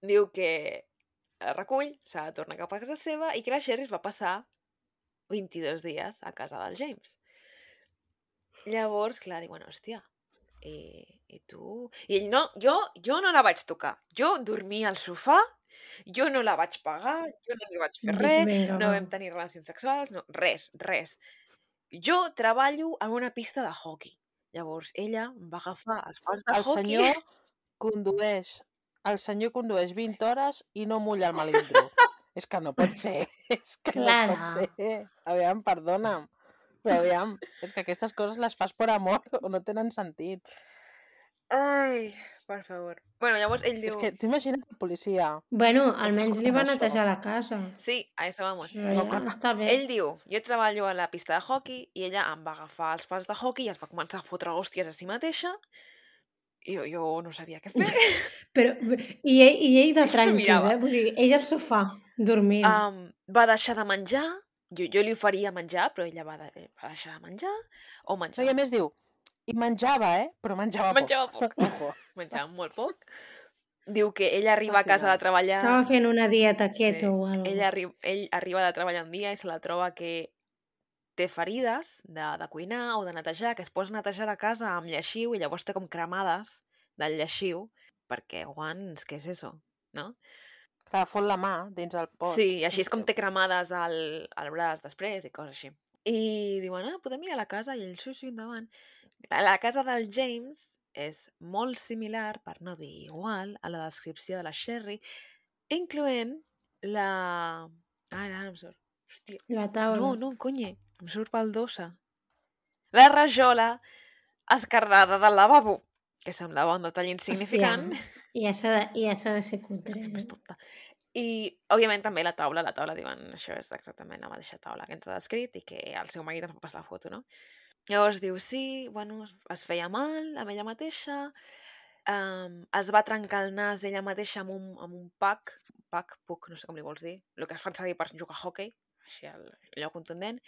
Speaker 1: diu que el recull, s'ha de tornar cap a casa seva i que la Sherry es va passar vint-i-dos dies a casa del James. Llavors, clar, diuen, hòstia, i, i tu... I ell, no, jo, jo no la vaig tocar. Jo dormia al sofà, jo no la vaig pagar, jo no li vaig fer
Speaker 2: Dic,
Speaker 1: res,
Speaker 2: vinga,
Speaker 1: no
Speaker 2: va.
Speaker 1: vam tenir relacions sexuals, no, res, res. Jo treballo en una pista de hockey. Llavors, ella em va agafar els pals de
Speaker 3: El
Speaker 1: hockey...
Speaker 3: senyor condueix, el senyor condueix vint hores i no mulla el melindro. És que no pot ser, és que no
Speaker 2: Clara.
Speaker 3: pot ser. Aviam, perdona'm, però aviam, és que aquestes coses les fas per amor o no tenen sentit.
Speaker 1: Ai, per favor. Bueno, llavors ell diu...
Speaker 3: És que tu imagina't el policia.
Speaker 2: Bueno,
Speaker 3: Estàs
Speaker 2: almenys li va
Speaker 3: escoltant
Speaker 2: netejar
Speaker 3: això?
Speaker 2: la casa.
Speaker 1: Sí, a això vamos.
Speaker 2: Però
Speaker 3: No,
Speaker 2: ja
Speaker 3: clar.
Speaker 2: està bé.
Speaker 1: Ell diu, jo treballo a la pista de hockey i ella em va agafar els pals de hockey i es va començar a fotre hòsties a si mateixa i jo, jo no sabia què fer.
Speaker 2: Però, i, ell, I ell de
Speaker 1: I s'ho
Speaker 2: tranquis,
Speaker 1: mirava.
Speaker 2: eh? Vull dir, ell al sofà, dormint.
Speaker 1: um, va deixar de menjar, jo, jo li oferia menjar, però ella va, de, va deixar de menjar o
Speaker 3: No,
Speaker 1: menjar.
Speaker 3: i a més diu, i menjava, eh? Però menjava,
Speaker 1: Menjava poc.
Speaker 3: poc. Ojo.
Speaker 1: Menjava molt poc. Diu que ella arriba a casa de
Speaker 3: Fascinant.
Speaker 1: treballar...
Speaker 2: Estava fent una dieta keto
Speaker 1: Sí.
Speaker 2: o alguna
Speaker 1: Ell, arri ell arriba de treballar un dia i se la troba que té ferides de, de cuinar o de netejar, que es posa a netejar la casa amb lleixiu i llavors té com cremades del lleixiu, perquè, guants, què és això? No?
Speaker 3: Clar, fot la mà dins el pot.
Speaker 1: Sí, i així és com
Speaker 3: que-
Speaker 1: té cremades al, al braç després i coses així. I diuen, ah, podem ir a la casa? I ell, sí, sí, endavant. La, la casa del James és molt similar, per no dir igual, a la descripció de la Sherry, incloent la... Ah, ara no em surt. Hòstia,
Speaker 2: La taula.
Speaker 1: no, no, conye, em surt baldosa. La rajola escardada del lavabo, que semblava un detall insignificant.
Speaker 2: Hòstia, ja s'ha de, ja s'ha de ser cutre.
Speaker 1: És que
Speaker 2: eh?
Speaker 1: és tonta. I, òbviament, també la taula, la taula diuen, això és exactament la mateixa taula que ens ha descrit i que el seu marit ens va passar la foto, no? Llavors diu, sí, bueno, es, es feia mal amb ella mateixa, um, es va trencar el nas ella mateixa amb un, amb un pack, pack, puc, no sé com li vols dir, el que es fan servir per jugar a hockey, així el, allò contundent.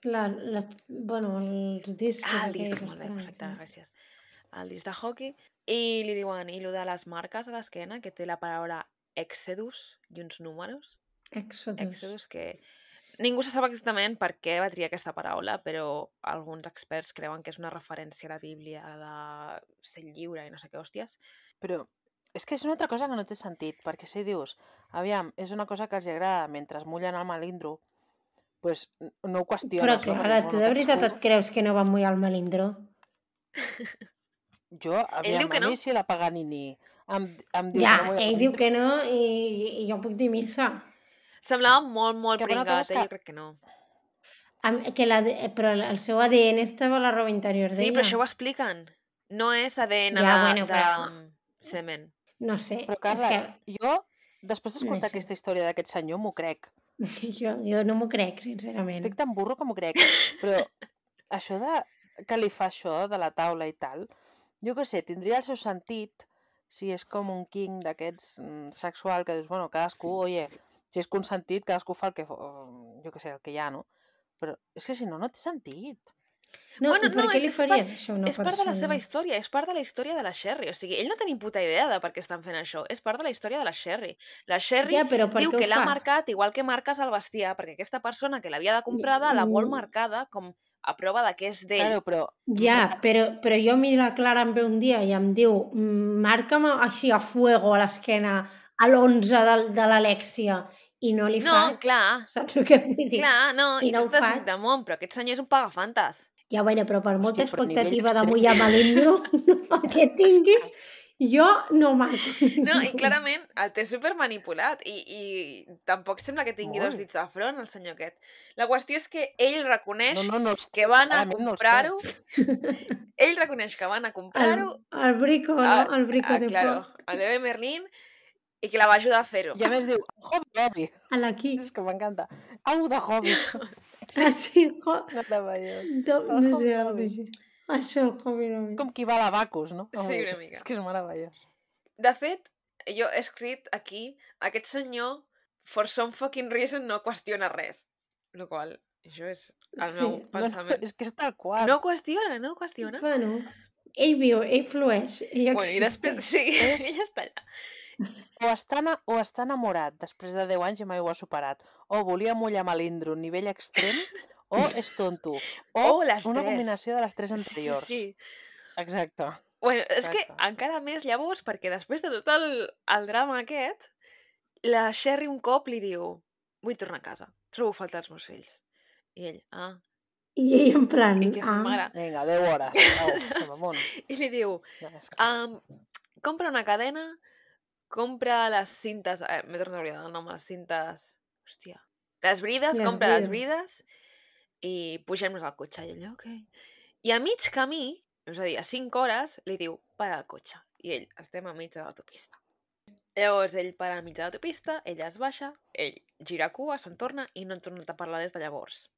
Speaker 2: La, les, bueno, els discos.
Speaker 1: Ah, el disc,
Speaker 2: aquells
Speaker 1: molt bé,
Speaker 2: estranys,
Speaker 1: perfecte,
Speaker 2: no?
Speaker 1: gràcies. El disc de hockey. I li diuen, i lo de les marques a l'esquena, que té la paraula Exodus i uns números.
Speaker 2: Exodus.
Speaker 1: Exodus, que ningú se sap exactament per què va triar aquesta paraula, però alguns experts creuen que és una referència a la Bíblia de ser lliure i no sé què hòsties.
Speaker 3: Però és que és una altra cosa que no té sentit, perquè si dius, aviam, és una cosa que els agrada mentre mullen el melindro, pues no ho qüestiones.
Speaker 2: Però
Speaker 3: no?
Speaker 2: clar,
Speaker 3: Perquè,
Speaker 2: tu
Speaker 3: bueno,
Speaker 2: de veritat
Speaker 3: cadascú...
Speaker 2: et creus que no va mullar el melindro?
Speaker 3: Jo, aviam,
Speaker 1: diu que
Speaker 3: a mi
Speaker 1: no.
Speaker 3: si la Paganini em, em diu
Speaker 2: Ja,
Speaker 3: que no mulla el
Speaker 2: ell diu
Speaker 3: melindro...
Speaker 2: que no i, i jo puc dir missa.
Speaker 1: Semblava molt, molt
Speaker 3: Que una cosa
Speaker 1: pringat,
Speaker 3: és
Speaker 1: eh?
Speaker 3: que-
Speaker 1: Jo crec que no.
Speaker 2: Am- Que la, però el seu A D N estava a la roba interior
Speaker 1: Sí,
Speaker 2: d'ella.
Speaker 1: però això ho expliquen. No és A D N
Speaker 2: Ja,
Speaker 1: de,
Speaker 2: bueno,
Speaker 1: de
Speaker 2: però-
Speaker 1: mm, semen.
Speaker 2: No sé,
Speaker 3: Però,
Speaker 2: és
Speaker 3: Carla,
Speaker 2: que
Speaker 3: jo, després d'escoltar
Speaker 2: No sé.
Speaker 3: aquesta història d'aquest senyor, m'ho crec.
Speaker 2: jo, jo no m'ho crec, sincerament.
Speaker 3: Estic tan burro que m'ho crec. Però això de que li fa això de la taula i tal, jo què sé, tindria el seu sentit si és com un king d'aquests mm, sexual que dius, bueno, cadascú, oye, si és consentit, cadascú fa el que, fa- jo què sé, el que hi ha, no? Però és que si no, no té sentit.
Speaker 2: No,
Speaker 1: Bueno,
Speaker 2: i per
Speaker 1: no,
Speaker 2: què
Speaker 1: és,
Speaker 2: li
Speaker 1: és,
Speaker 2: faries
Speaker 1: part,
Speaker 2: això a una
Speaker 1: és part de la
Speaker 2: persona?
Speaker 1: seva història, és part de la història de la Sherry. O sigui, ell no té ni puta idea de per què estan fent això. És part de la història de la Sherry. La Sherry
Speaker 2: Ja, però per
Speaker 1: diu
Speaker 2: què ho
Speaker 1: que l'ha
Speaker 2: fas?
Speaker 1: marcat igual que marques el bestiar, perquè aquesta persona que l'havia de comprada la vol
Speaker 2: Mm,
Speaker 1: marcada com a prova de que és d'ell.
Speaker 3: Claro, però...
Speaker 2: Ja, però, però jo miro la Clara em ve un dia i em diu "Mm, marca'm així a fuego a l'esquena a l'onze de, de l'Alexia i no li
Speaker 1: No,
Speaker 2: faig.
Speaker 1: clar.
Speaker 2: Saps el que vull dir?
Speaker 1: Clar, no,
Speaker 2: I
Speaker 1: i
Speaker 2: no
Speaker 1: tot
Speaker 2: ho
Speaker 1: és
Speaker 2: faig.
Speaker 1: de món, però aquest senyor és un pagafantes.
Speaker 2: Ja, bueno, però per molta
Speaker 3: Hòstia, però a nivell
Speaker 2: expectativa de
Speaker 3: extrem.
Speaker 2: mullar melindro no que tinguis, jo no marco.
Speaker 1: No, i clarament el té super manipulat i, i tampoc sembla que tingui
Speaker 3: Molt.
Speaker 1: dos dits de front, el senyor aquest. La qüestió és que ell reconeix
Speaker 3: No, no, no els té,
Speaker 1: que va anar a
Speaker 3: clarament no els té.
Speaker 1: comprar-ho. Ell reconeix que va anar a
Speaker 2: El,
Speaker 1: comprar-ho.
Speaker 2: el brico, no?
Speaker 1: a-
Speaker 2: El brico
Speaker 1: a-
Speaker 2: de
Speaker 1: claro,
Speaker 2: pot.
Speaker 1: al bebé Merlín i que la va ajudar a fer-ho.
Speaker 3: I a més diu, hobby, hobby.
Speaker 2: A l'aquí.
Speaker 3: És que m'encanta. Algo de hobby.
Speaker 2: Ah, sí, jo...
Speaker 3: Meravellós.
Speaker 2: No,
Speaker 3: El
Speaker 2: no sé,
Speaker 3: hobby,
Speaker 2: el
Speaker 3: hobby.
Speaker 2: que Això, el hobby no.
Speaker 3: Com qui va a la Bacus, no?
Speaker 1: Sí,
Speaker 3: Home,
Speaker 1: una mica.
Speaker 3: És que és meravellós.
Speaker 1: De fet, jo he escrit aquí, aquest senyor, for some fucking reason, no qüestiona res. Lo qual, això és el
Speaker 2: Sí.
Speaker 1: meu
Speaker 3: No, no,
Speaker 1: pensament.
Speaker 3: és que és tal qual.
Speaker 1: No qüestiona, no qüestiona.
Speaker 2: Bueno, ell viu, ell flueix, ell
Speaker 1: Bueno, i després,
Speaker 2: existeix.
Speaker 1: sí,
Speaker 3: És-
Speaker 1: ella està allà.
Speaker 3: O està, na- o està enamorat després de deu anys i mai ho ha superat. O volia mullar melindro a nivell extrem, o és tonto. O,
Speaker 1: O les
Speaker 3: una
Speaker 1: tres.
Speaker 3: combinació de les tres anteriors.
Speaker 1: Sí, sí.
Speaker 3: Exacte.
Speaker 1: Bueno, és que
Speaker 3: Exacte.
Speaker 1: encara més llavors, perquè després de tot el, el drama aquest, la Sherry un cop li diu vull tornar a casa, trobo a faltar els meus fills. I ell, ah,
Speaker 2: I ell en plan,
Speaker 1: i què fa,
Speaker 2: ah,
Speaker 1: mare?
Speaker 3: Vinga, deu hores. Au, som amunt.
Speaker 1: I li diu,
Speaker 3: Ja, és que...
Speaker 1: um, compra una cadena, compra les cintes, eh, m'he tornat a oblidar el nom, les cintes, hòstia, les brides,
Speaker 2: Les
Speaker 1: compra les
Speaker 2: brides.
Speaker 1: brides i pugem-nos al cotxe. I ell, ok. I a mig camí, és a dir, a cinc hores, li diu, para el cotxe. I ell, estem a mig de l'autopista. Llavors ell para a mig de l'autopista, ella es baixa, ell gira cua, se'n torna i no han tornat a parlar des de llavors.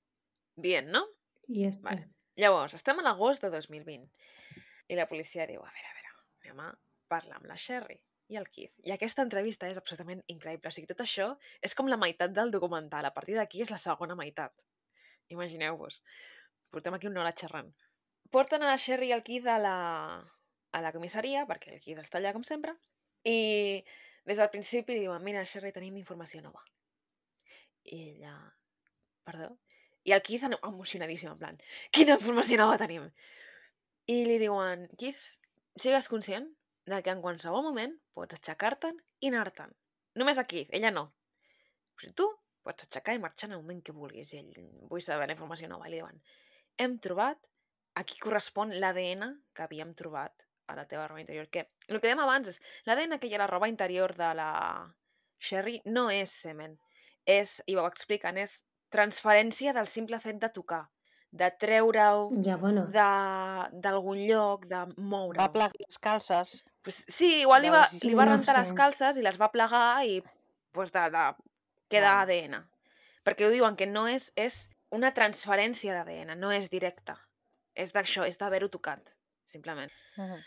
Speaker 1: Bien, no?
Speaker 2: i ja està.
Speaker 1: Vale. Llavors, estem a l'agost de dos mil vint i la policia diu, a veure, a veure, anem a parlar amb la Sherry i el Keith. I aquesta entrevista és absolutament increïble. O sigui, tot això és com la meitat del documental. A partir d'aquí és la segona meitat. Imagineu-vos. Portem aquí una hora xerrant. Porten a la Sherry i el Keith a la, a la comissaria, perquè el Keith està allà com sempre, i des del principi li diuen, mira, Sherry, tenim informació nova. I ella, perdó? I el Keith emocionadíssim, en plan, quina informació nova tenim? I li diuen, Keith, sigues conscient de que en qualsevol moment pots aixecar-te'n i anar-te'n. Només a Keith, ella no. Però tu pots aixecar i marxar en el moment que vulguis. I ell, vull saber la informació nova. I li diuen, hem trobat a qui correspon l'A D N que havíem trobat a la teva roba interior. Que el que dèiem abans és, l'A D N que hi ha a la roba interior de la Sherry no és semen. És, i ho expliquen, és transferència del simple fet de tocar, de treure-ho
Speaker 2: Ja, bueno,
Speaker 1: d'algun lloc, de moure-ho.
Speaker 3: Va plegar les calces.
Speaker 1: Pues sí, igual li
Speaker 3: De
Speaker 1: va,
Speaker 3: les
Speaker 1: li va
Speaker 2: no
Speaker 1: rentar les
Speaker 2: sé.
Speaker 1: calces i les va plegar i pues de, de, queda
Speaker 3: Clar.
Speaker 1: A D N. Perquè ho diuen que no és, és una transferència d'A D N, no és directa. És d'això, és d'haver-ho tocat, simplement.
Speaker 3: Uh -huh.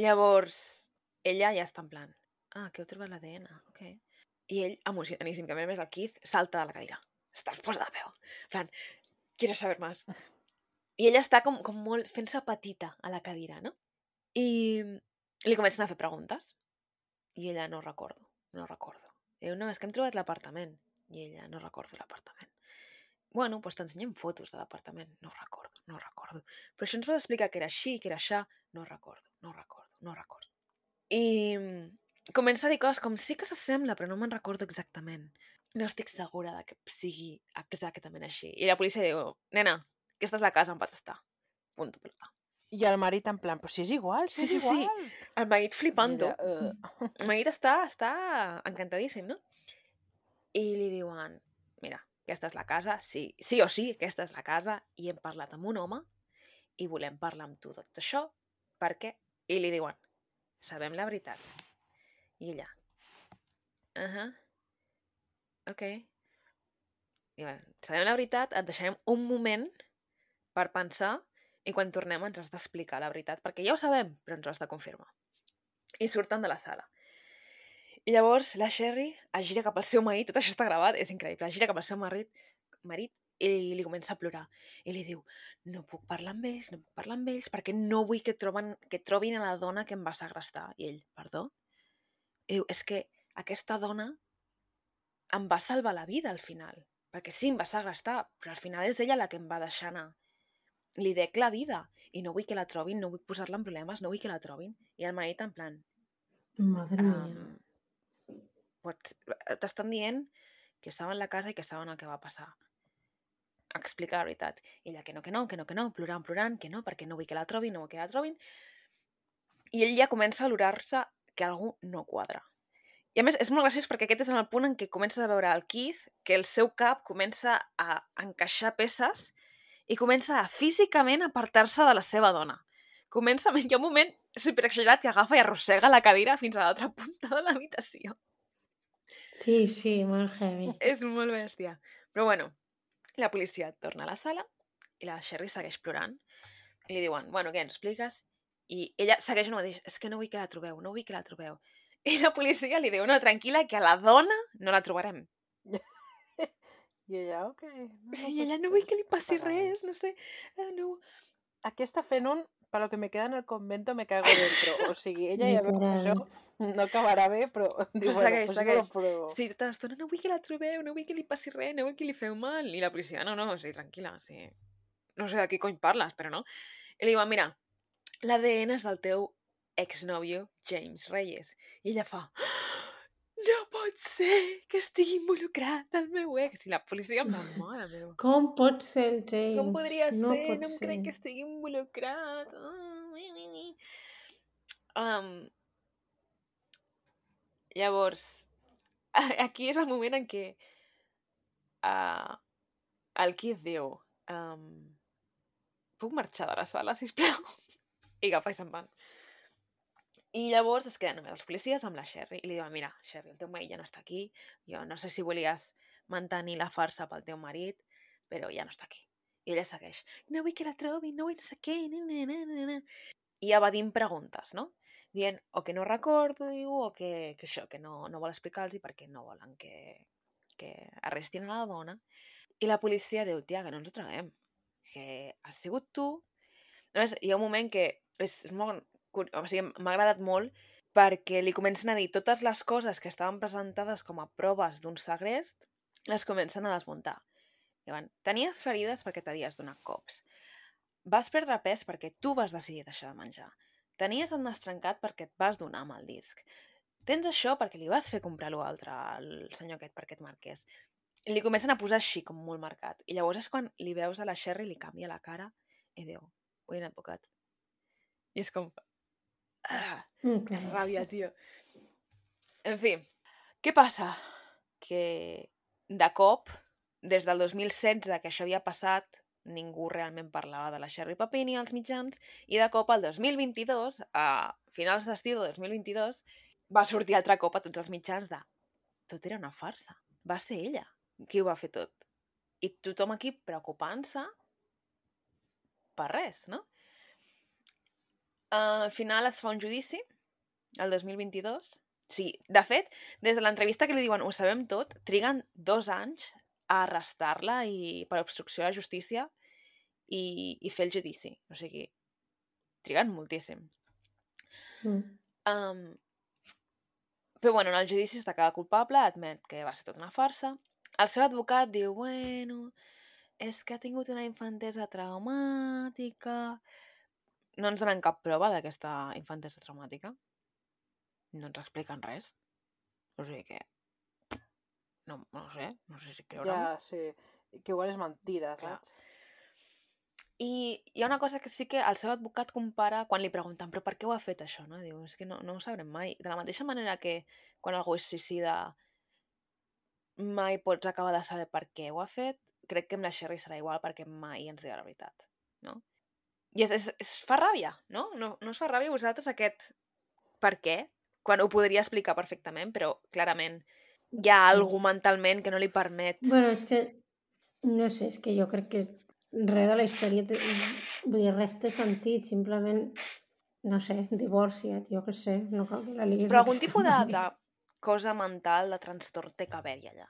Speaker 1: Llavors, ella ja està en plan, ah, que heu trobat l'A D N, ok. I ell, emocionadíssim, que a més el Keith salta de la cadira. Estàs posa de peu. En plan, quiero saber más. I ella està com, com molt fent-se petita a la cadira, no? I li comencen a fer preguntes. I ella, no recordo, no recordo. I diu, no, és que hem trobat l'apartament. I ella, no recordo l'apartament. Bueno, doncs t'ensenyem fotos de l'apartament. No ho recordo, no ho recordo. Però això ens vas explicar que era així, que era això. No ho recordo, no ho recordo, no ho recordo. I comença a dir coses com sí que s'assembla, però no me'n recordo exactament. No estic segura de que sigui exactament així. I la policia diu, nena, aquesta és la casa on vas estar. Punto pelota.
Speaker 3: I el marit en plan, però si és igual, si
Speaker 1: Sí,
Speaker 3: és
Speaker 1: sí, sí.
Speaker 3: igual.
Speaker 1: El marit flipant-ho.
Speaker 3: Ella, uh...
Speaker 1: El marit està, està encantadíssim, no? I li diuen, mira, aquesta és la casa, sí, sí o sí, aquesta és la casa, i hem parlat amb un home i volem parlar amb tu tot això, perquè... I li diuen, sabem la veritat. I ella, uh -huh. ok. I bueno, sabem la veritat, et deixarem un moment per pensar i quan tornem ens has d'explicar la veritat, perquè ja ho sabem, però ens ho has de confirmar. I surten de la sala. I llavors la Sherry es gira cap al seu marit, tot això està gravat, és increïble, es gira cap al seu marit, marit i li comença a plorar. I li diu, no puc parlar amb ells, no puc parlar amb ells, perquè no vull que, troben, que trobin a la dona que em va segrestar. I ell, perdó? I diu, és que aquesta dona em va salvar la vida al final, perquè sí, em va segrestar, però al final és ella la que em va deixar anar. Li dec la vida i no vull que la trobin, no vull posar-la en problemes, no vull que la trobin. I el marit en plan...
Speaker 2: Madre mía.
Speaker 1: Um, T'estan dient que estava en la casa i que saben el que va passar. Explica la veritat. I ella que no, que no, que no, que no, plorant, plorant, que no, perquè no vull que la trobin, no vull que la trobin. I ell ja comença a olorar-se que algú no quadra. I a més, és molt graciós perquè aquest és el punt en què comences a veure el Keith, que el seu cap comença a encaixar peces i comença a físicament apartar-se de la seva dona. Comença, hi ha un moment superexagerat que agafa i arrossega la cadira fins a l'altra punta de l'habitació.
Speaker 2: Sí, sí, molt heavy.
Speaker 1: És molt bèstia. Però bueno, la policia torna a la sala i la Sherry segueix plorant. I li diuen, bueno, què, ens expliques? I ella segueix el mateix, és que no vull que la trobeu, no vull que la trobeu. I la policia li diu, no, tranquil·la, que a la dona no la trobarem.
Speaker 3: I ella, ok. No,
Speaker 1: I ella, no vull que li passi res, no sé. Uh, no.
Speaker 3: Aquí està fent un, para lo que me queda en el convento me cago dentro. O sigui, ella ja veu que això no acabarà bé, però diu,
Speaker 1: Però
Speaker 3: bueno,
Speaker 1: segueix,
Speaker 3: pues
Speaker 1: segueix.
Speaker 3: jo lo pruebo.
Speaker 1: Sí, tota l'estona, no vull que la trobeu, no vull que li passi res, no vull que li feu mal. I la policia, no, no, sí, tranquil·la, sí. No sé de qui cony parles, però no. I li diuen, mira, l'A D N és del teu exnòvio James Reyes. I ella fa, no pot ser que estigui involucrat el meu ex. I la policia em va, mare meva.
Speaker 2: Com pot ser el James?
Speaker 1: Com podria
Speaker 2: no
Speaker 1: ser?
Speaker 2: Pot
Speaker 1: no em
Speaker 2: ser.
Speaker 1: crec que estigui involucrat. Oh, mi, mi, mi. Um, llavors, aquí és el moment en què uh, el Keith diu um, puc marxar de la sala, sisplau? I agafa i se'n van. I llavors es queden només els policies amb la Sherry i li diuen, mira, Sherry, el teu marit ja no està aquí, jo no sé si volies mantenir la farsa pel teu marit, però ja no està aquí. I ella segueix, no vull que la trobi, no vull no sé què, na, na, na, na, na. I evadint preguntes, no? Dient o que no recordo, diu, o que, que això, que no, no vol explicar-los perquè no volen que, que arrestin a la dona. I la policia diu, tia, que no ens ho traguem, que has sigut tu. A més, hi ha un moment que és, és molt... O sigui, m'ha agradat molt perquè li comencen a dir totes les coses que estaven presentades com a proves d'un segrest, les comencen a desmuntar. Diuen, tenies ferides perquè t'havies donat cops. Vas perdre pes perquè tu vas decidir deixar de menjar. Tenies el nas trencat perquè et vas donar amb el disc. Tens això perquè li vas fer comprar l'altre al senyor aquest perquè et marqués. I li comencen a posar així, com molt marcat. I llavors és quan li veus a la Sherry, li canvia la cara i diu, vull un advocat. I és com... Ah,
Speaker 2: Okay.
Speaker 1: que ràbia, tio. En fi, què passa? Que de cop, des del dos mil setze que això havia passat, ningú realment parlava de la Sherry Papini als mitjans, i de cop el dos mil vint-i-dos, a finals d'estiu del dos mil vint-i-dos, va sortir altre cop a tots els mitjans de tot era una farsa. Va ser ella qui ho va fer tot. I tothom aquí preocupant-se per res, no? Uh, al final es fa un judici, el dos mil vint-i-dos. Sí, de fet, des de l'entrevista que li diuen ho sabem tot, triguen dos anys a arrestar-la i per obstrucció a la justícia i, i fer el judici. O sigui, triguen moltíssim.
Speaker 2: Mm.
Speaker 1: Um, però bueno, en el judici es declara culpable, admet que va ser tota una farsa. el seu advocat diu, bueno, és que ha tingut una infantesa traumàtica. No ens donen cap prova d'aquesta infantesa traumàtica. No ens expliquen res. O sigui que... No, no ho sé, no sé si creure'm.
Speaker 3: Ja, sí. Que igual és mentida,
Speaker 1: Clar.
Speaker 3: saps?
Speaker 1: I hi ha una cosa que sí que el seu advocat compara quan li pregunten però per què ho ha fet això, no? Diu, és que no, no ho sabrem mai. De la mateixa manera que quan algú es suïcida mai pots acabar de saber per què ho ha fet, crec que amb la Sherry serà igual perquè mai ens dirà la veritat, no? I es, es, es fa ràbia, no? no? No us fa ràbia a vosaltres aquest per què? Quan ho podria explicar perfectament, però clarament hi ha
Speaker 2: Sí.
Speaker 1: algú mentalment que no li permet.
Speaker 2: Bueno, és que, no sé, és que jo crec que res de la història, té, vull dir, res té sentit, simplement, no sé, divorcia't, jo què sé, no cal que la liguis
Speaker 1: Però algun
Speaker 2: d'aquesta
Speaker 1: tipus de, de
Speaker 2: manera.
Speaker 1: cosa mental, de trastorn té que haver-hi allà,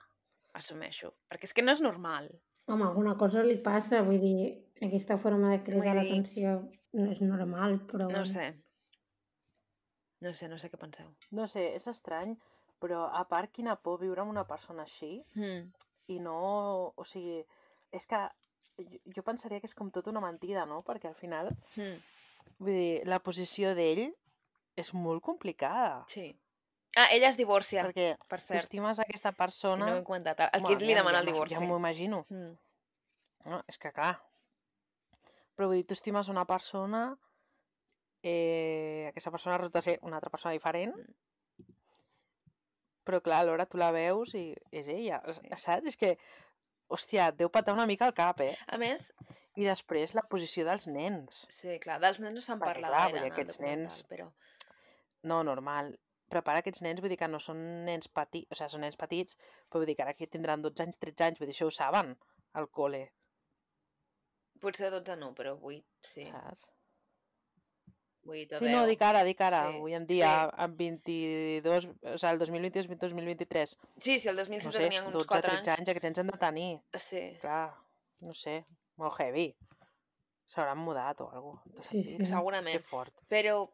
Speaker 1: assumeixo. Perquè és que no és normal.
Speaker 2: Home, alguna cosa li passa, vull dir, aquesta forma de cridar
Speaker 1: Vull dir-
Speaker 2: l'atenció no és normal, però
Speaker 1: No
Speaker 2: bueno.
Speaker 1: sé. No sé, no sé què penseu.
Speaker 3: No sé, és estrany, però a part quina por viure amb una persona així
Speaker 1: Mm.
Speaker 3: i no... O sigui, és que jo, jo pensaria que és com tota una mentida, no? Perquè al final,
Speaker 1: Mm.
Speaker 3: vull dir, la posició d'ell és molt complicada.
Speaker 1: Sí. Ah, ella es divorcia,
Speaker 3: Perquè
Speaker 1: per
Speaker 3: tu
Speaker 1: cert.
Speaker 3: estimes aquesta
Speaker 1: I
Speaker 3: persona...
Speaker 1: no ho he comentat. El
Speaker 3: Home,
Speaker 1: Kid li
Speaker 3: aviam,
Speaker 1: demana
Speaker 3: ja
Speaker 1: el
Speaker 3: m'ho-
Speaker 1: divorci.
Speaker 3: Ja m'ho imagino.
Speaker 1: Mm.
Speaker 3: No, és que clar. Però vull dir, tu estimes una persona, eh, aquesta persona resulta ser una altra persona diferent,
Speaker 1: Mm.
Speaker 3: però clar, alhora tu la veus i és ella,
Speaker 1: Sí.
Speaker 3: saps? És que, hòstia, et deu patar una mica el cap, eh?
Speaker 1: A més,
Speaker 3: I després la posició dels nens.
Speaker 1: sí, clar, dels nens no se'n
Speaker 3: Perquè,
Speaker 1: parla
Speaker 3: clar,
Speaker 1: gaire
Speaker 3: vull dir,
Speaker 1: en el
Speaker 3: aquests
Speaker 1: documental,
Speaker 3: nens-
Speaker 1: però...
Speaker 3: No, normal. Però per aquests nens, vull dir que no són nens petits, o sigui, són nens petits, però vull dir que ara aquí tindran dotze anys, tretze anys, vull dir, això ho saben, al col·le,
Speaker 1: Potser dotze no, però vuit, sí.
Speaker 3: saps?
Speaker 1: vuit o
Speaker 3: Sí,
Speaker 1: deu.
Speaker 3: no, dic ara, dic ara,
Speaker 1: Sí,
Speaker 3: avui en dia,
Speaker 1: sí.
Speaker 3: amb vint-i-dos, o sigui, el dos mil vint-i-dos, dos mil vint-i-tres,
Speaker 1: Sí, sí, el dos mil
Speaker 3: no
Speaker 1: setze
Speaker 3: sé,
Speaker 1: tenien uns
Speaker 3: dotze,
Speaker 1: quatre
Speaker 3: tretze
Speaker 1: anys.
Speaker 3: anys, aquests nens han de tenir,
Speaker 1: Sí.
Speaker 3: clar, no sé, molt heavy. S'hauran mudat o alguna cosa.
Speaker 2: Sí, sí.
Speaker 1: Segurament.
Speaker 3: Que fort.
Speaker 1: Però,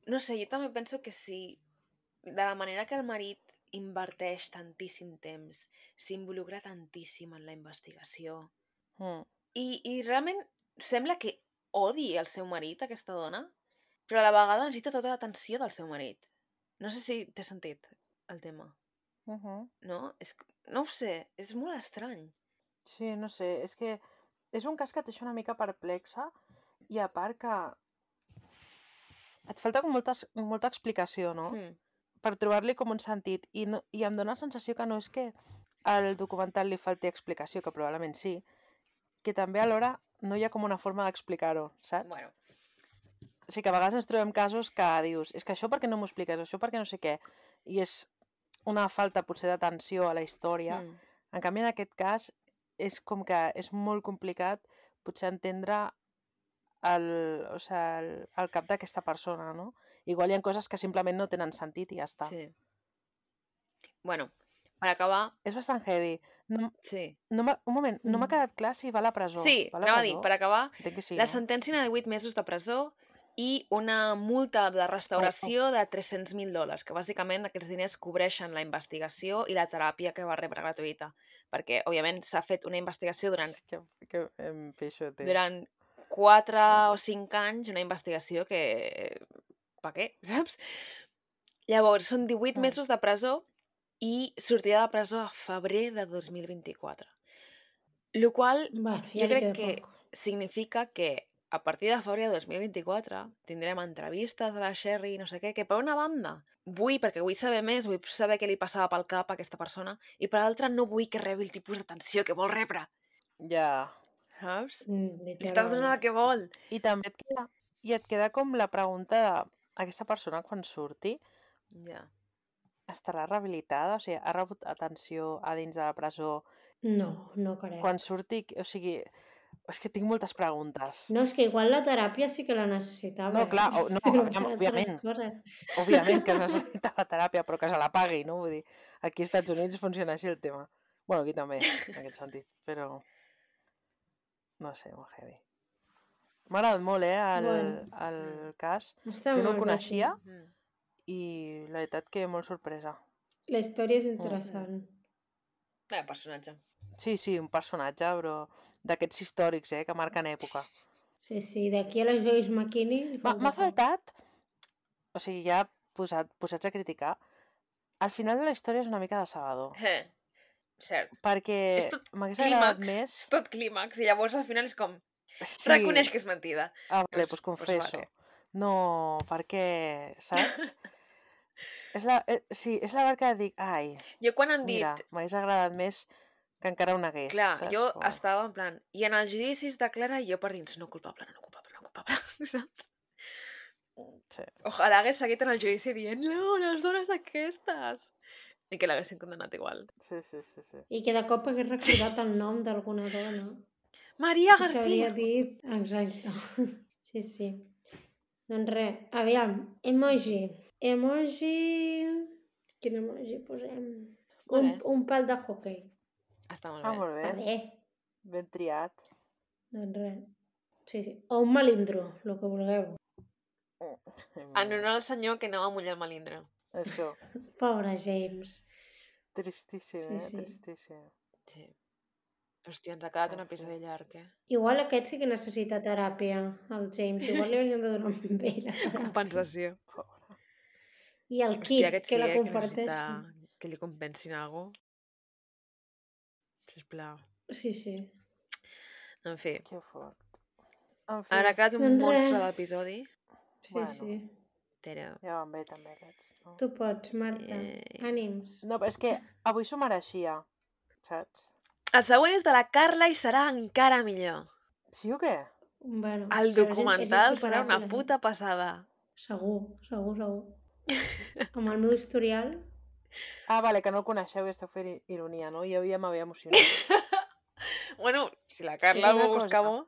Speaker 1: no sé, jo també penso que si de la manera que el marit inverteix tantíssim temps, s'involucra tantíssim en la investigació,
Speaker 3: Mm.
Speaker 1: i, i realment sembla que odi el seu marit, aquesta dona, però a la vegada necessita tota l'atenció del seu marit. No sé si té sentit el tema,
Speaker 3: Uh -huh.
Speaker 1: no? És, no ho sé, és molt estrany.
Speaker 3: Sí, no sé, és que és un cas que et deixa una mica perplexa i a part que et falta com molta, molta explicació, no?
Speaker 1: Hmm.
Speaker 3: Per trobar-li com un sentit. I, no, I em dóna la sensació que no és que al documental li falti explicació, que probablement sí, que també alhora no hi ha com una forma d'explicar-ho, saps?
Speaker 1: Bueno,
Speaker 3: O sigui que a vegades ens trobem casos que dius és que això per què no m'ho expliques, això per què no sé què, i és una falta potser d'atenció a la història.
Speaker 1: hmm.
Speaker 3: En canvi, en aquest cas, és com que és molt complicat potser entendre el, o sigui, el, el cap d'aquesta persona, no? Igual hi ha coses que simplement no tenen sentit i ja està.
Speaker 1: Sí. Bueno, per acabar,
Speaker 3: És bastant heavy. No,
Speaker 1: sí.
Speaker 3: no m'ha- un moment, no m'ha
Speaker 2: Mm.
Speaker 3: quedat clar si va a la presó.
Speaker 1: Sí,
Speaker 3: va a la
Speaker 1: anava a
Speaker 3: presó?
Speaker 1: dir, per acabar,
Speaker 3: Entenc que sí,
Speaker 1: la
Speaker 3: no?
Speaker 1: sentència era de vuit mesos de presó i una multa de restauració de tres-cents mil dòlars, que bàsicament aquests diners cobreixen la investigació i la teràpia que va rebre gratuïta. Perquè, òbviament, s'ha fet una investigació durant,
Speaker 3: Que, que em peixote.
Speaker 1: durant quatre o cinc anys, una investigació que... Per què, saps? Llavors, són divuit
Speaker 3: Mm.
Speaker 1: mesos de presó i sortida de presó a febrer de dos mil vint-i-quatre. Lo qual
Speaker 2: Bueno, ja
Speaker 1: jo
Speaker 2: li
Speaker 1: crec
Speaker 2: queda
Speaker 1: que
Speaker 2: poc.
Speaker 1: significa que a partir de febrer de dos mil vint-i-quatre tindrem entrevistes a la Sherry i no sé què, que per una banda vull, perquè vull saber més, vull saber què li passava pel cap a aquesta persona, i per l'altra no vull que rebi el tipus d'atenció que vol rebre,
Speaker 3: Ja.
Speaker 1: saps?
Speaker 2: Mm,
Speaker 1: Li estàs donant el
Speaker 2: literal.
Speaker 1: que vol.
Speaker 3: I també et queda, i et queda com la pregunta de aquesta persona quan surti
Speaker 1: Ja.
Speaker 3: estarà rehabilitada? O sigui, ha rebut atenció a dins de la presó?
Speaker 2: No, no crec.
Speaker 3: Quan surti, o sigui, és que tinc moltes preguntes.
Speaker 2: No, és que igual la teràpia sí que la necessitava,
Speaker 3: No, clar,
Speaker 2: eh?
Speaker 3: o- no,
Speaker 2: Però
Speaker 3: aviam,
Speaker 2: per altres
Speaker 3: òbviament.
Speaker 2: coses.
Speaker 3: Òbviament que es necessitava teràpia, però que se la pagui, no? Vull dir, aquí als Estats Units funciona així el tema. Bueno, aquí també, en aquest sentit, però... No sé, molt heavy. M'ha agradat molt, eh, el,
Speaker 2: Bueno.
Speaker 3: el cas.
Speaker 2: Està
Speaker 3: Jo no el
Speaker 2: molt bé, sí.
Speaker 3: coneixia
Speaker 1: Mm.
Speaker 3: i la veritat que molt sorpresa.
Speaker 2: La història és interessant.
Speaker 1: Eh, personatge.
Speaker 3: Sí, sí, un personatge, però d'aquests històrics, eh, que marquen època.
Speaker 2: Sí, sí, d'aquí a la Joyce McKinney...
Speaker 3: M'ha faltat, o sigui, ja posat, posats a criticar, al final de la història és una mica decebedor.
Speaker 1: Eh, cert.
Speaker 3: Perquè
Speaker 1: És tot
Speaker 3: m'hagués agradat
Speaker 1: clímax,
Speaker 3: més...
Speaker 1: és tot clímax, i llavors al final és com...
Speaker 3: Sí.
Speaker 1: Reconeix que és mentida.
Speaker 3: Ah, vale,
Speaker 1: Doncs-
Speaker 3: pues confesso.
Speaker 1: pues vale.
Speaker 3: No, perquè, saps? és la, eh, sí, és la part que dic, ai,
Speaker 1: Jo quan han
Speaker 3: mira,
Speaker 1: dit...
Speaker 3: m'hagués agradat més que encara ho negués,
Speaker 1: Clar,
Speaker 3: saps?
Speaker 1: jo
Speaker 3: Com...
Speaker 1: estava en plan... I en els judicis de Clara, jo per dins, no culpable, no culpable, no culpable, saps?
Speaker 3: Sí.
Speaker 1: Ojalà hagués seguit en el judici dient no, les dones aquestes. I que l'haguessin condemnat igual.
Speaker 3: Sí, sí, sí, sí.
Speaker 2: I que de cop hagués recordat el nom d'alguna dona.
Speaker 1: Maria
Speaker 2: I s'hauria
Speaker 1: García!
Speaker 2: dit... Exacte. Sí, sí. Doncs res, aviam, emoji. Emoji... Quin emoji posem? Un,
Speaker 1: Vale.
Speaker 2: un pal de hockey.
Speaker 1: Està molt
Speaker 3: Ah,
Speaker 1: bé.
Speaker 3: molt
Speaker 2: Està
Speaker 3: bé.
Speaker 2: bé.
Speaker 3: Ben triat.
Speaker 2: Doncs res. Sí, sí. O un melindro, el que vulgueu.
Speaker 1: En honor al senyor que no va mullar el melindre.
Speaker 3: Això.
Speaker 2: Pobre James.
Speaker 3: Tristíssim,
Speaker 2: Sí,
Speaker 3: eh?
Speaker 2: sí.
Speaker 3: Tristíssim.
Speaker 1: Sí. Hòstia, ens ha quedat un
Speaker 3: En fi.
Speaker 1: episodi llarg, eh?
Speaker 2: Igual aquest sí que necessita teràpia, el James. Igual li haurien de donar un bé la teràpia.
Speaker 1: Compensació.
Speaker 3: Pobre.
Speaker 2: I el
Speaker 1: Hòstia,
Speaker 2: Keith,
Speaker 1: aquest
Speaker 2: que
Speaker 1: sí,
Speaker 2: la
Speaker 1: eh? Que
Speaker 2: comparteix.
Speaker 1: necessita que li compensin alguna cosa. Sisplau.
Speaker 2: Sí, sí.
Speaker 1: En fi.
Speaker 3: Que fort. En fi,
Speaker 1: Ara ha quedat un
Speaker 2: Doncs
Speaker 1: monstre
Speaker 2: res.
Speaker 1: d'episodi.
Speaker 2: Sí,
Speaker 3: Bueno.
Speaker 2: sí.
Speaker 1: Però...
Speaker 3: ja van bé també aquests. No?
Speaker 2: Tu pots, Marta.
Speaker 1: Eh.
Speaker 2: Ànims.
Speaker 3: No, però és que avui s'ho mereixia, saps?
Speaker 1: El següent és de la Carla i serà encara millor.
Speaker 3: Sí o què?
Speaker 2: Bueno,
Speaker 1: El
Speaker 2: però és- és
Speaker 1: documental serà una
Speaker 2: insuperable.
Speaker 1: puta passada.
Speaker 2: Segur, segur, segur. Amb el meu historial...
Speaker 3: Ah, vale, que no el coneixeu i esteu fent ironia, no? Jo ja m'havia emocionat.
Speaker 1: Bueno, si la Carla
Speaker 3: una
Speaker 1: ho busca
Speaker 3: cosa.
Speaker 1: bo...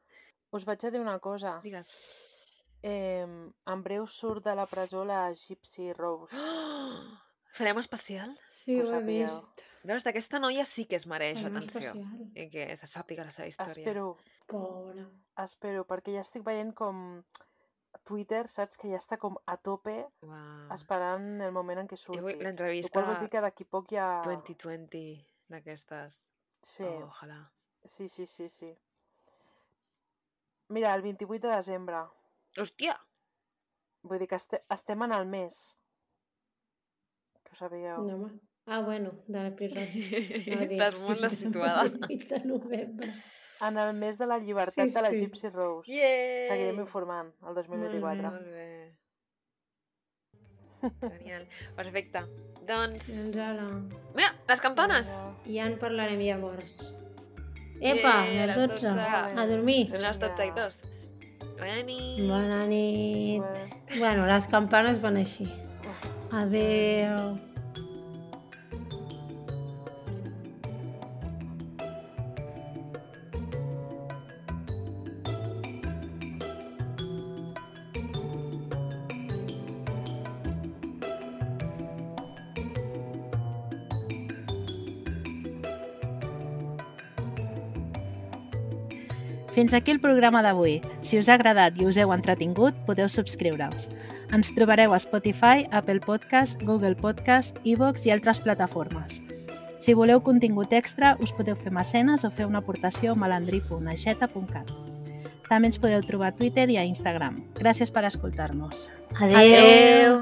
Speaker 3: Us vaig a dir una cosa.
Speaker 1: Digues.
Speaker 3: Eh, en breu surt de la presó la Gypsy Rose.
Speaker 1: Oh! Farem especial?
Speaker 2: Sí,
Speaker 3: Ho
Speaker 2: ho he
Speaker 3: sapíeu.
Speaker 2: vist.
Speaker 1: Veus, aquesta noia sí que es mereix
Speaker 2: Farem
Speaker 1: atenció.
Speaker 2: especial.
Speaker 1: I que se sàpiga la seva història.
Speaker 3: Espero,
Speaker 2: Pobra.
Speaker 3: espero, perquè ja estic veient com Twitter, saps? Que ja està com a tope
Speaker 1: Uau.
Speaker 3: esperant el moment en què
Speaker 1: I
Speaker 3: surti.
Speaker 1: avui
Speaker 3: El
Speaker 1: l'entrevista
Speaker 3: qual vol dir que d'aquí poc ja...
Speaker 1: vint vint d'aquestes.
Speaker 3: Sí,
Speaker 1: Oh, ojalà.
Speaker 3: sí, sí, sí, sí. Mira, el vint-i-vuit de desembre.
Speaker 1: Hòstia!
Speaker 3: Vull dir que este, estem en el mes. Que ho sabíeu.
Speaker 2: No, home. Ah, bueno, de l'episodi. No, dic,
Speaker 1: Estàs molt desituada.
Speaker 2: vint de novembre.
Speaker 3: En el mes de la llibertat
Speaker 2: Sí,
Speaker 3: de la
Speaker 2: sí.
Speaker 3: Gypsy Rose.
Speaker 1: Yay!
Speaker 3: Seguirem informant el dos mil vint-i-quatre.
Speaker 1: Molt bé. Genial. Perfecte. Doncs...
Speaker 2: Doncs ara...
Speaker 1: Mira, les campanes!
Speaker 2: Ja en parlarem llavors. Epa,
Speaker 1: Yeah,
Speaker 2: les
Speaker 1: les
Speaker 2: dotze.
Speaker 1: dotze.
Speaker 2: A dormir.
Speaker 1: Són les dotze i dos. Bona nit!
Speaker 2: Bona nit.
Speaker 3: Bueno.
Speaker 2: Bueno, les campanes van així. Adéu.
Speaker 4: Fins aquí el programa d'avui. Si us ha agradat i us heu entretingut, podeu subscriure-us. Ens trobareu a Spotify, Apple Podcast, Google Podcast, iVoox i altres plataformes. Si voleu contingut extra, us podeu fer mecenes o fer una aportació a malandrí punt aixeta punt cat. També ens podeu trobar a Twitter i a Instagram. Gràcies per escoltar-nos.
Speaker 2: Adéu.
Speaker 1: Adéu.